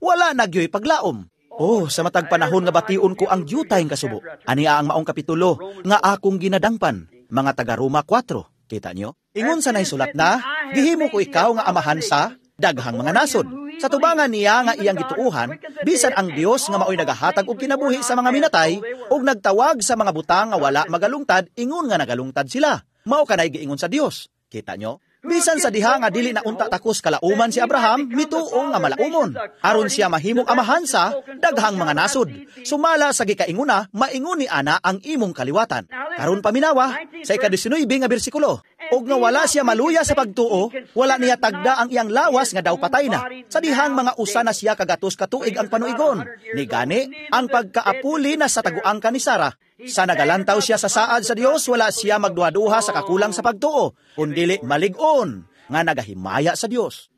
wala na gyoy paglaom. Oh, sa matag panahon nga bation ko ang dyutay kasubo. Ania ang maong kapitulo nga akong ginadangpan, mga taga Roma kwatro. Kita nyo? Ingon sa naisulat na, gihimo ko ikaw nga amahan sa daghang mga nasod. Sa tubangan niya nga iyang gituuhan, bisan ang Dios nga maoy nagahatag og kinabuhi sa mga minatay ug nagtawag sa mga butang nga wala magalungtad, ingon nga nagalungtad sila. Mao kanay giingon sa Dios. Kita nyo? Bisan sa diha nga dili na unta takos kalauman si Abraham, mituo nga malaumon. Aron siya mahimong amahan sa daghang mga nasod. Sumala sa gikainguna, maingon ni ana ang imong kaliwatan. Karon paminawa sa ikadisinuibe nga bersikulo. Og nga wala siya maluya sa pagtuo, wala niya tagda ang iyang lawas nga daw patay na. Sa dihang mga usa na siya kagatos katuig ang panuigon. Ni gani, ang pagkaapuli na sa taguangka ni Sara. Sa nagalantaw siya sa saad sa Dios, wala siya magduha-duha sa kakulang sa pagtuo, kundili malig-on nga nagahimaya sa Dios.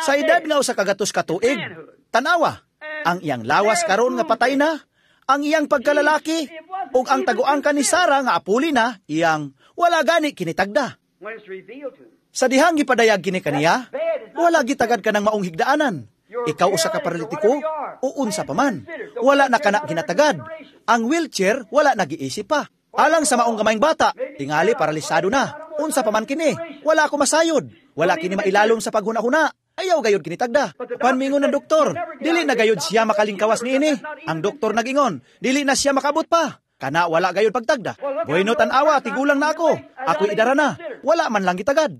Sa edad nga usa ka gatos ka tuig, tanawa, ang iyang lawas karon nga patay na, ang iyang pagkalalaki, ug ang taguangka ni Sara nga apuli na, iyang wala gani kinitagda. Sa dihang gipadayag kini kaniya, wala gitagad ka ng maong higdaanan. Ikaw usa ka paralitiko o unsa pa man. Wala na kana ginatagad. Ang wheelchair wala nagiisip pa. Alang sa maong gamayng bata, tingali paralisado na. Unsa pa man kini, wala ako masayod. Wala kini mailalom sa paghuna-huna. Ayaw gayod kinitagda. Panmingon ng doktor, dili na gayod siya makalingkawas niini. Ang doktor nagingon, dili na siya makabot pa. Kana wala gayod pagtagda. Bueno tan-awa, tigulang na ako. Ako'y idara na. Wala man lang gitagad.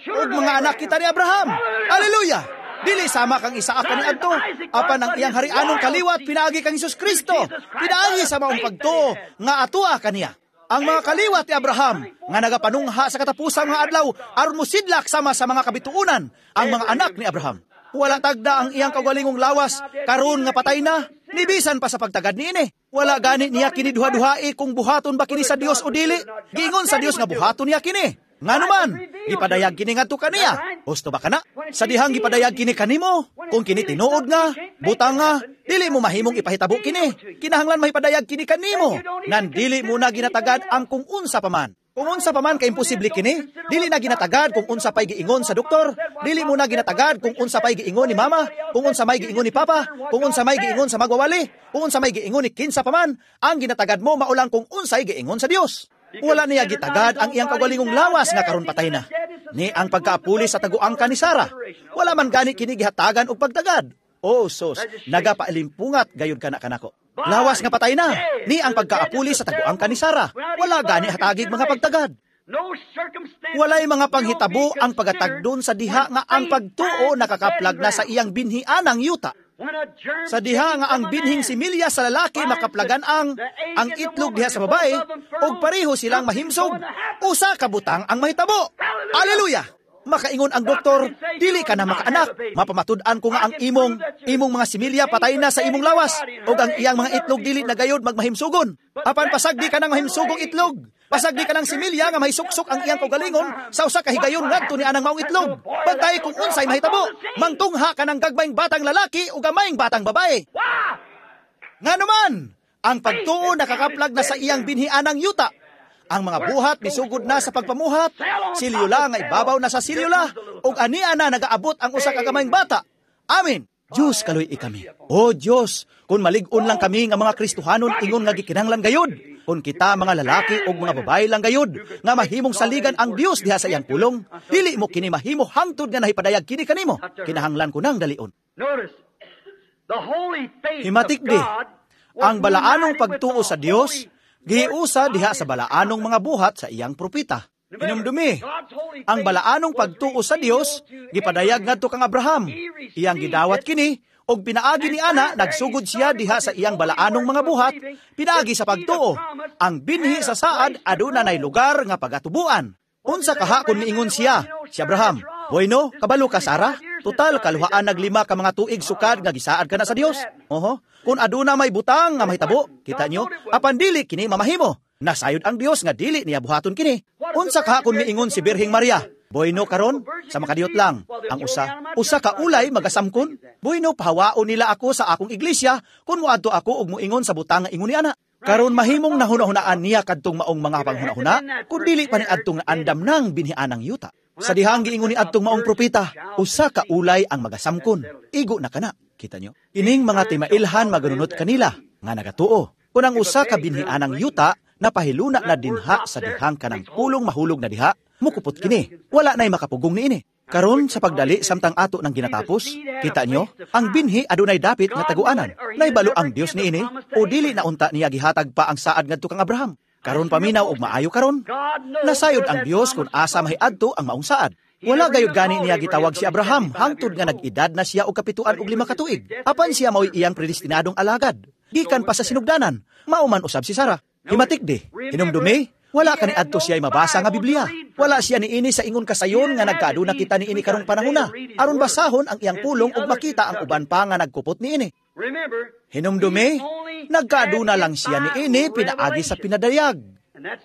Ug mga anak kita ni Abraham. Hallelujah! Dili sama kang Isaac kaniadto, apan ang iyang harianong kaliwat pinaagi kang Hesus Kristo, pinaagi sa maong pagtuo nga atua kaniya. Ang mga kaliwat ni Abraham nga nagapanungha sa katapusang mga adlaw aron mosidlak sama sa mga kabituonan ang mga anak ni Abraham. Wala tagda ang iyang kaugalingong lawas karon nga patay na, nibisan pa sa pagtagad niini. Wala gani niya kini duha-duhai kung buhaton ba kini sa Dios o dili. Giingon sa Dios nga buhaton niya kini. Nganuman, gipadayag kini ngadto kaniya. Husto ba kana? Sa dihang gipadayag kini kanimo, kung kini tinuod nga, butang nga, dili mo mahimong ipahitabo kini. Kinahanglan mahipadayag kini kanimo. Nan dili mo na ginatagad ang kung unsa pa man. Kung unsa pa man ka imposible kini, dili na ginatagad kung unsa pa'y giingon sa doktor, dili mo na ginatagad kung unsa pa'y giingon ni mama, kung unsa may giingon ni papa, kung unsa may giingon sa magwawali, kung unsa may giingon ni kinsa pa man, ang ginatagad mo maulang kung unsay giingon sa Dios. Wala niya gitagad ang iyang kaugalingong lawas nga karon patay na. Ni ang pagkaapuli sa taguangka ni Sara. Wala man gani kini gihatagan og pagtagad. Oh, sus, nagapaalimpungat gayud kana kanako. Lawas nga patay na. Ni ang pagkaapuli sa taguangka ni Sara. Wala gani hatagig mga pagtagad. Walay mga panghitabo ang pagatagdon sa diha nga ang pagtuo nakakaplag na sa iyang binhianang yuta. Sa diha nga ang binhing similya sa lalaki makaplagan ang ang itlog diha sa babae ug pareho silang mahimsog, usa ka butang ang mahitabo. Hallelujah! Makaingon ang doktor, dili ka na makaanak. Mapamatud-an ko nga ang imong imong mga similya patay na sa imong lawas ug ang iyang mga itlog dili na gayod magmahimsugon. Apan pasagdi ka ng mahimsugong itlog. Pasagdi ka ng similya nga mahisuksok ang iyang kaugalingon sa usa ka higayon ngadto ni anang maong itlog. Bantay kung unsay mahitabo. Mangtungha ka ng gagmayng batang lalaki o gamayng batang babae. Nganuman, ang pagtuo nakakaplag na sa iyang binhianang yuta. Ang mga buhat misugod na sa pagpamuhat, silyula nga ibabaw na sa silyula, ug ania na nagaabot ang usa ka gamayng bata. Amen. Diyos, kaluy-i kami. O Diyos, kung malig-on lang kami nga mga Kristohanon ingon nga gikinahanglan gayud. Kung kita mga lalaki o mga babae lang gayud, nga mahimong saligan ang Dios diha sa iyang pulong, dili mo kini mahimo hangtod nga nahipadayag kini kanimo. Kinahanglan ko nang dalion. Notice, the holy faith Himatik of di, God was ang balaanong united with pagtuo the sa Dios, holy giusa diha sa balaanong mga buhat sa iyang propeta. Hinumdumi, ang balaanong pagtuo sa Dios gipadayag ngadto kang Abraham. Iyang gidawat kini og pinaagi ni ana nagsugod siya diha sa iyang balaanong mga buhat pinaagi sa pagtuo. Ang binhi sa saad aduna nay lugar nga pagatubuan. Unsa kaha kung miingon siya, si Abraham, Bueno, kabalo ka Sara? Total kaluhaan naglima ka mga tuig sukad nga gisaad ka na sa Dios. Oho, kung aduna may butang nga mahitabo, kita nyo, apan dili kini mamahimo. Nasayod ang Dios nga dili niya buhaton kini. Unsa kaha kung miingon si Birheng Maria, Bueno karon, sa makadiyot lang, ang usa, usa ka ulay magasamkon. Bueno pahawaon nila ako sa akong iglesia kung moadto ako og moingon sa butang nga ingon ni ana. Karon mahimong nahuna-hunaan niya kadtong maong mga panghuna-huna kun dili pa ni adtong andam nang binhianang yuta. Sa dihang giingon ni adtong maong propeta, usa ka ulay ang magasamkon. Igo na kana. Kita nyo? Kining mga timailhan maganunot kanila nga nagatuo. Kung ang usa ka binhianang yuta napahiluna na dinha sa dihang kanang pulong mahulog na diha, mukupot kini. Wala na'y makapugong niini. Karon sa pagdali samtang ato ng ginatapos, kita nyo, ang binhi adunay dapit nga taguanan. Naibalo ang Dios niini o dili na unta niya gihatag pa ang saad ngadto kang Abraham. Karon paminaw og maayo karon. Nasayod ang Dios kung asa mahiadto ang maong saad. Wala gayud gani niya gitawag si Abraham hangtod nga nag-edad na siya og kapituan og lima ka tuig. Apan siya mao'y iyang predestinadong alagad. Gikan pa sa sinugdanan, mao man usab si Sara. Himatik di, hinumdumi, wala kani adto siya mabasa nga Biblia. Wala siya niini sa ingon kasayon nga nagkaaduna kita niini karong panahona. Aron basahon ang iyang pulong ug makita ang uban pa nga nagkupot niini. Remember, Hinumdumi, nagkaaduna lang siya niini pinaagi sa pinadayag.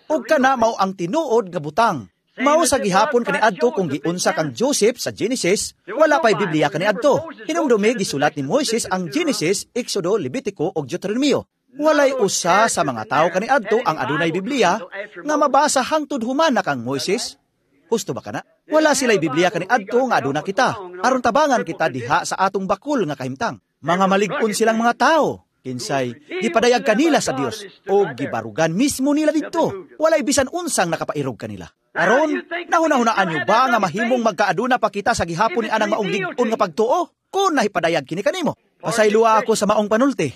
Ug kana mao ang tinuod nga butang. Mao sa gihapon kaniadto kung giunsa kang Joseph sa Genesis, wala pa'y Biblia kaniadto. Hinumdumi gisulat ni Moises ang Genesis, Exodo, Levitico ug Deuteronomio. Walay usa sa mga tawo kaniadto ang adunay Biblia nga mabasa hangtod human na kang Moises. Husto ba kana? Wala sila'y Biblia kaniadto nga aduna kita. Aron tabangan kita diha sa atong bakul nga kahimtang. Mga malig-on silang mga tao. Kinsay, gipadayag kanila sa Dios o gibarugan mismo nila didto. Walay bisan unsang nakapairog kanila. Aron, nahuna-hunaan nyo ba nga mahimong magkaaduna pa kita sa gihapon ni anang maong lig-on nga pagtuo? Kung nahipadayag kini kanimo. Pasayloa ako sa maong panulti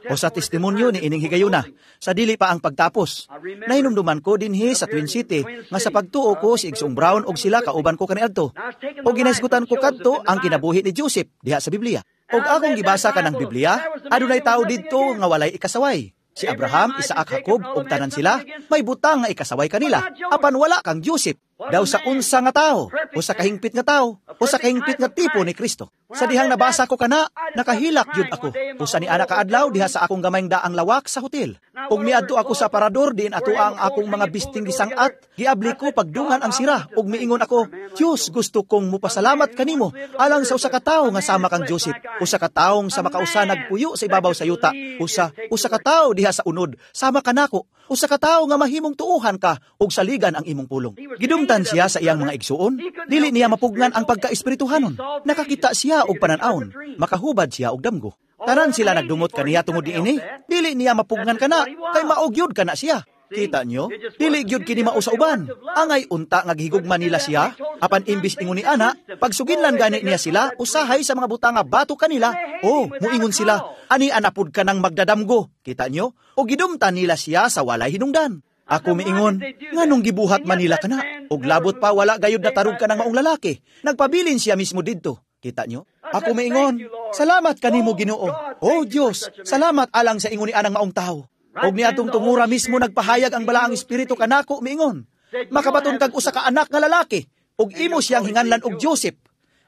o sa testimonyo ni ining higayuna sa dili pa ang pagtapos. Nahinumduman ko dinhi sa Twin City nga sa pagtuo ko si Igsoong Brown og sila kauban ko kaniadto. O ginahisgutan ko kadto ang kinabuhi ni Joseph diha sa Biblia. Og akong gibasa kanang Biblia, adunay tao didto nga walay ikasaway. Si Abraham, Isaac, Jacob ug tanan sila may butang nga ikasaway kanila. Apan wala kang Joseph. Daw sa unsa nga tao, o sa kahingpit nga tao, o sa kahingpit nga tipo ni Kristo. Sa dihang nabasa ko kana, nakahilak gyud ako. Usa ni ana kaadlaw diha sa akong gamayng daang lawak sa hotel. Ug miadto ako sa parador diin ato ang akong mga bisting gisang-at, giabli ko pagdungan ang sira ug miingon ako, Dios, gusto kong mupasalamat kanimo alang sa usa ka tawo nga sama kang Joseph, usa ka taong sa makausa nagpuyo sa ibabaw sa yuta, usa usa ka tawo diha sa unod sama kanako, usa ka tawo nga mahimong tuuhan ka ug saligan ang imong pulong. Gidumtan siya sa iyang mga igsuon, dili niya mapugnan ang pagkaespirituhanon. Nakakita siya og panan-awon, makahubad siya og damgo. Tanan sila nagdumot kaniya tungod niini, dili niya mapugnan kana, kay mao gyud kana siya. Kita nyo? Dili gyud kini mao sa uban. Angay unta nga gihigugma nila siya, apan imbis ingon ni ana, pagsuginlan gani niya sila, usahay sa mga butang nga bato kanila, oh, muingon sila, ani anapud ka nang magdadamgo. Kita nyo? O gidumtan nila siya sa walay hinungdan. Ako miingon, nganong gibuhat man nila kana? Og labot pa wala gayud natarog ka ng maong lalaki. Nagpabilin siya mismo didto. Kita nyo? Ako miingon, salamat kanimo Ginoo. Oh Dios, salamat alang sa ingon ni anang maong tawo. Og niadtong tungura mismo nagpahayag ang balaang espiritu kanako miingon. Makabaton kag usa ka anak nga lalaki ug imo siyang hinganlan og Joseph.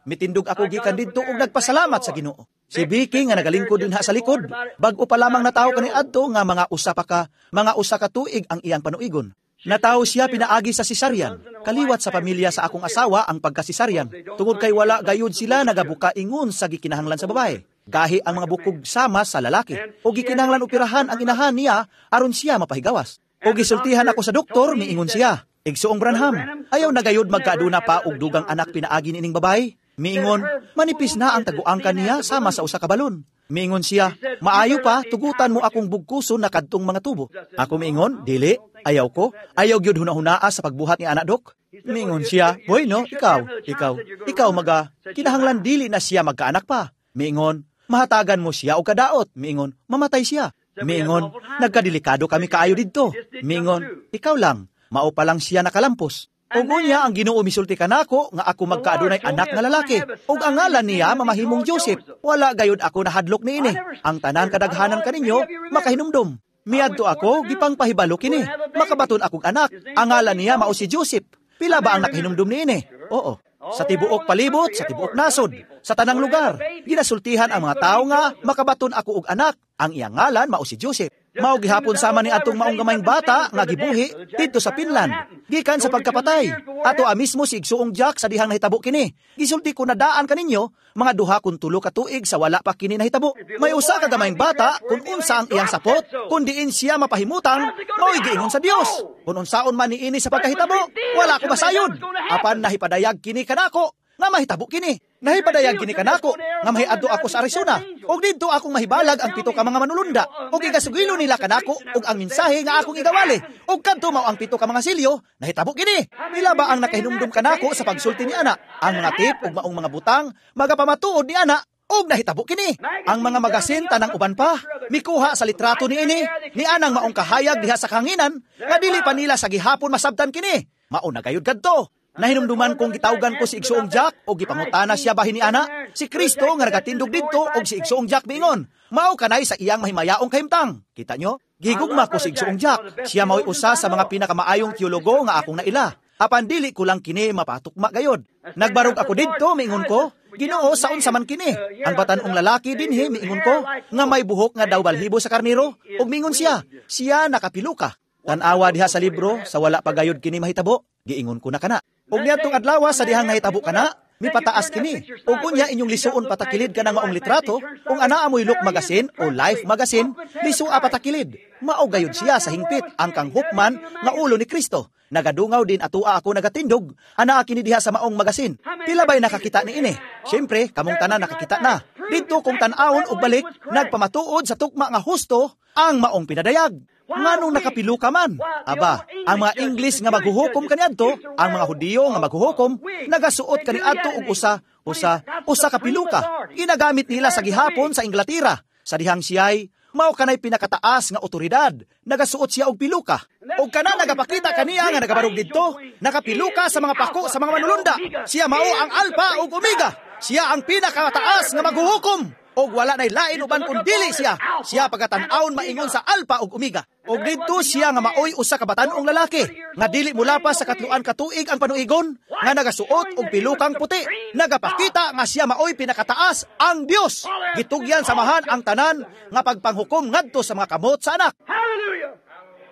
Mitindog ako gikan didto ug nagpasalamat sa Ginoo. Si Vicky nga nagalingkod dinha sa likod, bag-o pa lamang natawo kani adto nga mga usa pa ka, mga usa ka tuig ang iyang panuigon. Natawo siya pinaagi sa cesarean. Kaliwat sa pamilya sa akong asawa ang pagka-cesarean. Tungod kay wala gayud sila nagabuka ingon sa gikinahanglan sa babae. Gahi ang mga bukog sama sa lalaki. O gikinahanglan operahan ang inahan niya aron siya mapahigawas. O gisultihan ako sa doktor, miingon siya. Igsoong Branham, ayaw na gayud magkaaduna pa og dugang anak pinaagi nining babae. Miingon, manipis na ang taguang kaniya sama sa usa ka balon. Miingon siya, maayo pa, tugutan mo akong bugkuson na kadtong mga tubo. Ako miingon, dili, ayaw ko, ayaw gyud hunahunaa sa pagbuhat ni anak dok. Miingon siya, bueno, ikaw, ikaw, ikaw maga, kinahanglan dili na siya magkaanak pa. Miingon, mahatagan mo siya og kadaot. Miingon, mamatay siya. Miingon, nagkadelikado kami kaayo didto. Miingon, ikaw lang, mao pa lang siya nakalampos. Ug unya ang Ginoo misulti kanako nga ako magkaadunay anak nga lalaki. Ug ang ngalan niya mamahimong Joseph. Wala gayud ako nahadlok niini. Ang tanan kadaghanan kaninyo makahinumdom. Miadto ako gipangpahibalo kini. Makabaton akong anak. Ang ngalan niya mao si Joseph. Pila ba ang nakahinumdom niini? Oo. Sa tibuok palibot, sa tibuok nasod, sa tanang lugar, ginasultihan ang mga tao nga makabaton ako og anak. Ang iyang ngalan mao si Joseph. Mao gihapon sama ni atong maong gamayng bata nga gibuhi didto sa Finland gikan sa pagkapatay. Ato a mismo si igsuong Jack sa dihang nahitabo kini. Gisulti ko na daan kaninyo mga duha kun tulo ka tuig sa wala pa kini nahitabo. May usa ka gamayng bata kung unsa ang iyang sapot, kun diin siya mapahimutang, mao'y giingon sa Dios. Kung unsaon man niini sa pagkahitabo, wala ko masayod. Apan nahipadayag kini kanako nga mahitabo kini. Nahipadayag kini kanako nga mahiadto ako sa Arizona. Og didto akong mahibalag ang pito ka mga manulunda. Og igasugilo nila kanako og ang mensahe nga akong igawali. Og kadto mao ang pito ka mga silyo, nahitabo kini. Pila ba ang nakahinumdum kanako sa pagsulti ni ana? Ang mga tip ug maong mga butang magapamatuod ni ana og nahitabo kini. Ang mga magasin tanang uban pa mikuha sa litrato niini ni anang maong kahayag diha sa kanginan nga dili pa nila sa gihapon masabtan kini. Mao na gayud kadto. Nahinumduman kong gitawgan ko si Igsuong Jack o gipangutana siya bahin ni ana, si Kristo nga nagatindog didto og si Igsuong Jack miingon, mao kanay sa iyang mahimayaong kahimtang. Kita nyo? Gigugma ko si Igsuong Jack. Siya mao'y usa sa mga pinakamaayong teologo nga akong naila. Apan dili ko lang kini mapatukma gayod. Nagbarog ako didto, miingon ko, Ginoo, sa unsa man kini? Ang batan-ong lalaki dinhi, miingon ko, nga may buhok nga daw balhibo sa karniro, ug miingon siya, siya nakapiluka. Tan-awa diha sa libro, sa wala pa gayod kini mahitabo, giingon ko na kana. Ug niadtong adlaw sa dihang nahitabo kana, mipataas kini. Ug unya inyong lisuon patakilid kanang maong litrato, ung anaa mo'y Look Magazine o Life Magazine, lisua patakilid. Mao gayud siya sa hingpit ang kanghukman nga ulo ni Kristo. Nagadungaw din atua ako nagatindog, anaa kini diha sa maong magasin. Pila ba'y nakakita ni ini? Siyempre, kamong tanan nakakita na. Didto kung tan-awon og balik, nagpamatuod sa tukma nga husto ang maong pinadayag. Nganong nakapilo ka man? Aba, ang mga English nga maghuhukom kaniadto, ang mga Hudiyo nga maghuhukom, nagasuot kaniadto og usa, usa, usa ka piluka. Ginagamit nila sa gihapon sa Inglatera. Sa dihang siya'y mao kanay pinakataas nga otoridad, nagasuot siya og piluka. Og kana nagapakita kaniya nga nagabarog didto, nakapiluka sa mga pako sa mga manulunda. Siya mao ang Alpha ug Omega. Siya ang pinakataas nga maghuhukom. Og wala nay lain uban kun dili siya. Siya pagatan-awon maingon sa Alpha ug Omega. Og didto siya nga maoy usa ka batan-ong lalaki nga dili mulapas sa katluan ka tuig ang panuigon, nga nagasuot og pilukang puti. Nagapakita nga siya maoy pinakataas ang Dios. Gitugyan samahan ang tanan nga pagpanghukom ngadto sa mga kamot sa anak. Hallelujah!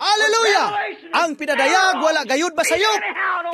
Hallelujah! Ang pinadayag wala gayud masayop.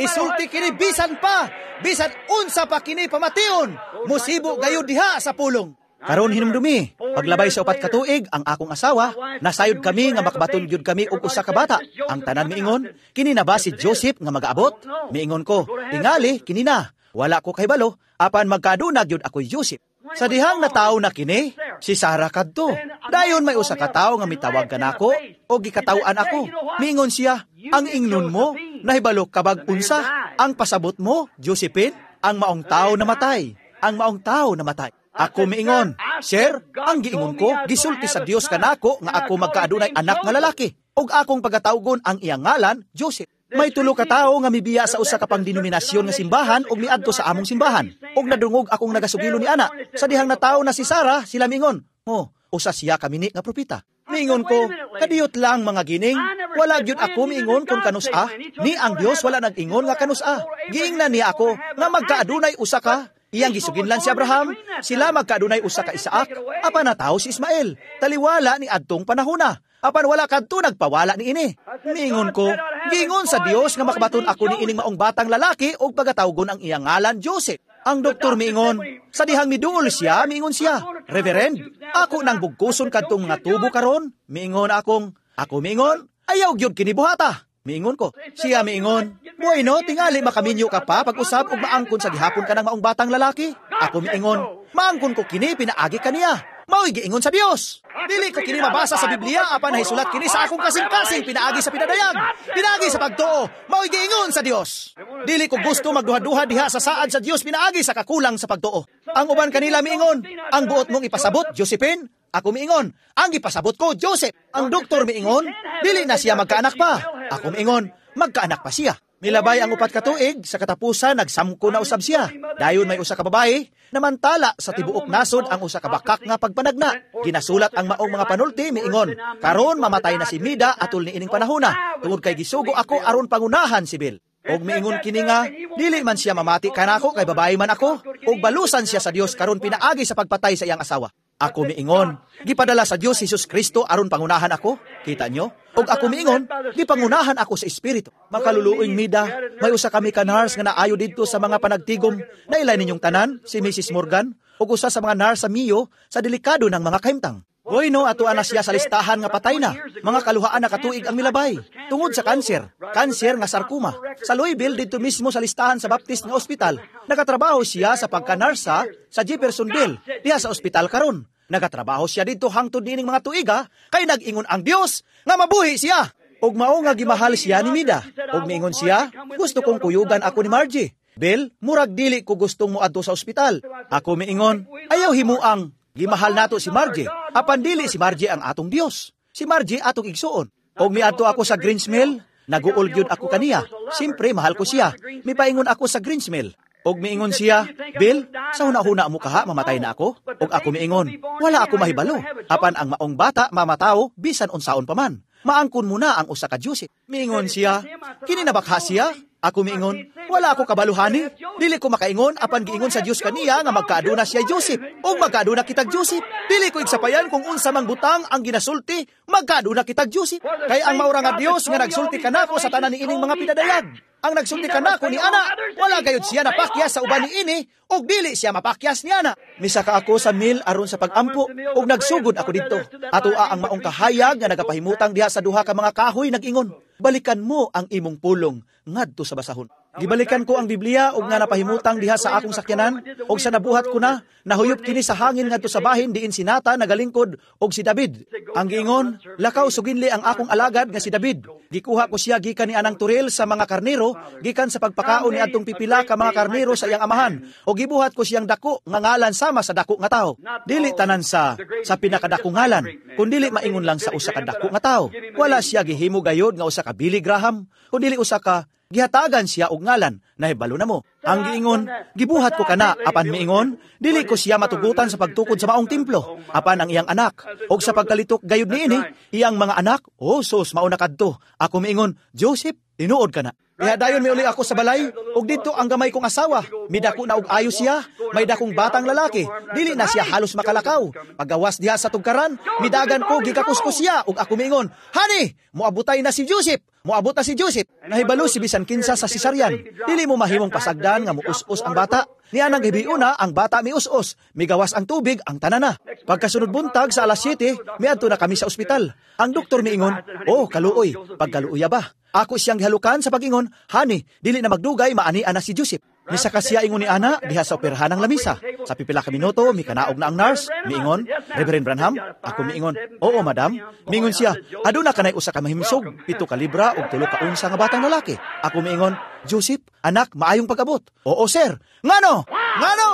Isulti kini bisan pa, bisan unsa pa kini pamation. Musibo gayud diha sa pulong. Karon hinumdumi, paglabay sa upat ka tuig ang akong asawa, nasayod kami nga makabaton gyud kami og usa ka bata. Ang tanan miingon, kini na ba si Joseph nga magaabot? Miingon ko, tingali kini na. Wala ko kahibalo, apan magkaaduna gyud ako'y Joseph. Sa dihang natawo na kini, si Sarah kadto. Dayon may usa ka tawo nga mitawag kanako o gikataw-an ako. Miingon siya, ang ingnon mo, nahibalo kabag unsa, ang pasabot mo, Josephine, ang maong tao namatay. Ang maong tao namatay. Ako miingon, Sir, ang giingon ko, gisulti sa Dios kanako nga ako magkaadunay anak nga lalaki. Ug akong pagatawgon ang iyang ngalan, Joseph. May tulo ka tawo nga mibiya sa usa ka pangdenominasyon nga simbahan ug miadto sa among simbahan. Ug nadungog akong nagasugilo ni ana. Sa dihang natawo na si Sarah, sila miingon, "Oh, usa siya kamini nga propeta." Miingon ko, kadiyot lang mga gining, wala gyud ako miingon kung kanus-a, ni ang Dios wala nag-ingon nga kanus-a. Giingnan niya ako nga magkaadunay usa ka. Iyang gisuginlan si Abraham, sila magkaadunay usa ka Isaac, apan natawo si Ismael. Taliwala ni adtong panahona. Apan wala kadto nagpawala ni ini. Miingon ko, giingon sa Dios nga makabaton ako ni ining maong batang lalaki og pagatawgon ang iyang ngalan Joseph. Ang doktor miingon, sa dihang miduol siya, miingon siya, Reverend, ako nang bugkuson kadtong mga tubo karon. Miingon akong, ako miingon, ayaw gyud kini buhata. Miingon ko. Siya miingon, "Bueno, tingali makaminyo ka pa pag-usab og maangkon sa gihapon ka ng maong batang lalaki." Ako miingon, "Maangkon ko kini pinaagi kaniya. Mao'y giingon sa Dios. Dili ko kini mabasa sa Biblia apan nahisulat kini sa akong kasing-kasing pinaagi sa pinadayag. Pinaagi sa pagtuo, mao'y giingon sa Dios. Dili ko gusto magduha-duha diha sa saad sa Dios pinaagi sa kakulang sa pagtuo." Ang uban kanila miingon, "Ang buot mong ipasabot, Josephine?" Ako miingon, "Ang ipasabot ko, Joseph." Ang doktor miingon, "Dili na siya magkaanak pa." Ako miingon, "Magkaanak pa siya." Milabay ang upat ka tuig, sa katapusan nagsamko na usab siya. Dayon may usa ka babae, namantala sa tibuok nasod ang usa ka bakak nga pagpanagna. Ginasulat ang maong mga panulti, miingon, "Karon mamatay na si Mida atol ni ining panahona, tungod kay gisugo ako aron pangunahan si Bill. Og miingon kini nga, dili man siya mamati kanako kay babae man ako, og balusan siya sa Dios karon pinaagi sa pagpatay sa iyang asawa." Ako miingon, "Gipadala sa Dios si Jesus Kristo aron pangunahan ako." Kita nyo? Og ako miingon, "Gipangunahan ako sa Espiritu." Makaluluoyng Mida, may usa kami ka nurse nga naayo didto sa mga panagtigom. Nailay ninyong tanan, si Missus Morgan, ug usa sa mga nurse sa Mayo sa delikado ng mga kahimtang. Bueno, atoa na siya sa listahan nga patay na. Mga kaluhaan na katuig ang milabay. Tungod sa kanser, kanser nga sarcoma. Sa Louisville, dito mismo sa listahan sa Baptist nga ospital. Nagatrabaho siya sa pagka-nursa sa Jeffersonville, diha sa ospital karon. Nagatrabaho siya dito hangtod niining mga tuiga, kay nag-ingon ang Dios nga mabuhi siya. Og mao nga gimahal siya ni Mida. Og miingon siya, "Gusto kong kuyugan ako ni Margie. Bill, murag dili ko gustong moadto sa ospital." Ako miingon, "Ayaw himuang gimahal nato si Margie. Apan dili si Margie ang atong Dios. Si Margie atong igsuon." Og miadto ako sa Greens Mill, naguol gyud ako kaniya. Siyempre mahal ko siya. Mipaingon ako sa Greens Mill. Og miingon siya, "Bill, sa huna-huna mo kaha mamatay na ako?" Og ako miingon, "Wala ako mahibalo. Apan ang maong bata mamataw bisan unsaon pa man. Maangkon mo na ang usa ka Joseph." Miingon siya, "Kini nabakha siya?" Ako miingon, "Wala ako kabaluhani. Dili ko makaingon apan giingon sa Dios kaniya nga magkaaduna siya Joseph. Og magkaaduna kitag Joseph. Dili ko igsapayan kung unsa mang butang ang ginasulti, magkaaduna kitag Joseph. Kay ang maura nga Dios nga nagsulti kanako sa tanan niining mga pinadayag. Ang nagsulti kanako ni ana, wala gayud siya napakyas sa uban niini, ug dili siya mapakyas ni ana." Misaka ako sa mill aron sa pagampo, ug nagsugod ako didto. Atoa ang maong kahayag nga nagapahimutang diha sa duha ka mga kahoy nag-ingon, "Balikan mo ang imong pulong ngadto sa basahon." Gibalikan ko ang Biblia ug nga napahimutang diha sa akong sakyanan, ug sa nabuhat ko na, nahuyop kini sa hangin ngadto sa bahin diin si Nathan nagalingkod og si David. Ang giingon, "Lakaw suginli ang akong alagad nga si David. Gikuha ko siya gikan ni anang turil sa mga karnero, gikan sa pagpakaon ni adtong pipila ka mga karnero sa iyang amahan, ug gibuhat ko siyang dako nga ngalan sama sa dako nga tawo." Dili tanan sa sa pinakadakong ngalan, kundili maingon lang sa usa ka dako nga tawo. Wala siya gihimo gayod nga usa ka Billy Graham, kundili usa ka gihatagan siya og ngalan, nahibalo na mo. Ang giingon, "Gibuhat ko kana," apan miingon, "dili ko siya matugutan sa pagtukod sa maong templo, apan ang iyang anak, og sa pagkalitok gayud niini, iyang mga anak, oh sus, mauna kadto." Ako miingon, "Joseph, tinuod ka na." Kaya dayon miuli ako sa balay, ug didto ang gamay kong asawa. Midako na og ayo siya, may dakong batang lalaki. Dili na siya halos makalakaw. Pagawas diha sa tugkaran, midagan ko, gikakus ko siya, ug ako miingon, "Honey, moabutay na si Joseph. Moabot na si Joseph." Nahibalo si bisan kinsa sa cesarean. Dili mo mahimong pasagdan nga muus-us ang bata. Niya nang gibiuna, ang bata mius-us. Migawas ang tubig, ang tanana. Pagkasunod buntag sa alas siyete, miadto na kami sa ospital. Ang doktor miingon, "Oh, kaluoy, pagkaluoya ba?" Ako siyang gihalukan sa pag-ingon, "Honey, dili na magdugay, maani na si Joseph." Misaka siya ingon ni ana diha sa operahan ng lamisa. Sa pipila ka minuto, mikanaog na ang nurse. Miingon, "Reverend Branham?" Ako miingon, "Oo, madam." Miingon siya, "Aduna kanay usa ka mahimsog, pito ka libra ug tulo ka unsa nga batang lalaki." Ako miingon, "Joseph, anak, maayong pag-abot." "Oo, sir." Ngano? Ngano?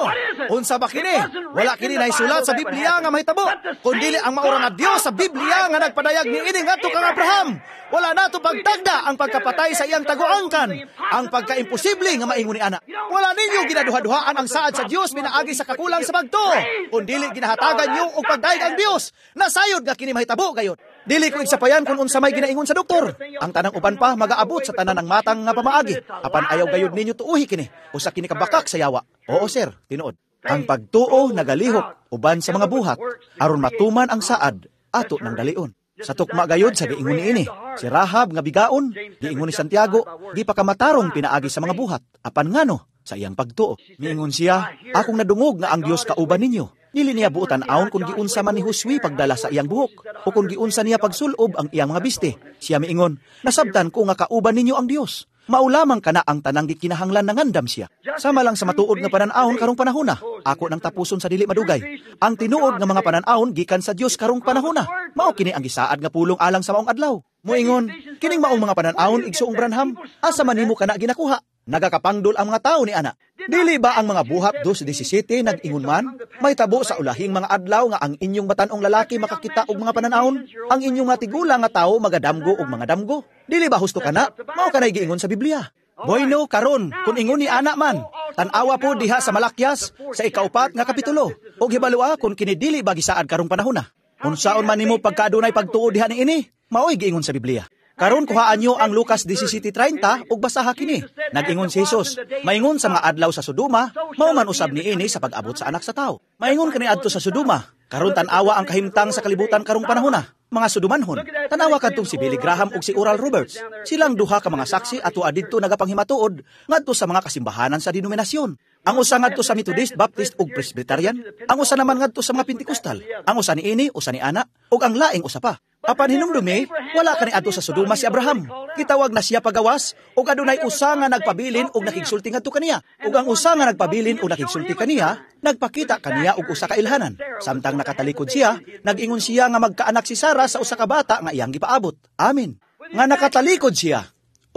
Unsa ba kini? Wala kini naisulat sa Biblia nga mahitabo. Kundili ang maura nga Dios sa Biblia nga nagpadayag ni ini ngadto kang Abraham. Wala nato pagtagda ang pagkapatay sa iyang taguangkan, ang pagkaimposible nga maingon ni ana. Wala ninyo ginaduha-duhaan ang saad sa Dios pinaagi sa kakulang sa pagtuo. Kundili ginahatagan niyo og pagdayeg ang Dios. Nasayod nga kini mahitabo gayod. Dili ko igsapayan kung unsa may ginaingon sa doktor. Ang tanang uban pa magaabot sa tanan ng matang nga pamaagi. Apan ayaw gayud ninyo tuuhi kini. Usa kini kabakak sa yawa. Oo sir, tinuod. Ang pagtuo nagalihok uban sa mga buhat aron matuman ang saad ato ng dalion. Sa tukma gayod sa giingon niini, si Rahab nga bigaon, giingon ni Santiago, gipakamatarong pinaagi sa mga buhat. Apan ngano sa iyang pagtuo. Miingon siya, "Akong nadungog nga ang Dios kauban ninyo. Dili niya buot tan-awon kung giunsa man ni Josue pagdala sa iyang buhok o kung giunsa niya pagsulob ang iyang mga biste. Siya miingon, "Nasabtan ko nga kauban ninyo ang Dios." Mao lamang kana ang tanang gikinahanglan na ngandam siya. Sama lang sa matuod nga panan-awon karong panahona. Ako nang tapuson sa dili madugay. Ang tinuod nga mga panan-awon gikan sa Dios karong panahona. Mao kini ang gisaad nga pulong alang sa maong adlaw. Moingon, "Kining maong mga panan-awon, Igsoong Branham, asa man nimo kana ginakuha? Nagakapangdol ang mga tao ni ana." Dili ba ang mga Buhat dos disasayte nag-ingon man, "Mahitabo sa ulahing mga adlaw nga ang inyong batan-ong lalaki makakita og mga panan-awon, ang inyong mga tigulang nga tawo magadamgo og mga damgo"? Dili ba husto kana? Mao kanay giingon sa Biblia. Bueno, karon, kung ingon ni ana man, tan-awa po diha sa Malakias sa ikaupat nga kapitulo, ug hibaloa kung kini dili ba gisaad karong panahona. Unsaon man nimo pagkadunay pagtuo diha niini, mao'y giingon sa Biblia. Karon kuhaan nyo ang Lucas disasayte treinta ug basaha kini. Nag-ingon si Jesus, "Maingon sa mga adlaw sa Sodoma, mao man usab niini sa pag-abot sa Anak sa Tawo." Maingon kani adto sa Sodoma. Karon tan-awa ang kahimtang sa kalibutan karong panahona. Mga Sodomanhon. Tanawa kadtong si Billy Graham ug si Oral Roberts. Silang duha ka mga saksi ato didto nagapanghimatuod ngadto sa mga kasimbahanan sa denominasyon. Ang usa ngadto sa Methodist, Baptist ug Presbyterian, ang usa naman ngadto sa mga Pentecostal. Ang usa niini, usa ni ana, ug ang laing usa pa. Apan hinumdumi, wala kani adto sa Sodoma si Abraham. Gitawag na siya pagawas ug adunay usa nga nagpabilin ug nakigsulti ngadto kaniya. Ug ang usa nga nagpabilin ug nakigsulti kaniya, nagpakita kaniya og usa ka ilhanan. Samtang nakatalikod siya, nag-ingon siya nga magkaanak si Sara sa usa ka bata nga iyang gipaabot. Amin. Nga nakatalikod siya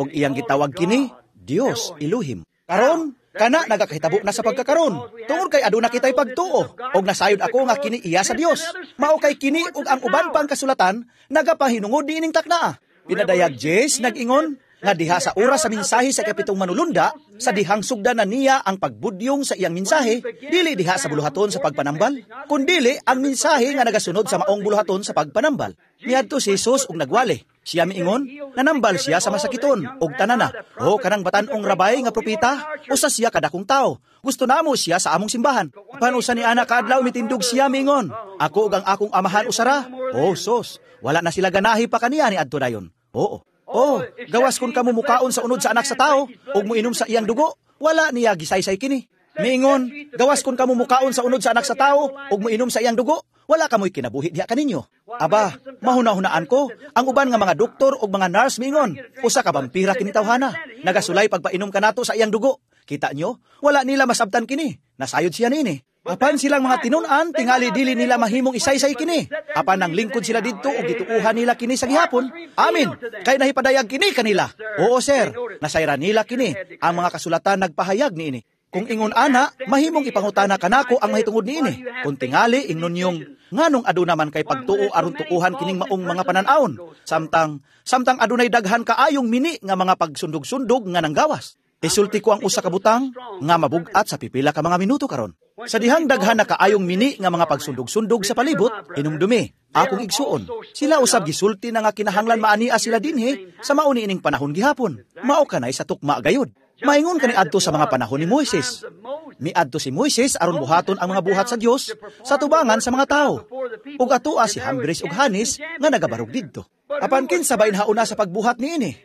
ug iyang gitawag kini Dios Elohim. Karon, kana nagakahitabo na sa pagkakaron. Tungod kay aduna kitay pagtuo og nasayod ako nga kini iya sa Dios. Mao kay kini ug ang uban pang kasulatan nagapahinungod niining taknaa. Pinadayag Jes nag-ingon nga diha sa oras sa mensahe sa ikapitong manulunda, sa dihang sugdan na niya ang pagbudyong sa iyang mensahe, dili diha sa buluhaton sa pagpanambal, kundili ang mensahe nga nagasunod sa maong buluhaton sa pagpanambal. Niadto si Jesus ug nagwali. Siya miingon, nanambal siya sa masakiton, ug tanana, "O kanang batan-ong rabay nga propeta, usa siya kadakong tao. Gusto namo siya sa among simbahan." Apan usa ni ana kaadlaw mitindog siya miingon, "Ako ug ang akong Amahan usara." Oh, sos, wala na sila ganahi pa kaniya ni adto dayon. Oo. "Oh, gawas kung kamo mukaon sa unod sa Anak sa Tao, ug muinom sa iyang dugo," wala niya gisaysay kini. Miingon, "Gawas kung kamo mukaon sa unod sa Anak sa Tao, ug muinom sa iyang dugo, wala kamoy kinabuhi diha kaninyo." Aba, mahuna-hunaan ko, ang uban nga mga doktor ug mga nurse miingon, "Usa ka vampira kini tawhana. Nagasulay pagpainom kanato sa iyang dugo." Kita nyo, wala nila masabtan kini. Nasayod siya nini. Apan silang mga tinun-an, tingali dili nila mahimong isaysay kini. Apan nang lingkod sila didto ug gituuhan nila kini sa gihapon. Amin. Kay nahipadayag kini kanila. Oo, sir. Nasayran nila kini. Ang mga kasulatan nagpahayag niini. Kung ingon ana, mahimong ipangutana kanako ang mahitungod niini. Kung tingali ingnon niyong nganong aduna man kay pagtuo aron tuohan kining maong mga panan-awon, samtang samtang adunay daghan kaayong mini nga mga pagsundog-sundog nga nanggawas. Isulti ko ang usa ka butang nga mabugat sa pipila ka mga minuto karon. Sa dihang daghan na kaayong mini nga mga pagsundog-sundog sa palibot, hinumdumi, akong igsuon. Sila usab gisulti na nga kinahanglan maania sila dinhi sa mao niining panahon gihapon. Mao kanay sa tukma gayud. Maingon kani adto sa mga panahon ni Moises. Miadto si Moises aron buhaton ang mga buhat sa Dios sa tubangan sa mga tao. Ug atoa si Hambres ug Hanes nga nagabarog didto. Apan kinsa ba hauna sa pagbuhat niini?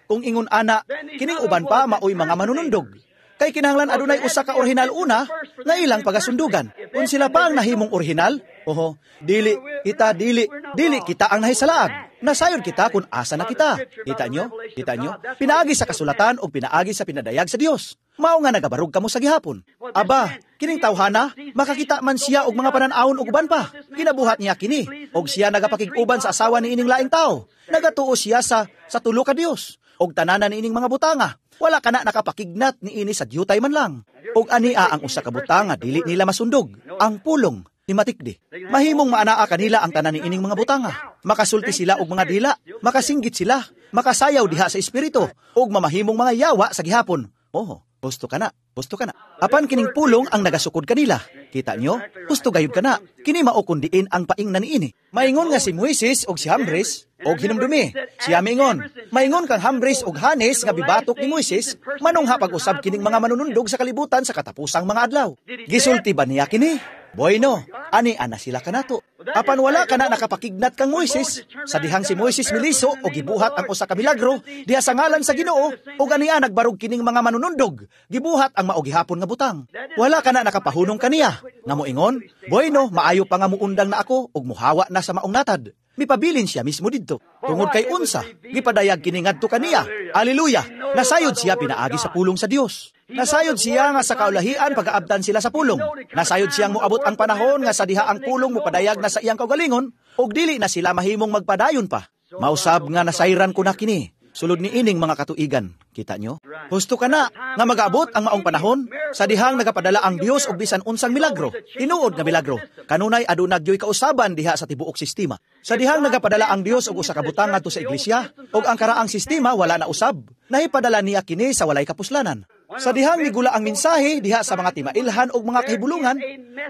Kung ingon ana, kining uban pa maoy mga manunundog. Kay kinahanglan adunay usa ka orihinal una nga ilang pagasundugan. Kung sila pa ang nahimong orihinal, oho, dili kita dili dili kita ang nahisalaag. Nasayod kita kung asa na kita. Kita nyo? Kita nyo? Pinaagi sa kasulatan o pinaagi sa pinadayag sa Dios. Mao nga nagabarog kamo sa gihapon. Aba, kining tawhana, makakita man siya og mga panan-awon og uban pa. Ginabuhat niya kini, og siya nagapakig-uban sa asawa ni ining laing tao. Nagatuo siya sa sa tulo ka Dios og tananan niining mga butanga. Wala kana nakapakignat niini sa diyutay man lang. Og ania ang usa ka butanga dili nila masundog, ang pulong ni matikdi. Mahimong maanaa kanila ang tanan niining mga butanga. Makasulti sila og mga dila, makasinggit sila, makasayaw diha sa espiritu, ug mamahimong mga yawa sa gihapon. Oho, gusto ka na, gusto ka na. Apan kining pulong ang nagasukod kanila. Kita nyo? Gusto gayud ka na. Kini mao kun diin ang paingnan niini. Maingon nga si Moises og si Hambres og hinumdumi. Siya miingon, maingon kang Hambres og Hanes nga bibatok ni Moises, manungha pag-usab kining mga manunundog sa kalibutan sa katapusang mga adlaw. Gisulti ba niya kini? Bueno, ani ana sila kanato. Apan wala kana nakapakignat kang Moises. Sa dihang si Moises miliso o gibuhat ang usa ka milagro diha sa ngalan sa Ginoo, ug ania nagbarog kining mga manunundog, gibuhat ang mao gihapon nga butang. Wala kana nakapahunong kaniya nga moingon, "Bueno, maayo pa nga muundang na ako ug muhawa na sa maong natad." Mipabilin siya mismo didto. Tungod kay unsa, gipadayag kini ngadto kaniya. Aleluya! Nasayod siya pinaagi sa pulong sa Dios. Nasayod siya nga sa kaulahian pagaabtan sila sa pulong. Nasayod siyang moabot ang panahon nga sa diha ang pulong mopadayag na sa iyang kaugalingon ug dili na sila mahimong magpadayon pa. Mausab nga nasayran ko na kini. Sulod ni ining mga katuigan. Kita nyo? Husto ka na nga magaabot ang maong panahon sa dihang nagapadala ang Dios og bisan unsang milagro. Tinuod nga milagro. Kanunay aduna gyoy kausaban diha sa tibuok sistema. Sa dihang nagapadala ang Dios og usa ka butang ngadto sa iglesia ug ang karaang sistema wala na usab, nahipadala niya kini sa walay kapuslanan. Sa dihang migula ang mensahe diha sa mga timailhan og mga kahibulungan,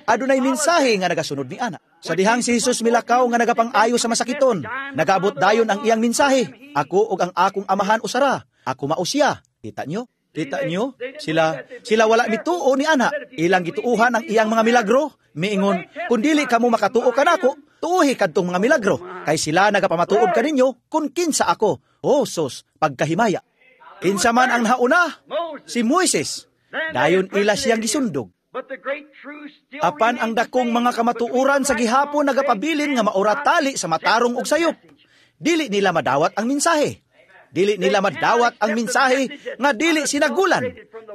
adunay mensahe nga nagasunod ni ana. Sa dihang si Jesus milakaw nga nagapang-ayo sa masakiton, nagaabot dayon ang iyang mensahe. Ako ug ang akong amahan usara, ako mao siya. Kita nyo? Kita nyo? Sila, sila wala mituo ni ana. Ilang gituuhan ang iyang mga milagro. Miingon, kung dili kamo makatuo kanako, tuuhi kadtong mga milagro. Kay sila nagapamatuod kaninyo kung kinsa ako. Oh, sus, pagkahimaya. Kinsa man ang nauna? Si Moises. Dayon ila siyang gisundog. Apan ang dakong mga kamatuoran sa gihapon nagapabilin nga maura tali sa matarong og sayop. Dili nila madawat ang mensahe. Dili nila madawat ang mensahe nga dili sinagulan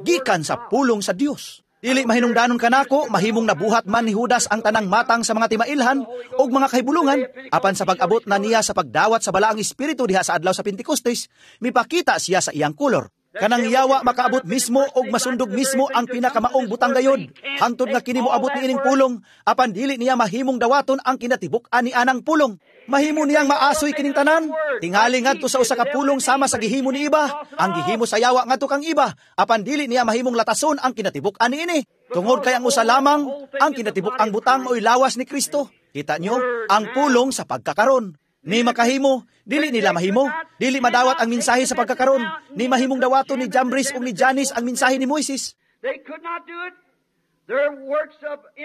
gikan sa pulong sa Dios. Dili mahinungdanon kanako mahimong nabuhat man ni Judas ang tanang matang sa mga timailhan ug mga kahibulungan, apan sa pag-abot na niya sa pagdawat sa balaang espiritu diha sa adlaw sa Pentecostes, mipakita siya sa iyang kolor. Kanang yawa makaabot mismo og masundog mismo ang pinakamaong butang gayod. Hangtod nga kini moabot niining pulong, apan dili niya mahimong dawaton ang kinatibuk-an ni anang pulong. Mahimo niyang maasoy kining tanan. Tingali ngadto sa usa ka pulong sama sa gihimo ni iba, ang gihimo sa yawa ngadto kang iba, apan dili niya mahimong latason ang kinatibuk-an niini. Tungod kay ang usa lamang, ang kinatibuk-ang butang mao'y lawas ni Kristo. Kita nyo, ang pulong sa pagkakaron. Ni makahimo, dili nila mahimo, dili madawat ang mensahe sa pagkakaron, ni mahimong dawaton ni Jambres ug ni Janes ang mensahe ni Moises.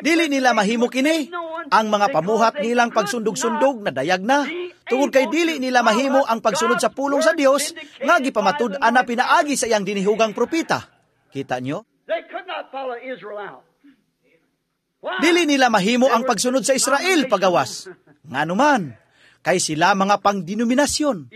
Dili nila mahimo kini. Ang mga pamuhat nilang pagsundog-sundog na dayag na, tungod kay dili nila mahimo ang pagsunod sa pulong sa Dios nga gipamatud-an na pinaagi sa iyang dinihugang propeta. Kita nyo? Dili nila mahimo ang pagsunod sa Israel pagawas. Nganuman, kay sila mga pangdenominasyon,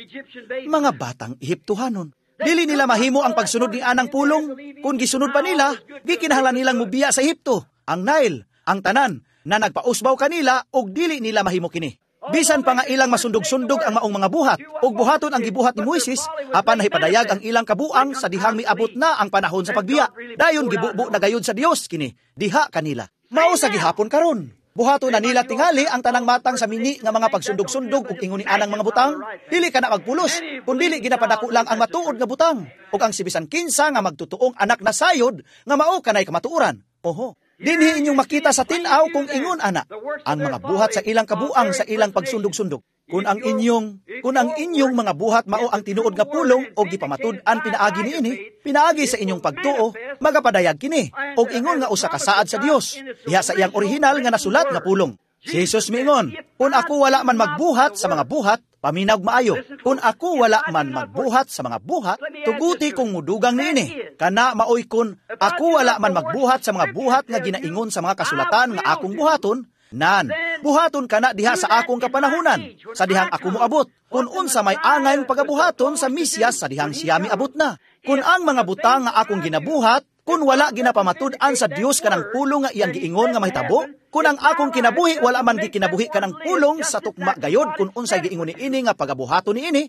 mga batang Ehiptohanon. Dili nila mahimo ang pagsunod ni anang pulong. Kung gisunod pa nila, gikinahanglan nilang mubiya sa Ehipto, ang Nile, ang tanan, na nagpausbaw kanila og dili nila mahimo kini. Bisan pa nga ilang masundog-sundog ang maong mga buhat, ug buhaton ang gibuhat ni Moises, apan nahipadayag ang ilang kabuang sa dihang miabot na ang panahon sa pagbiya. Dayon gibubo na gayud sa Dios kini, diha kanila. Mao sa gihapon karon. Buhaton na nila tingali ang tanang matang sa mini nga mga pagsundog-sundog ug ingon ni anang mga butang. Dili ka na magpulos, kun dili ginapadako lang ang matuod nga butang ug ang sibisan kinsa nga magtutuong anak na sayod nga mao kanay kamatuoran. Oho. Dinhi inyong makita sa tin-aw kung ingon ana ang mga buhat sa ilang kabuang sa ilang pagsundog-sundog. Kung ang inyong kung ang inyong mga buhat mao ang tinuod nga pulong o gipamatud-an pinaagi niini, pinaagi sa inyong pagtuo, magapadayag kini og ingon nga usa ka saad sa Dios diha sa iyang orihinal nga nasulat nga pulong. Si Jesus miingon, kung ako wala man magbuhat sa mga buhat, paminaw maayo. Kung ako wala man magbuhat sa mga buhat, tuguti kong mudugang niini. Kana maoy kun ako wala man magbuhat sa mga buhat nga ginaingon sa mga kasulatan nga akong buhaton, nan, buhaton kana diha sa akong kapanahunan, sa dihang ako moabot. Kung unsa may angayong pagabuhaton sa Mesiyas sa dihang siya miabot na. Kung ang mga butang nga akong ginabuhat, kung wala ginapamatud-an sa Dios kanang pulong nga iyang giingon nga mahitabo, kung ang akong kinabuhi wala man gikinabuhi kanang pulong sa tukma gayod kung unsay giingon niini nga pagabuhaton niini,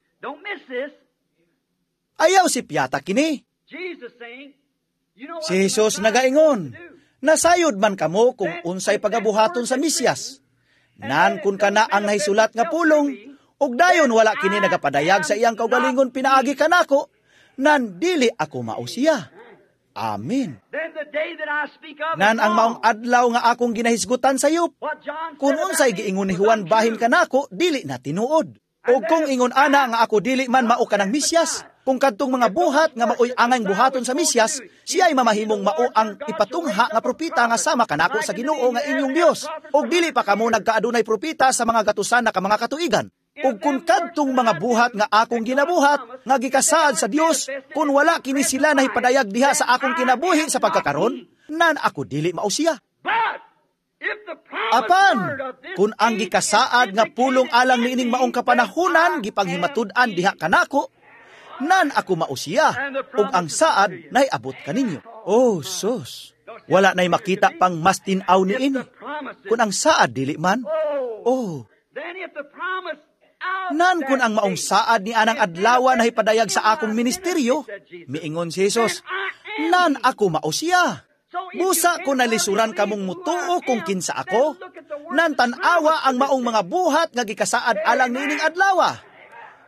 ayaw si piyata kini. Si Jesus nagaingon, nasayod man kamo kung unsay pagabuhaton sa Mesiyas. Nan kun kana ang nahisulat nga pulong, ug dayon wala kini nagapadayag sa iyang kaugalingon pinaagi kanako, nan dili ako mao siya. Amen. Nan ang maong adlaw nga akong ginahisgutan sa sayop, kung unsay giingon ni Juan bahin kanako, dili na tinuod. O kung ingon ana nga ako dili man mao kanang Mesiyas, Kung kadtong mga buhat nga maoy angay buhaton sa Mesiyas, siya'y mamahimong mao ang ipatungha nga propeta nga sama kanako sa Ginoo nga inyong Dios. Og dili pa kamo nagkaadunay propeta sa mga gatusan na ka mga katuigan. Ug kung kadtong mga buhat nga akong ginabuhat, nga gikasaad sa Dios, kung wala kini sila nahipadayag diha sa akong kinabuhi sa pagkakaron, nan ako dili mao siya. Apan, kung ang gikasaad nga pulong alang niining maong kapanahunan gipanghimatud-an diha kanako, nan ako mao siya, ug ang saad naiabot kaninyo. Oh, sus, wala na'y makita pang mas tin-aw niini. Kung ang saad dili man, oh, nan kun ang maong saad ni anang adlawa na hipadayag sa akong ministeryo, miingon si Jesus, nan ako mao siya. Busa ko nalisuran kamong mutuo kung kinsa ako, nan tan-awa ang maong mga buhat nga gikasaad alang niining adlawa.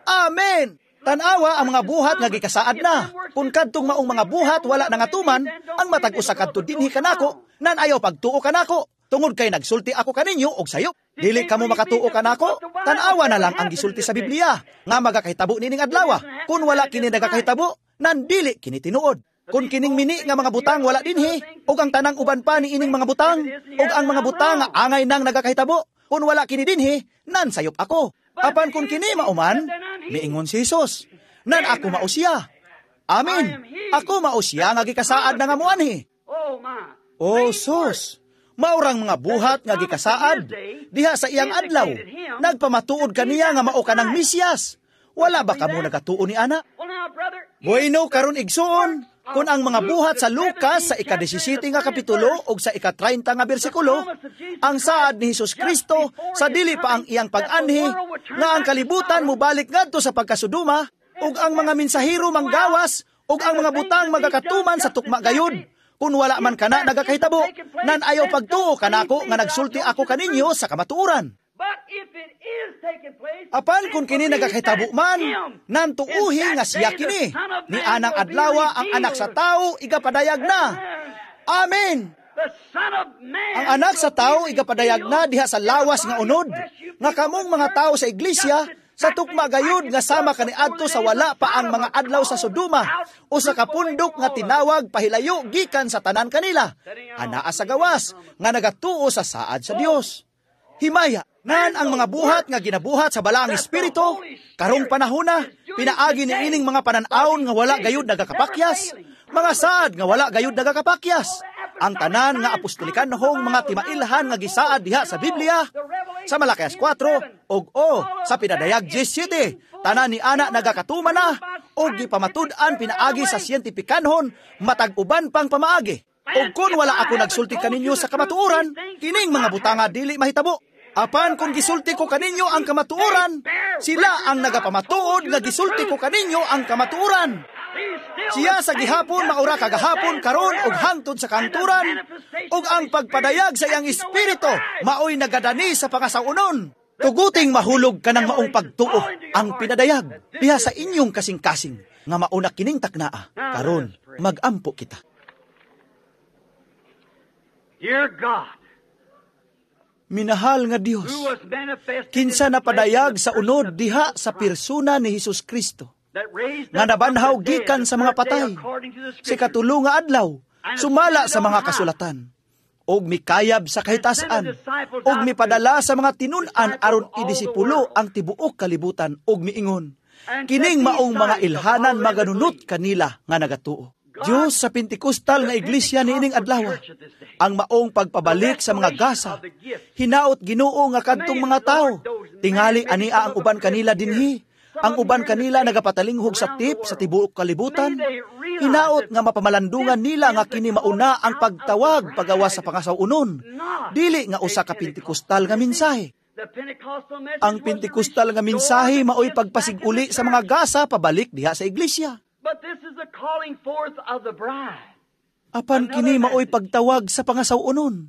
Amen! Tan-awa ang mga buhat nga gikasaad na. Kung kadtong maong mga buhat wala nangatuman, ang matag usa kadto dinhi kanako, nan ayaw pagtuo kanako. Tungod kay nagsulti ako kaninyo og sayo. Dili kamo makatuo kanako, tan-awa na lang ang gisulti sa Biblia nga magakahitabo nining adlawa. Kung wala kini nagakahitabo, nan dili kini tinuod. Kung kining mini nga mga butang wala dinhi, ug ang tanang uban pa ni ining mga butang, ug ang mga butang nga angay nang nagakahitabo, kung wala kini dinhi, nan sayop ako. Apan kung kini mauman, miingon si Jesus, nan ako mao siya. Amen. Ako mao siya nga gikasaad na nga muanhi. Oh, sus! Maurang mga buhat nga gikasaad diha sa iyang adlaw. Nagpamatuod kaniya nga mao kanang Mesiyas. Wala ba kamo nagatuo ni ana? Bueno karon igsuon, kung ang mga buhat sa Lucas sa ika-labing-siyam nga kapitulo o sa ika-treinta nga bersikulo, ang saad ni Hesus Kristo sa dili pa ang iyang pag-anhi, nga ang kalibutan mobalik ngadto sa pagkasuduma, ug ang mga mensahero manggawas, ug ang mga butang magakatuman sa tukma gayud. Kung wala man kana nagakahitabo, nan ayaw pagtuo kanako nga nagsulti ako kaninyo sa kamatuoran. Apan kung kini nagakahitabo man, nan tuuhi nga siya kini, ni anang adlawa ang anak sa tao igapadayag na. Amen! Ang anak sa tao igapadayag na diha sa lawas nga unod, nga kamong mga tao sa iglesia, sa tukma gayud nga sama kaniadto sa wala pa ang mga adlaw sa Sodoma o sa kapundok nga tinawag pahilayo gikan sa tanan kanila, anaa sa gawas nga nagatuo sa saad sa Dios. Himaya, nan ang mga buhat nga ginabuhat sa Balaang Espiritu, karong panahona, pinaagi ni ining mga panan-awon nga wala gayud nagakapakyas, mga saad nga wala gayud nagakapakyas. Ang tanan nga apostolikanhong mga timailhan nga gisaad diha sa Biblia, sa Malakias kwatro, og o sa Pinadayag labing-siyete, tanan ni ana nagakatuman na, og gipamatud-an pinaagi sa siyentipikanhon, matag uban pang pamaagi. Og kung wala ako nagsulti kaninyo sa kamatuoran, kining mga butanga dili mahitabo. Apan kung gisulti ko kaninyo ang kamatuoran, sila ang nagapamatuod nga gisulti ko kaninyo ang kamatuoran. Siya sa gihapon maura kagahapon karon og hangtod sa kanturan, ug ang pagpadayag sa iyang espiritu maoy nagadani sa pangasawunon. Tuguting mahulog kanang maong pagtuo ang pinadayag diha sa inyong kasing-kasing nga mauna kining taknaa. Karon magampo kita. Dear God, Minahal nga Dios, kinsa napadayag sa unod diha sa persona ni Hesus Kristo, nga nabanhaw gikan sa mga patay, sa ikatulo nga adlaw, sumala sa mga kasulatan, og mikayab sa kahitasan, og mipadala sa mga tinun-an aron idisipulo ang tibuok kalibutan, og miingon, kining maong mga ilhanan maganunot kanila nga nagatuo. Diyos sa Pentecostal nga iglesia niining adlaw, ang maong pagpabalik sa mga gasa, hinaot Ginoo nga kadtong mga tao, tingali ania ang uban kanila dinhi, ang uban kanila nagapatalinghog sa tip sa tibuok kalibutan, hinaot nga mapamalandungan nila nga kini mauna ang pagtawag pagawas sa pangasaw-unon, dili nga usa ka Pentecostal nga mensahe. Ang Pentecostal nga mensahe maoy pagpasiguli sa mga gasa pabalik diha sa iglesia. But this is the calling forth of the bride. Apan kini maoy pagtawag sa pangasaw-unon.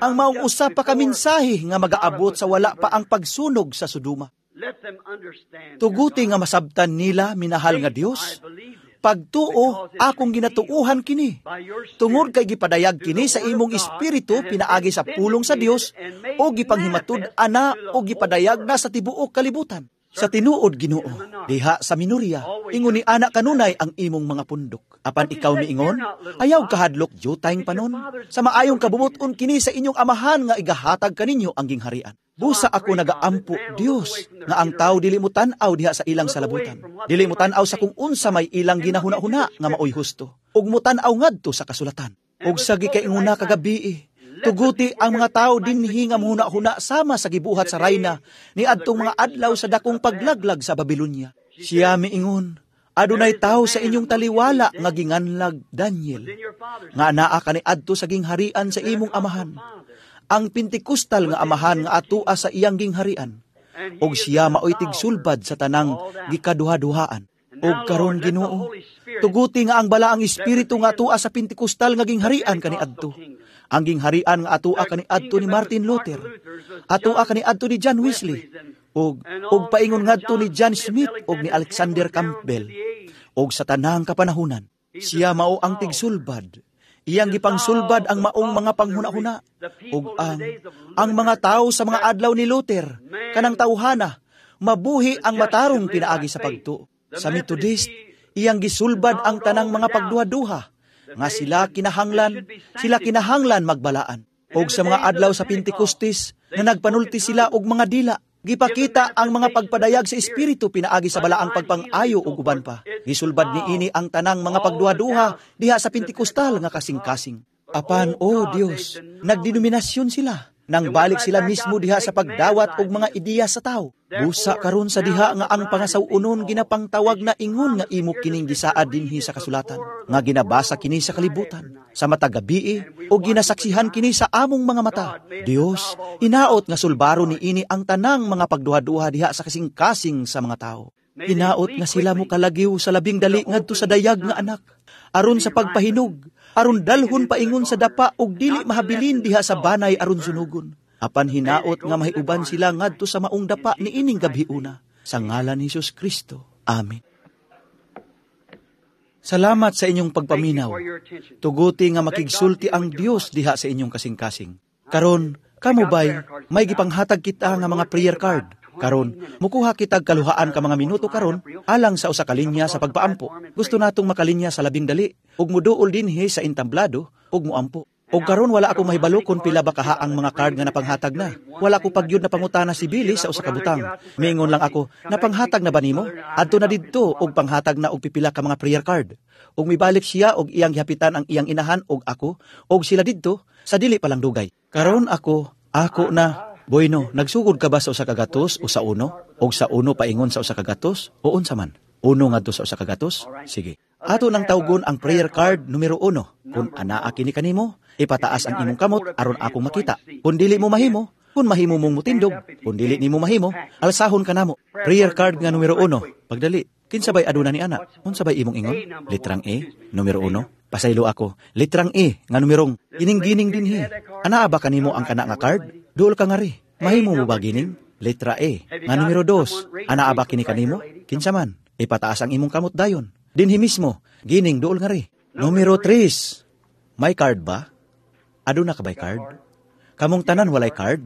Ang maong usa pa ka mensahe nga magaabot sa wala pa ang pagsunog sa Sodoma. Let them understand. Tuguti nga masabtan nila, minahal nga Dios, pagtuo akong ginatuuhan kini. Tungod kay gipadayag kini sa imong espiritu pinaagi sa pulong sa Dios o gipanghimatud-an na o gipadayag na sa tibuok kalibutan. Sa tinuod Ginoo, diha sa Minuria, ingon ni ana kanunay ang imong mga pundok. Apan ikaw miingon, ayaw kahadlok jutayng panon. Sa maayong kabubut-on kini sa inyong amahan nga igahatag kaninyo ang gingharian. Busa ako nagaampo, Dios, nga ang tao dili mo tan-aw diha sa ilang salabutan. Dili mo tan-aw sa kung unsa may ilang ginahuna-huna nga maoy husto. Ug mo tan-aw ngadto sa kasulatan. Ug sa gikainguna kagabii, tuguti ang mga tao dinhi nga muhuna-huna sama sa gibuhat sa rayna ni adtong mga adlaw sa dakong paglaglag sa Babilonia. Siya miingon, adunay tao sa inyong taliwala nga ginganlag Daniel, nga anaa kani adto sa gingharian sa imong amahan. Ang Pentecostal nga amahan nga atua sa iyang gingharian, ug siya maoy tigsulbad sa tanang gikaduha-duhaan. Ug karon Ginoo, tuguti nga ang balaang espiritu nga atua sa Pentecostal nga gingharian kaniadto. Ang gingharian nga atua kaniadto ni Martin Luther, atua kaniadto ni John Wesley, ug ug paingon ngadto ni John Smith ug ni Alexander Campbell. Ug sa tanang kapanahunan, siya mao ang tigsulbad. Iyang gipangsulbad ang maong mga panghuna-huna ug ang ang mga tao sa mga adlaw ni Luther kanang tawhana mabuhi ang matarong pinaagi sa pagtuo. Sa Methodist, iyang gisulbad ang tanang mga pagduha-duha nga sila kinahanglan, sila kinahanglan magbalaan. Og sa mga adlaw sa Pentecostes nga nagpanulti sila og mga dila, gipakita ang mga pagpadayag sa espiritu pinaagi sa balaang pagpang-ayo ug uban pa. Gisulbad niini ang tanang mga pagduha-duha diha sa Pentecostal nga kasing-kasing. Apan, oh Dios, nagdenominasyon sila. Nang balik sila mismo diha sa pagdawat og mga ideya sa tao. Busa karon sa diha nga ang pangasaw-onon ginapangtawag na ingon nga imo kining gisaad dinhi sa kasulatan, nga ginabasa kini sa kalibutan, sa matag gabii o ginasaksihan kini sa among mga mata. Dios, hinaot nga sulbaro niini ang tanang mga pagduha-duha diha sa kasing-kasing sa mga tao. Hinaot nga sila mo kalagiw sa labing dali ngadto sa dayag nga anak, aron sa pagpahinog, aron dalhon paingon sa dapa ug dili mahabilin diha sa banay aron sunugon. Apan hinaot nga mahiuban sila ngadto sa maong dapa niining gabhiuna. Sa ngalan ni Hesus Kristo. Amen. Salamat sa inyong pagpaminaw. Tuguti nga makigsulti ang Dios diha sa inyong kasing-kasing. Karon, kamo bay, may gipanghatag kita nga mga prayer card. Karon, mukuha kitag kaluhaan ka mga minuto karon alang sa usa ka linya sa pagpaampo. Gusto natong makalinya sa labing dali ug muduol dinhi sa entablado ug muampo. Og karon wala ako mahibalo kung pila ba kaha ang mga card nga napanghatag na. Wala ko pagyud na pangutana si Billy sa usa ka butang. Miingon lang ako, napanghatag na ba nimo? Adto na didto og panghatag na og pipila ka mga prayer card. Ug mibalik siya og iyang gihapitan ang iyang inahan og ako og sila didto sa dili pa lang dugay. Karon ako, ako na. Bueno, nagsugod ka ba sa usa ka gatos o sa uno? Og sa uno paingon sa usa ka gatos o unsa man? Uno ngadto sa usa ka gatos? Sige. Ato nang tawgon ang prayer card numero uno. Kung anaa kini kanimo, ipataas ang imong kamot aron akong makita. Kung dili mo mahimo, kung mahimo mong mutindog, kung dili nimo mahimo, alsahon ka namo. Prayer card nga numero uno. Pagdali, kinsa bay aduna ni ana? Unsa bay imong ingon? Litrang A, numero uno. Pasaylo ako. Litrang A nga numerong gining-gining dinhi. Anaa ba kanimo ang kana nga card? Duol ka ngari. Mahimo mo ba gining? Letra A. Nga numero dos. Anaa ba kini kanimo? Kinsa man? Ipataas ang imong kamot dayon. Dinhi mismo. Gining duol ngari. Numero tres. May card ba? Aduna ka bay card? Kamong tanan walay card?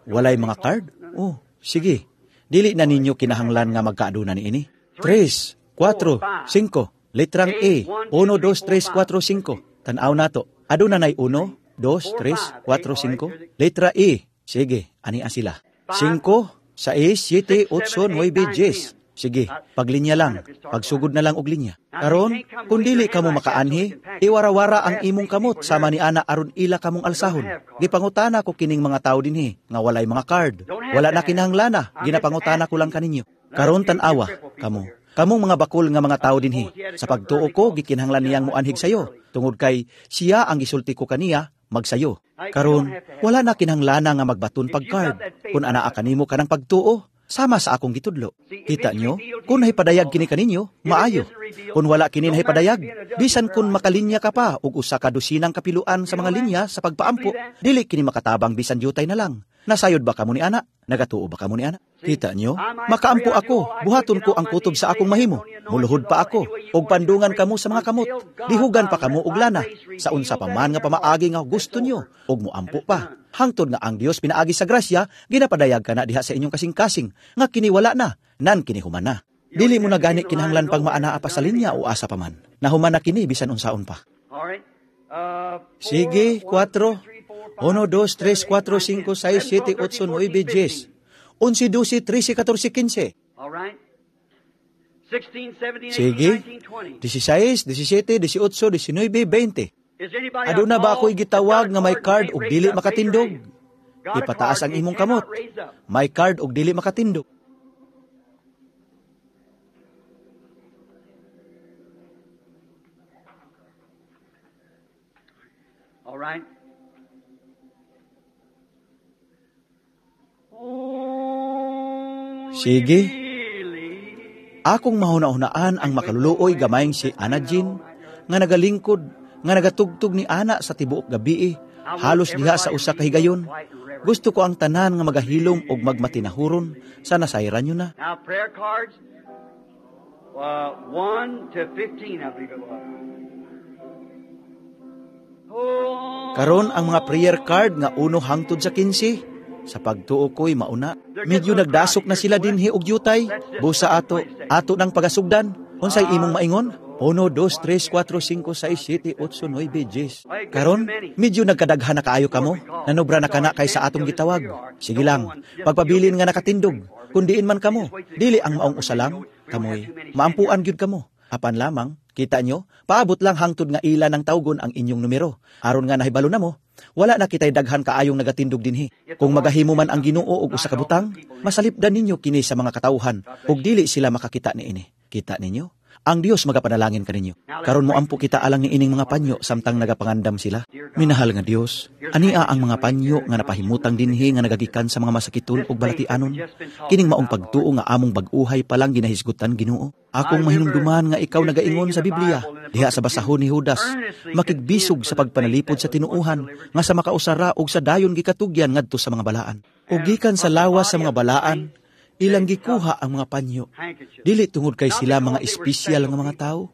Walay mga card? Oh, sige. Dili na ninyo kinahanglan nga magkaaduna niini. Tres, kwatro, singko. Litrang A. Uno, dos, tres, kwatro, singko. Tan-aw nato. Aduna nay uno, dos, tres, kwatro, singko. Letra E. Sige, ania sila. Singko, sais, siyete, otso, nuwebe, diyes. Sige, paglinya lang. Pagsugod na lang og linya. Karon, kung dili kamo makaanhi, iwarawara ang imong kamot sama ni ana aron ila kamong alsahon. Gipangutana ko kining mga tao dinhi nga walay mga card. Wala na kinahanglana, ginapangutana ko lang kaninyo. Karon tan-awa kamo. Kamong mga bakol nga mga tao dinhi. Sa pagtuo ko gikinahanglan niyang moanhig sayo tungod kay siya ang gisulti ko kaniya magsayo. Karon, wala na kinahanglan nga magbaton pag card. Kung anaa kanimo kanang pagtuo, sama sa akong gitudlo. Kita nyo, kung nahipadayag kini kaninyo, maayo. Kung wala kini nahipadayag, bisan kung makalinya ka pa og usa ka dosinang kapiluan sa mga linya sa pagpaampo, dili kini makatabang bisan jutay na lang. Nasayod ba kamo ni ana? Nagatuo ba kamo ni ana? Kita nyo, makaampo ako, buhaton ko ang kutob sa akong mahimo. Muluhod pa ako, og pandungan kamo sa mga kamot. Dihugan pa kamo og lana, sa unsa pa man nga pamaagi nga gusto nyo, og muampo pa. Hangtod nga ang Dios pinaagi sa grasya, ginapadayag kana diha sa inyong kasing-kasing, nga kini wala na, nan kini human na. Dili mo na gani kinahanglan pang maanaa pa sa linya o asa pa man. Nahuman na kini bisan unsaon pa. Sige, kwatro. Uno, dos, tres, kwatro, singko, sais, siete, otso, nuebe, diyes. Onse, dose, trese, katorse, kinse. Sige, disisais, disisiete, disiotso, disinuebe, beinte. Aduna ba ako'y gitawag nga may card og dili makatindog? Ipataas ang imong kamot. May card og dili makatindog. All right. Sige. Akong mahuna-hunaan ang makaluluoy gamayng si Ana Jean nga nagalingkod, nga nagatugtog ni Ana sa tibuok gabii, halos diha sa usa ka higayon. Gusto ko ang tanan nga magahilom og magmatinahuron sa nasayran nyo na. Now prayer cards, uh, one to fifteen, I believe it was. Karon ang mga prayer card nga uno hangtod sa kinsi, sa pagtuo ko'y mauna. Medyo nagdasok na sila dinhi og yutay. Busa ato, ato ng pagasugdan. Unsay imong maingon? Uno, dos, tres, kwatro, singko, sais, siete, otso, nuebe, diyes. Karon, medyo nagkadaghan na kaayo kamo. Nanobra na kana kay sa atong gitawag. Sige lang, pagpabilin nga nakatindog. Kundiin man kamo, dili ang maong usa lang, kamoy. Maampuan gyud kamo. Apan lamang, kita nyo, paabot lang hangtod nga ila ng tawgon ang inyong numero. Aron nga nahibalo na mo, wala na kita'y daghan kaayong nagatindog dinhi. Kung magahimo man ang Ginoo og usa ka butang, masalipdan ninyo kini sa mga katawhan ug dili sila makakita niini. Kita ninyo? Ang Dios magapanalangin kaninyo. Karon moampo kita alang ni ining mga panyo samtang nagapangandam sila. Minahal nga Dios, ania ang mga panyo nga napahimutang dinhi nga nagagikan sa mga masakiton ug balatianon. Kining maong pagtuo nga among bag-uhay pa lang ginahisgutan Ginoo. Akong mahinumduman nga ikaw nagaingon sa Biblia, diha sa basahon ni Judas, makigbisog sa pagpanalipod sa tinuohan nga sa makausara og sa dayon gikatugyan ngadto sa mga balaan. Ug gikan sa lawas sa mga balaan, ilang gikuha ang mga panyo. Dili tungod kay sila mga espesyal nga mga tao,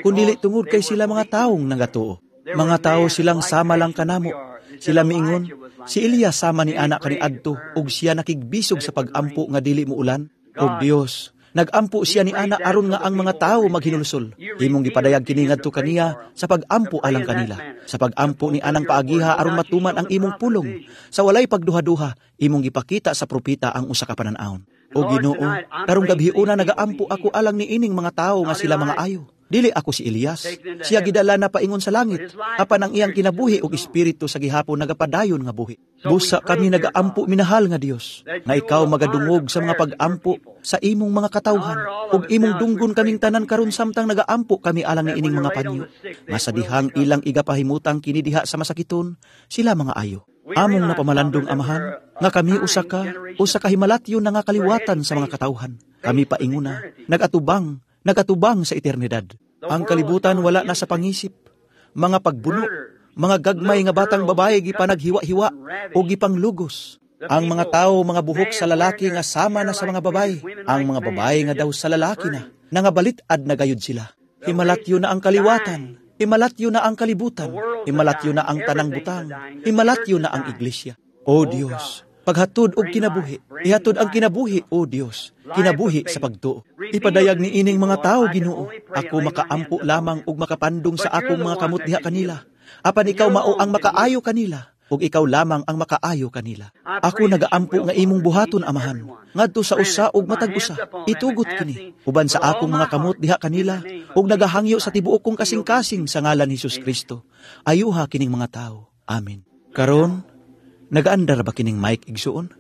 kundi tungod kay sila mga taong nagatuo. Mga tao silang sama lang kanamo. Sila miingon, si Elias sama ni anak kaniadto ug siya nakigbisog sa pagampo nga dili muulan. Og Dios, nagampo siya ni ana aron nga ang mga tao maghinulsol. Imong gipadayag kini ngadto kaniya sa pagampo alang kanila. Sa pagampo ni anang paagiha aron matuman ang imong pulong. Sa walay pagduha-duha, imong gipakita sa propeta ang usa ka panan-awon. O Ginoo, karong gabhiuna nagaampo ako alang ni ining mga tao nga sila mga ayo. Dili ako si Elias. Siya gidala na paingon sa langit, apan ang iyang kinabuhi ug espiritu sa gihapon nagapadayon nga buhi. Busa kami nagaampo minahal nga Dios, nga ikaw magadungog sa mga pagampo sa imong mga katawhan, ug imong dunggon kaming tanan karon samtang nagaampo kami alang ni ining mga panyo. Nga sa dihang ilang igapahimutang kini diha sa masakiton, sila mga ayo. Among napamalandong Amahan, nga kami usa ka, usa ka himalatyo na nga kaliwatan sa mga katawhan. Kami painguna, nagatubang, nagatubang sa eternidad. Ang kalibutan wala na sa pangisip. Mga pagbuno, mga gagmay nga batang babae gipanaghiwa-hiwa o gipanglugos. Ang mga tao, mga buhok sa lalaki nga sama na sa mga babae. Ang mga babae nga daw sa lalaki na, nangabalit-ad na gayud sila. Himalatyo na ang kaliwatan. Himalatyo na ang kalibutan. Himalatyo na ang tanang butang. Himalatyo na ang iglesia. O Dios, paghatod og kinabuhi, ihatod ang kinabuhi, O Dios, kinabuhi sa pagtuo. Ipadayag ni ining mga tao, Ginoo. Ako makaampo lamang og makapandong sa akong mga kamot diha kanila. Apan ikaw mao ang makaayo kanila, ug ikaw lamang ang makaayo kanila. Ako nagaampo nga imong buhaton, Amahan, ngadto sa usa ug matag usa. Itugot kini uban sa akong mga kamot diha kanila, ug nagahangyo sa tibuok kong kasing-kasing sa ngalan ni Hesus Kristo. Ayuha kining mga tao. Amen. Karon, nagaandar ba kining mic igsuon?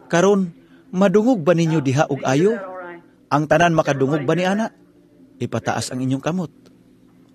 Karon, madungog ba ninyo diha og ayo? Ang tanan makadungog ba ni ana? Ipataas ang inyong kamot.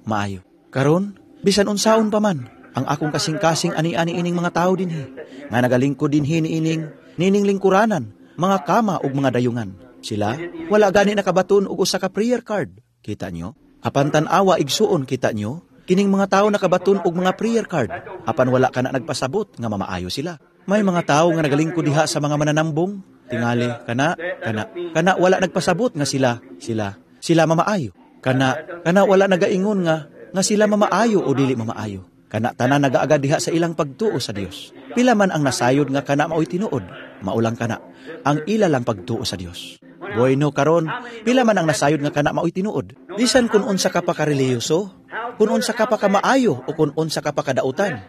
Maayo. Karon, bisan unsaon pa man, ang akong kasing-kasing ani-ani ining mga tao dinhi, nga nagalingkod dinhi niining nining lingkuranan, mga kama ug mga dayungan. Sila wala gani nakabaton og usa ka prayer card. Kita nyo? Apan tan-awa igsuon, kita nyo? Kining mga tao nakabaton og mga prayer card, apan wala kana nagpasabot nga mamaayo sila. May mga tao nga nagalingkod diha sa mga mananambong, tingali kana kana kana wala nagpasabot nga sila sila sila mamaayo. Kana kana wala nagaingon nga nga sila mamaayo o dili mamaayo. Kana tanan nagaagad diha sa ilang pagtuo sa Dios. Pila man ang nasayod nga kana maoy tinuod, maulang kana. Ang ila lang pagtuo sa Dios. Bueno karon, pila man ang nasayod nga kana maoy tinuod. Bisan kun unsa ka pa ka relihiyoso, kun unsa ka pa ka maayo o kun unsa ka pa kadautan.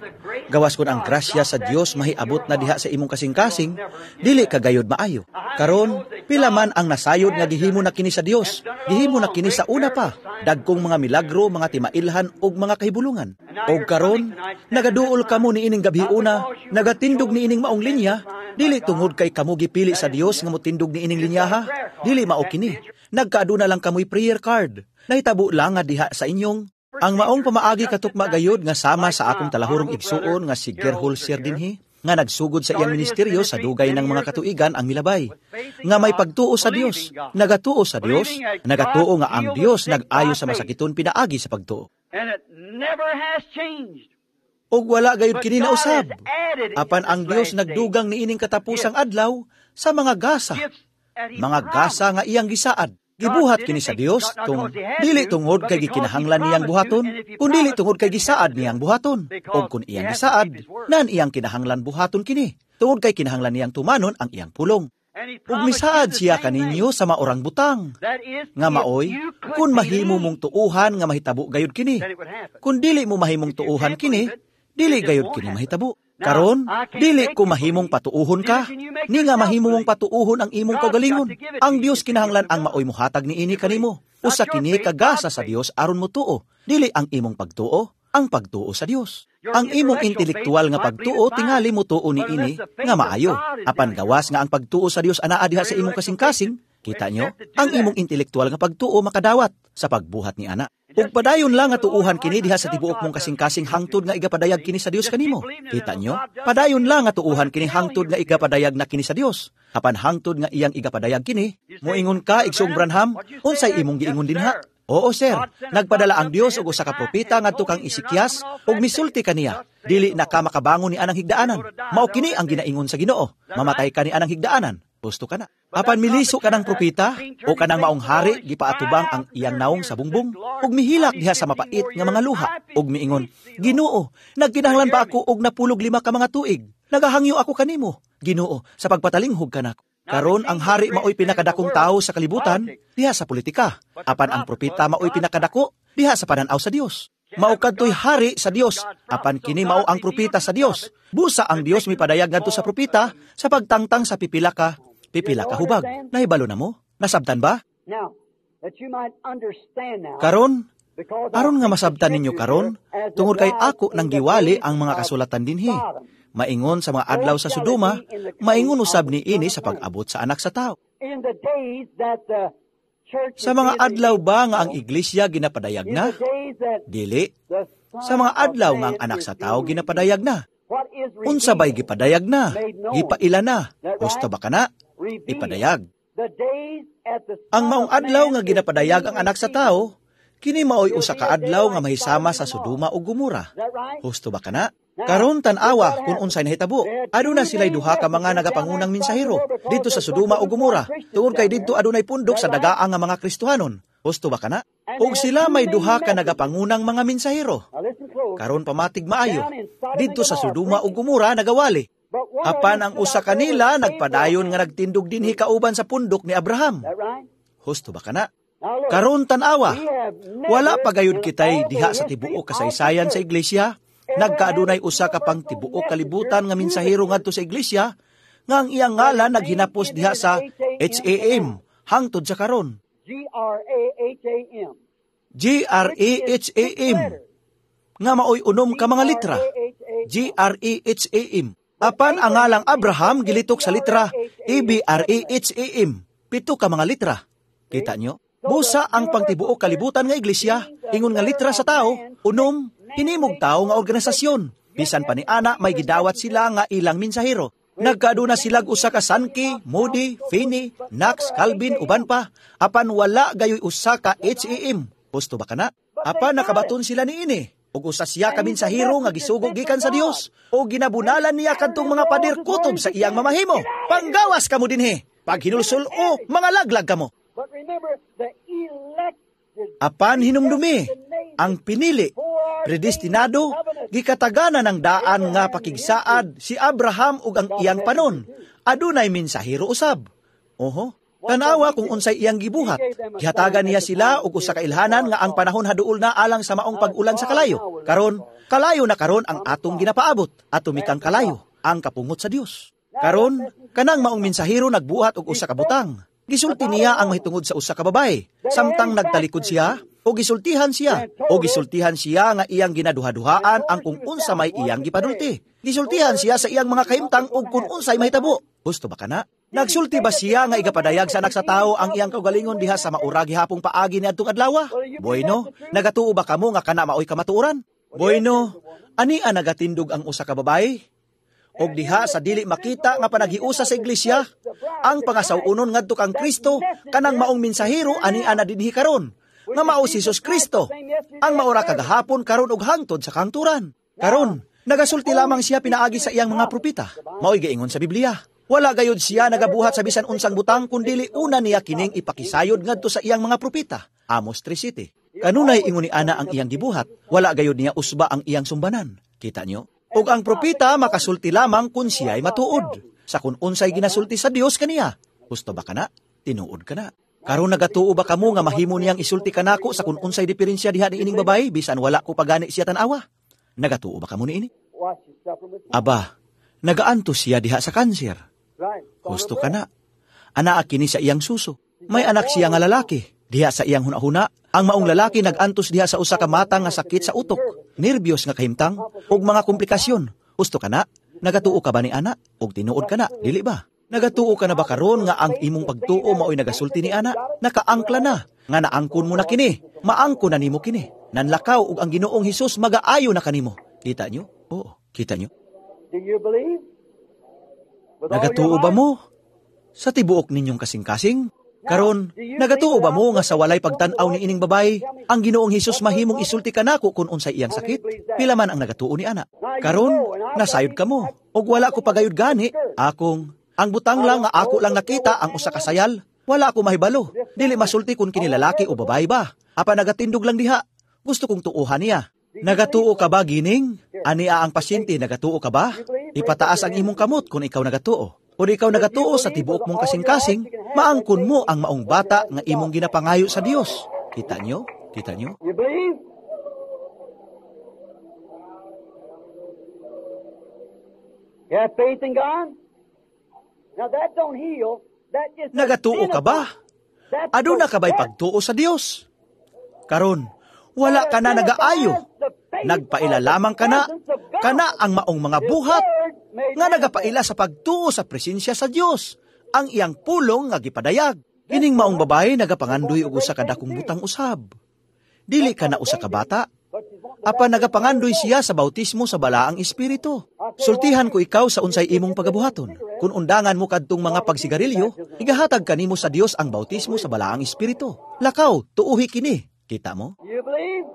Gawas kun ang grasya sa Dios mahiabot na diha sa imong kasing-kasing, dili ka gayod maayo. Karon, pila man ang nasayod nga gihimo na kini sa Dios, gihimo na kini sa una pa, dagkong mga milagro, mga timailhan ug mga kahibulungan. Og karon, nagaduol kamo niining gabhiuna, nagatindog niining maong linya, dili tungod kay kamo gipili sa Dios nga motindog niining linyaha, dili mao kini. Nagkaaduna lang kamoy prayer card. Nahitabo lang nga diha sa inyong ang maong pamaagi katukma gayod nga sama sa akong talahurong igsuon nga si Gerholzer dinhi nga nagsugod sa iyang ministeryo sa dugay ng mga katuigan ang milabay nga may pagtuo sa Dios, nagatuo sa Dios, nagatuo nga ang Dios nag-ayo sa masakiton pinaagi sa pagtuo. And it never has changed. Ug wala gayud kini nausab. Apan ang Dios nagdugang niining katapusang adlaw sa mga gasa, mga gasa nga iyang gisaad. Gibuhat kini sa Dios tung dili tungod kay gikinahanglan niyang buhaton, kun dili tungod kay gisaad niyang buhaton. Og kun iyang gisaad, nan iyang kinahanglan buhaton kini, tungod kay kinahanglan niyang tumanon ang iyang pulong. Ug misaad siya kaninyo sa maorang butang, nga maoy, kun mahimo mong tuuhan nga mahitabo gayud kini. Kun dili mo mahimong tuuhan kini, dili gayud kini mahitabo. Karon, dili ko mahimong patuuhon ka, ni nga mahimo mong patuuhon ang imong kaugalingon. Ang Dios kinahanglan ang maoy mohatag niini kanimo. Usa kini kagasa sa Dios aron motuo. Dili ang imong pagtuo, ang pagtuo sa Dios. Ang imong intelektual nga pagtuo tingali motuo niini nga maayo. Apan gawas nga ang pagtuo sa Dios anaa diha sa imong kasing-kasing, kita nyo, ang imong intelektual nga pagtuo makadawat sa pagbuhat ni ana. Ug padayon lang nga tuuhan kini diha sa tibuok mong kasing-kasing hangtod nga igapadayag kini sa Dios kanimo. Kita nyo? Padayon lang nga tuuhan kini hangtod nga igapadayag na kini sa Dios. Apan hangtod nga iyang igapadayag kini, moingon ka Igsoong Branham, unsay imong giingon dinha? Oo sir, nagpadala ang Dios og usa ka propeta ngadto kang Ezekias ug misulti kaniya. Dili na ka makabangon ni anang higdaanan. Mao kini ang ginaingon sa Ginoo. Mamatay ka ni anang higdaanan. Gusto ka na. Apan miliso ka ng propeta o kanang maong hari gipaatubang ang iyang naong sa bungbong ug mihilak diha sa mapait nga mga luha ug miingon, Ginoo, nagkinahanglan pa ako og napulog lima ka mga tuig. Nagahangyo ako kanimo, Ginoo, sa pagpatalinghog kanako. Karon ang hari maoy pinakadakong tawo sa kalibutan diha sa politika. Apan ang propeta maoy pinakadako diha sa pananaw sa Dios. Mao kadtoy hari sa Dios, apan kini mao ang propeta sa Dios. Busa ang Dios mipadayag ngadto sa propeta sa pagtangtang sa pipila ka pipila ka hubag. Nahibalo na mo? Nasabtan ba? Now, that you might understand now, Karon, because aron nga masabtan ninyo karon, tungod kay ako nang giwali ang mga kasulatan dinhi. Maingon sa mga adlaw sa Sodoma, maingon usab ni ini sa pag-abot sa anak sa tao. in the days that the church Sa mga adlaw ba nga ang iglesia ginapadayag in na? the days that Dili. the Sa mga adlaw nga ang anak sa tao ginapadayag na. what is Unsa bay gipadayag na? Gipaila na. Gusto ba kana? revealed? Ipadayag. The days at the Ang maong adlaw nga ginapadayag ang anak sa tao, kini maoy usa ka adlaw nga mahisama sa Sodoma ug Gomora. Is that right? Husto ba kana? Karon tan-awa kung unsay nahitabo. Aduna sila'y duha ka mga nagapangunang mensahero didto sa Sodoma ug Gomora. Tungod kay didto adunay pundok sa dagaang nga mga Kristohanon. Husto ba kana? Ug sila may duha ka nagapangunang mga mensahero. Now listen close. Karon pamatig maayo. Didto sa Sodoma ug Gomora nagawali. But one Apan ang usa kanila nagpadayon nga nagtindog dinhi kauban sa pundok ni Abraham. Is that right? Husto ba kana? Now look, Karon tan-awa, we have never wala pa gayud in kitay all the diha sa history tibuok of the kasaysayan sa church iglesia, nagkaadunay usa ka pang tibuok kalibutan nga mensahero ngadto sa iglesia nga ang iyang ngalan naghinapos diha sa H A M hangtod sa karon. G R A H A M. G R A H A M nga maoy unom ka mga litra. G R A H A M. Apan ang ngalang Abraham gilitok sa litra A B R A H A M. Pito ka mga litra. Kita nyo? Busa ang pangtibuok kalibutan nga iglesia, ingon nga litra sa tao, unom, hinimog tao nga organisasyon. Bisan pa ni ana may gidawat sila nga ilang mensahero. Nagkaaduna silag usa ka Sankey, Moody, Finney, Knox, Calvin, uban pa. Apan wala gayoy usa ka H A M. Husto ba kana? Apan nakabaton sila niini. Ug usa siya ka mensahero nga gisugo gikan sa Dios o ginabunalan niya kadtong mga pader kutob sa iyang mamahimo. Panggawas kamo dinhi. Pag hinulsul o mga laglag kamo. But remember, the elected Apan hinumdumi, ang pinili, Predestinado, gikatagana ng daan nga pakigsaad si Abraham ug ang iyang panon. Adunay mensahero usab. Oho, tanawa kung unsay iyang gibuhat. Gihatagan niya sila og usa ka ilhanan nga ang panahon haduol na alang sa maong pag-ulan sa kalayo. Karon, kalayo na karon ang atong ginapaabot. Ato mikang kalayo, ang kapungot sa Dios. Karon, kanang maong mensahero nagbuhat og usa ka butang. Gisulti niya ang mahitungod sa usa ka babae. Samtang nagtalikod siya, o gisultihan siya, o gisultihan siya nga iyang ginaduha-duhaan ang kung unsa may iyang gipadulti. Gisultihan siya sa iyang mga kahimtang og kung unsay mahitabo. Gusto ba kana? Nagsulti ba siya nga igapadayag sa anak sa tao ang iyang kaugalingon diha sa maura gihapong paagi niadtong adlaw? Bueno, nagatuo ba kamo nga kana maoy kamatuoran? Bueno, ania nagatindog ang usa ka babae? Og diha sa dili makita nga panaghiusa sa iglesia, ang pangasaw-unon ngadto kang Kristo kanang maong mensahero ania na dinhi karon, nga mao si Jesus Kristo, ang maura kagahapon karon ug hangtod sa kangturan. Karon, nagasulti lamang siya pinaagi sa iyang mga propeta. Maoy giingon sa Biblia. Wala gayud siya nagabuhat sa bisan unsang butang kundili una niya kining ipakisayod ngadto sa iyang mga propeta. Amos three siyete. Kanunay ingon ni ana ang iyang gibuhat, wala gayud niya usba ang iyang sumbanan. Kita nyo? Ug ang propeta makasulti lamang kun siya'y matuod sa kun unsay ginasulti sa Dios kaniya. Gusto ba kana? Tinuod kana. Karon nagatuo ba kamo nga mahimo niyang isulti kanako sa kun unsay diferensya diha ni ining babae bisan wala ko pagani siya tan-awa? Nagatuo ba kamo niini? Aba, nagaantos siya diha sa kanser. Gusto kana. Anaa kini sa iyang suso. May anak siya nga lalaki. Diha sa iyang hunahuna, ang maong lalaki nagantos diha sa usa ka matang nga sakit sa utok, nervyos nga kahimtang, ug mga komplikasyon. Gusto ka na? Nagatuo ka ba ni ana? Ug tinuod ka na, dili ba? Nagatuo ka na ba karon nga ang imong pagtuo maoy nagasulti ni ana? Nakaangkla na, nga naangkon mo na kini, maangkon na nimo kini. Nanlakaw ug ang Ginoong Hesus magaayo na kanimo. Kita nyo? Oo, kita nyo. Do you believe? With all Nagatuo your ba heart? mo? Sa tibuok ninyong kasing-kasing? Karon, nagatuo ba mo nga sa walay pagtan-aw ni ining babae, ang Ginoong Hesus mahimong isulti kanako kung unsay iyang sakit? Pila man ang nagatuo ni ana. Karon, nasayod ka mo, ug wala ko pagayod gani, akong ang butang lang nga ako lang nakita ang usa ka sayal. Wala ako mahibalo. Dili masulti kung kini lalaki o babae ba. Apa nagatindog lang diha. Gusto kong tuohan niya. Nagatuo ka ba, gining? Ania ang pasyente, nagatuo ka ba? Ipataas ang imong kamot kung ikaw nagatuo. Kung ikaw nagatuo sa tibuok mong kasing-kasing, maangkon mo ang maong bata nga imong ginapangayo sa Dios. Kita nyo? Kita nyo? You believe? You have faith in God? Now that don't heal. That just Nagatuo ka ba? That's Aduna ka ba'y the pagtuo sa Dios? Karon, wala ka na nagaayo. Nagpaila lamang ka na, kana ang maong mga buhat nga nagapaila sa pagtuo sa presensya sa Dios, ang iyang pulong nga gipadayag. Kining maong babae nagapangandoy og usa ka dakong butang usab. Dili ka na usa ka bata. Apan nagapangandoy siya sa bautismo sa Balaang Espiritu. Sultihan ko ikaw sa unsay imong pagabuhaton. Kung undangan mo kadtong mga pagsigarilyo, igahatag kanimo sa Dios ang bautismo sa Balaang Espiritu. Lakaw, tuuhi kini. Kita mo? You believe?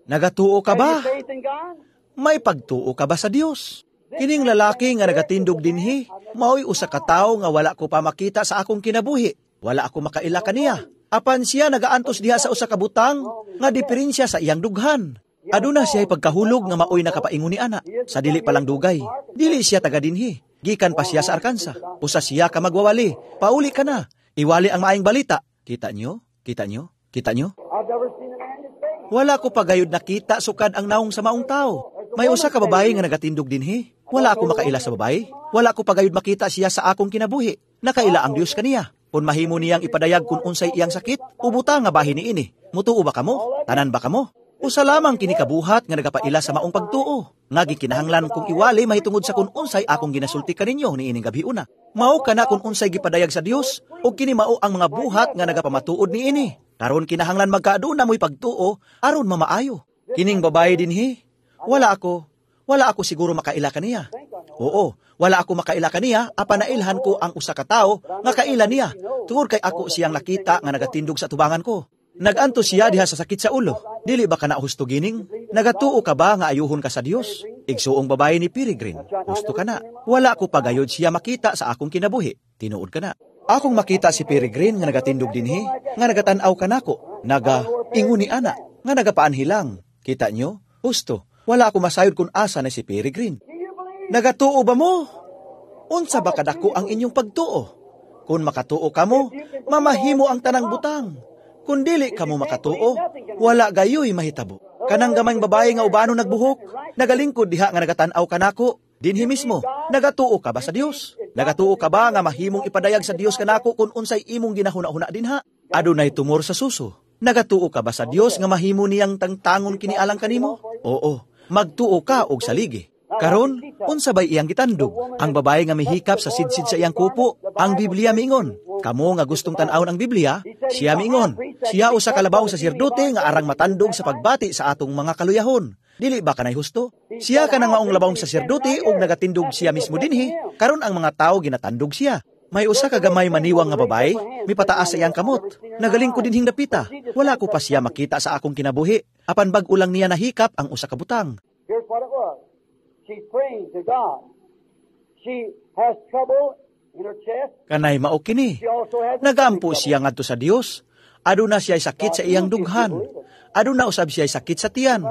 Nagatuo ka ba? Have you faith in God? May pagtuo ka ba sa Dios? Kining lalaki nga nagatindog dinhi, maoy usa ka tawo nga wala ko pa makita sa akong kinabuhi. Wala ako makaila kaniya. Apan siya nagaantos diha sa usa ka butang nga diferensya sa iyang dughan. Aduna siya pagkahulog nga maoy nakapaingon ni ana. Sa dili pa lang dugay, dili siya taga dinhi. Gikan pa siya sa Arkansas. Usa siya ka magwawali. Pauli ka na. Iwali ang maayong balita. Kita nyo? Kita nyo? Kita nyo? I've never seen a man his face. Wala ko pagayod nakita sukad ang naong sa maong tao. May usa ka babae nga nagatindog dinhi. Wala ako makaila sa babae. Wala ko pagayod makita siya sa akong kinabuhi. Nakaila ang Dios kaniya. Kung mahimo niyang ipadayag kung unsay iyang sakit, ubuta nga bahin niini. Mutuo ba kamo? Tanan ba kamo? Usa lamang kini kabuhat nga nagapaila sa maong pagtuo. Nga gikinahanglan kong iwali mahitungod sa kung unsay akong ginasulti kaninyo niining gabi una. Mao kana kung unsay gipadayag sa Dios ug kini mao ang mga buhat nga nagapamatuod niini. Karon kinahanglan magkaaduna mo'y pagtuo aron mamaayo. Kining babae dinhi, wala ako, wala ako siguro makaila kaniya. Oo, wala ako makaila kaniya, apan nailhan ko ang usa ka tawo nga kaila niya. Tungod kay ako siyang nakita nga nagatindog sa tubangan ko. Naganto siya diha sa sakit sa ulo. Dili ba ka na husto gining? Nagatuo ka ba nga ayuhon ka sa Dios? Igsuong babae ni Peregrine, husto ka na. Wala ko pagayod siya makita sa akong kinabuhi. Tinuod ka na. Akong makita si Peregrine nga nagatindog dinhi, nga nagatan-aw kanako, naga ingon ni ana, nga nagapaanhilang. Kita nyo? Husto. Wala ako masayod kung asa na si Peregrine. Nagatuo ba mo? Unsa ba kadako ang inyong pagtuo? Kung makatuo kamo, mamahimo ang tanang butang. Kung dili kamo makatuo, wala gayoy mahitabo. Kanang gamayng babae nga ubano nagbuhok, nagalingkod diha nga nagatan-aw kanako, dinhi mismo, nagatuo ka ba sa Dios? Nagatuo ka ba nga mahimong ipadayag sa Dios kanako kung unsay imong ginahuna-huna dinha? Adunay tumor sa suso. Nagatuo ka ba sa Dios nga mahimo niyang tangtangon kini alang kanimo? Oo, magtuo ka og saligi. Karon, unsa bay iyang gitandog? Ang babae nga mihikap sa sidsid sa iyang kupo, ang Biblia miingon. Kamo nga gustong tan-awon ang Biblia, siya miingon. Siya usa ka labaw saserdote nga arang matandog sa pagbati sa atong mga kaluyahon. Dili ba kanay husto? Siya kanang maong labawng saserdote og nagatindog siya mismo dinhi. Karon ang mga tawo ginatandog siya. May usa ka gamay maniwang nga babae, mipataas sa iyang kamot. Nagalingkod dinhing dapita. Wala ko pa siya makita sa akong kinabuhi. Apan bag-o lang niya nahikap ang usa ka butang. Here's what it was. She's praying to God. She has trouble in her chest. Kanay mao kini. She also has Nagaampo siya ngadto sa Dios. Aduna siya sakit sa iyang dughan. Aduna usab siya sakit sa tiyan.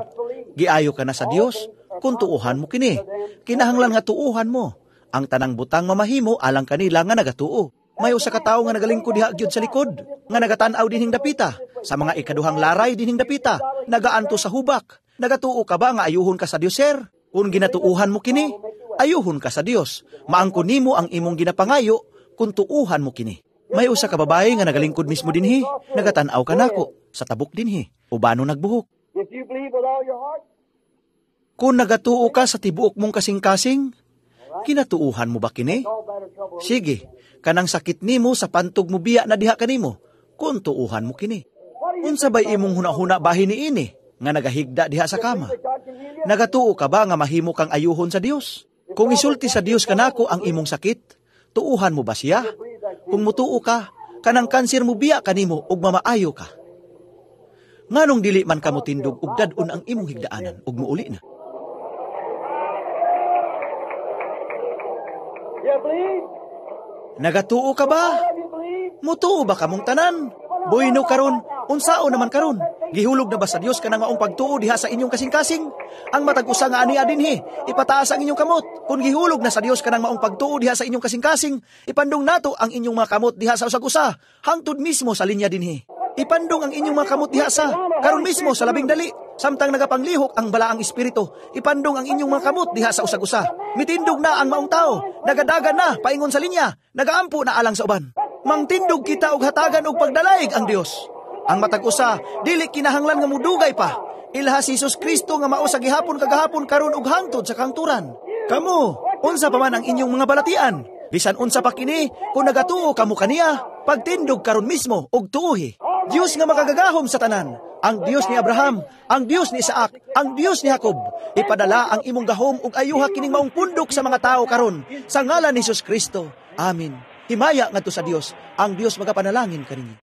Giayo ka na sa Dios kung tuuhan mo kini. Kinahanglan nga tuuhan mo. Ang tanang butang mamahimo alang kanila nga nagatuo. May usa ka tawo nga nagalingkod diha gyud sa likod, nga nagatan-aw dinhing dapita, sa mga ikaduhang laray dinhing dapita, nagaanto sa hubak. Nagatuo ka ba nga ayuhon ka sa Dios, sir? Kung ginatuuhan mo kini, ayuhon ka sa Dios. Maangkon nimo ang imong ginapangayo kung tuuhan mo kini. May usa ka babae nga nagalingkod mismo dinhi, nagatan-aw kanako sa tabok dinhi. Ubano nagbuhok. If you believe with all your heart, Kung nagatuo ka sa tibuok mong kasing-kasing, kinatuuhan mo ba kini? all better trouble. Sige, kanang sakit nimo sa pantog mo biya na diha kanimo, kung tuuhan mo kini. Unsa bay imong hunahuna bahin niini nga nagahigda diha sa kama? God can heal you. Nagatuo ka ba nga mahimo kang ayuhon sa Dios? Kung isulti sa Dios kanako ang imong sakit, tuuhan mo ba siya? Kung mutuo ka, kanang kanser mo biya kanimo ug mamaayo ka. Nganong dili man ka motindog ug dad-on ang imong higdaanan ug muuli na? You believe? Nagatuo ka ba? All of you believe? Mutuo ba kamong tanan? Bueno karon, unsao naman karon? Gihulog na ba sa Dios kanang maong pagtuo diha sa inyong kasing-kasing? Ang matag usa nga ania dinhi, ipataas ang inyong kamot. Kung gihulog na sa Dios kanang maong pagtuo diha sa inyong kasing-kasing, ipandong nato ang inyong mga kamot diha sa usag-usa, hangtod mismo sa linya dinhi. Ipandong ang inyong mga kamot diha sa karon mismo sa labing dali, samtang nagapanglihok ang balaang espiritu. Ipandong ang inyong mga kamot diha sa usag-usa. Mitindog na ang maong tao, nagadagan na paingon sa linya, nagaampo na alang sa uban. Mangtindog kita og hatagan og pagdalaig ang Dios. Ang matag usa dili kinahanglan nga mudugay pa. Ilha si Hesus Kristo nga mao sa gihapon kagahapon karon ug hangtod sa kangturan. Kamo, unsa pa man ang inyong mga balatian? Bisan unsa pa kini, kung nagatuo kamo kaniya, pagtindog karon mismo og tuohi. Dios nga makagagahom sa tanan, ang Dios ni Abraham, ang Dios ni Isaac, ang Dios ni Jacob, ipadala ang imong gahom ug ayuha kining maong pundok sa mga tawo karon sa ngalan ni Hesus Kristo. Amen. Himaya ngadto sa Dios, ang Dios magapanalangin kaninyo.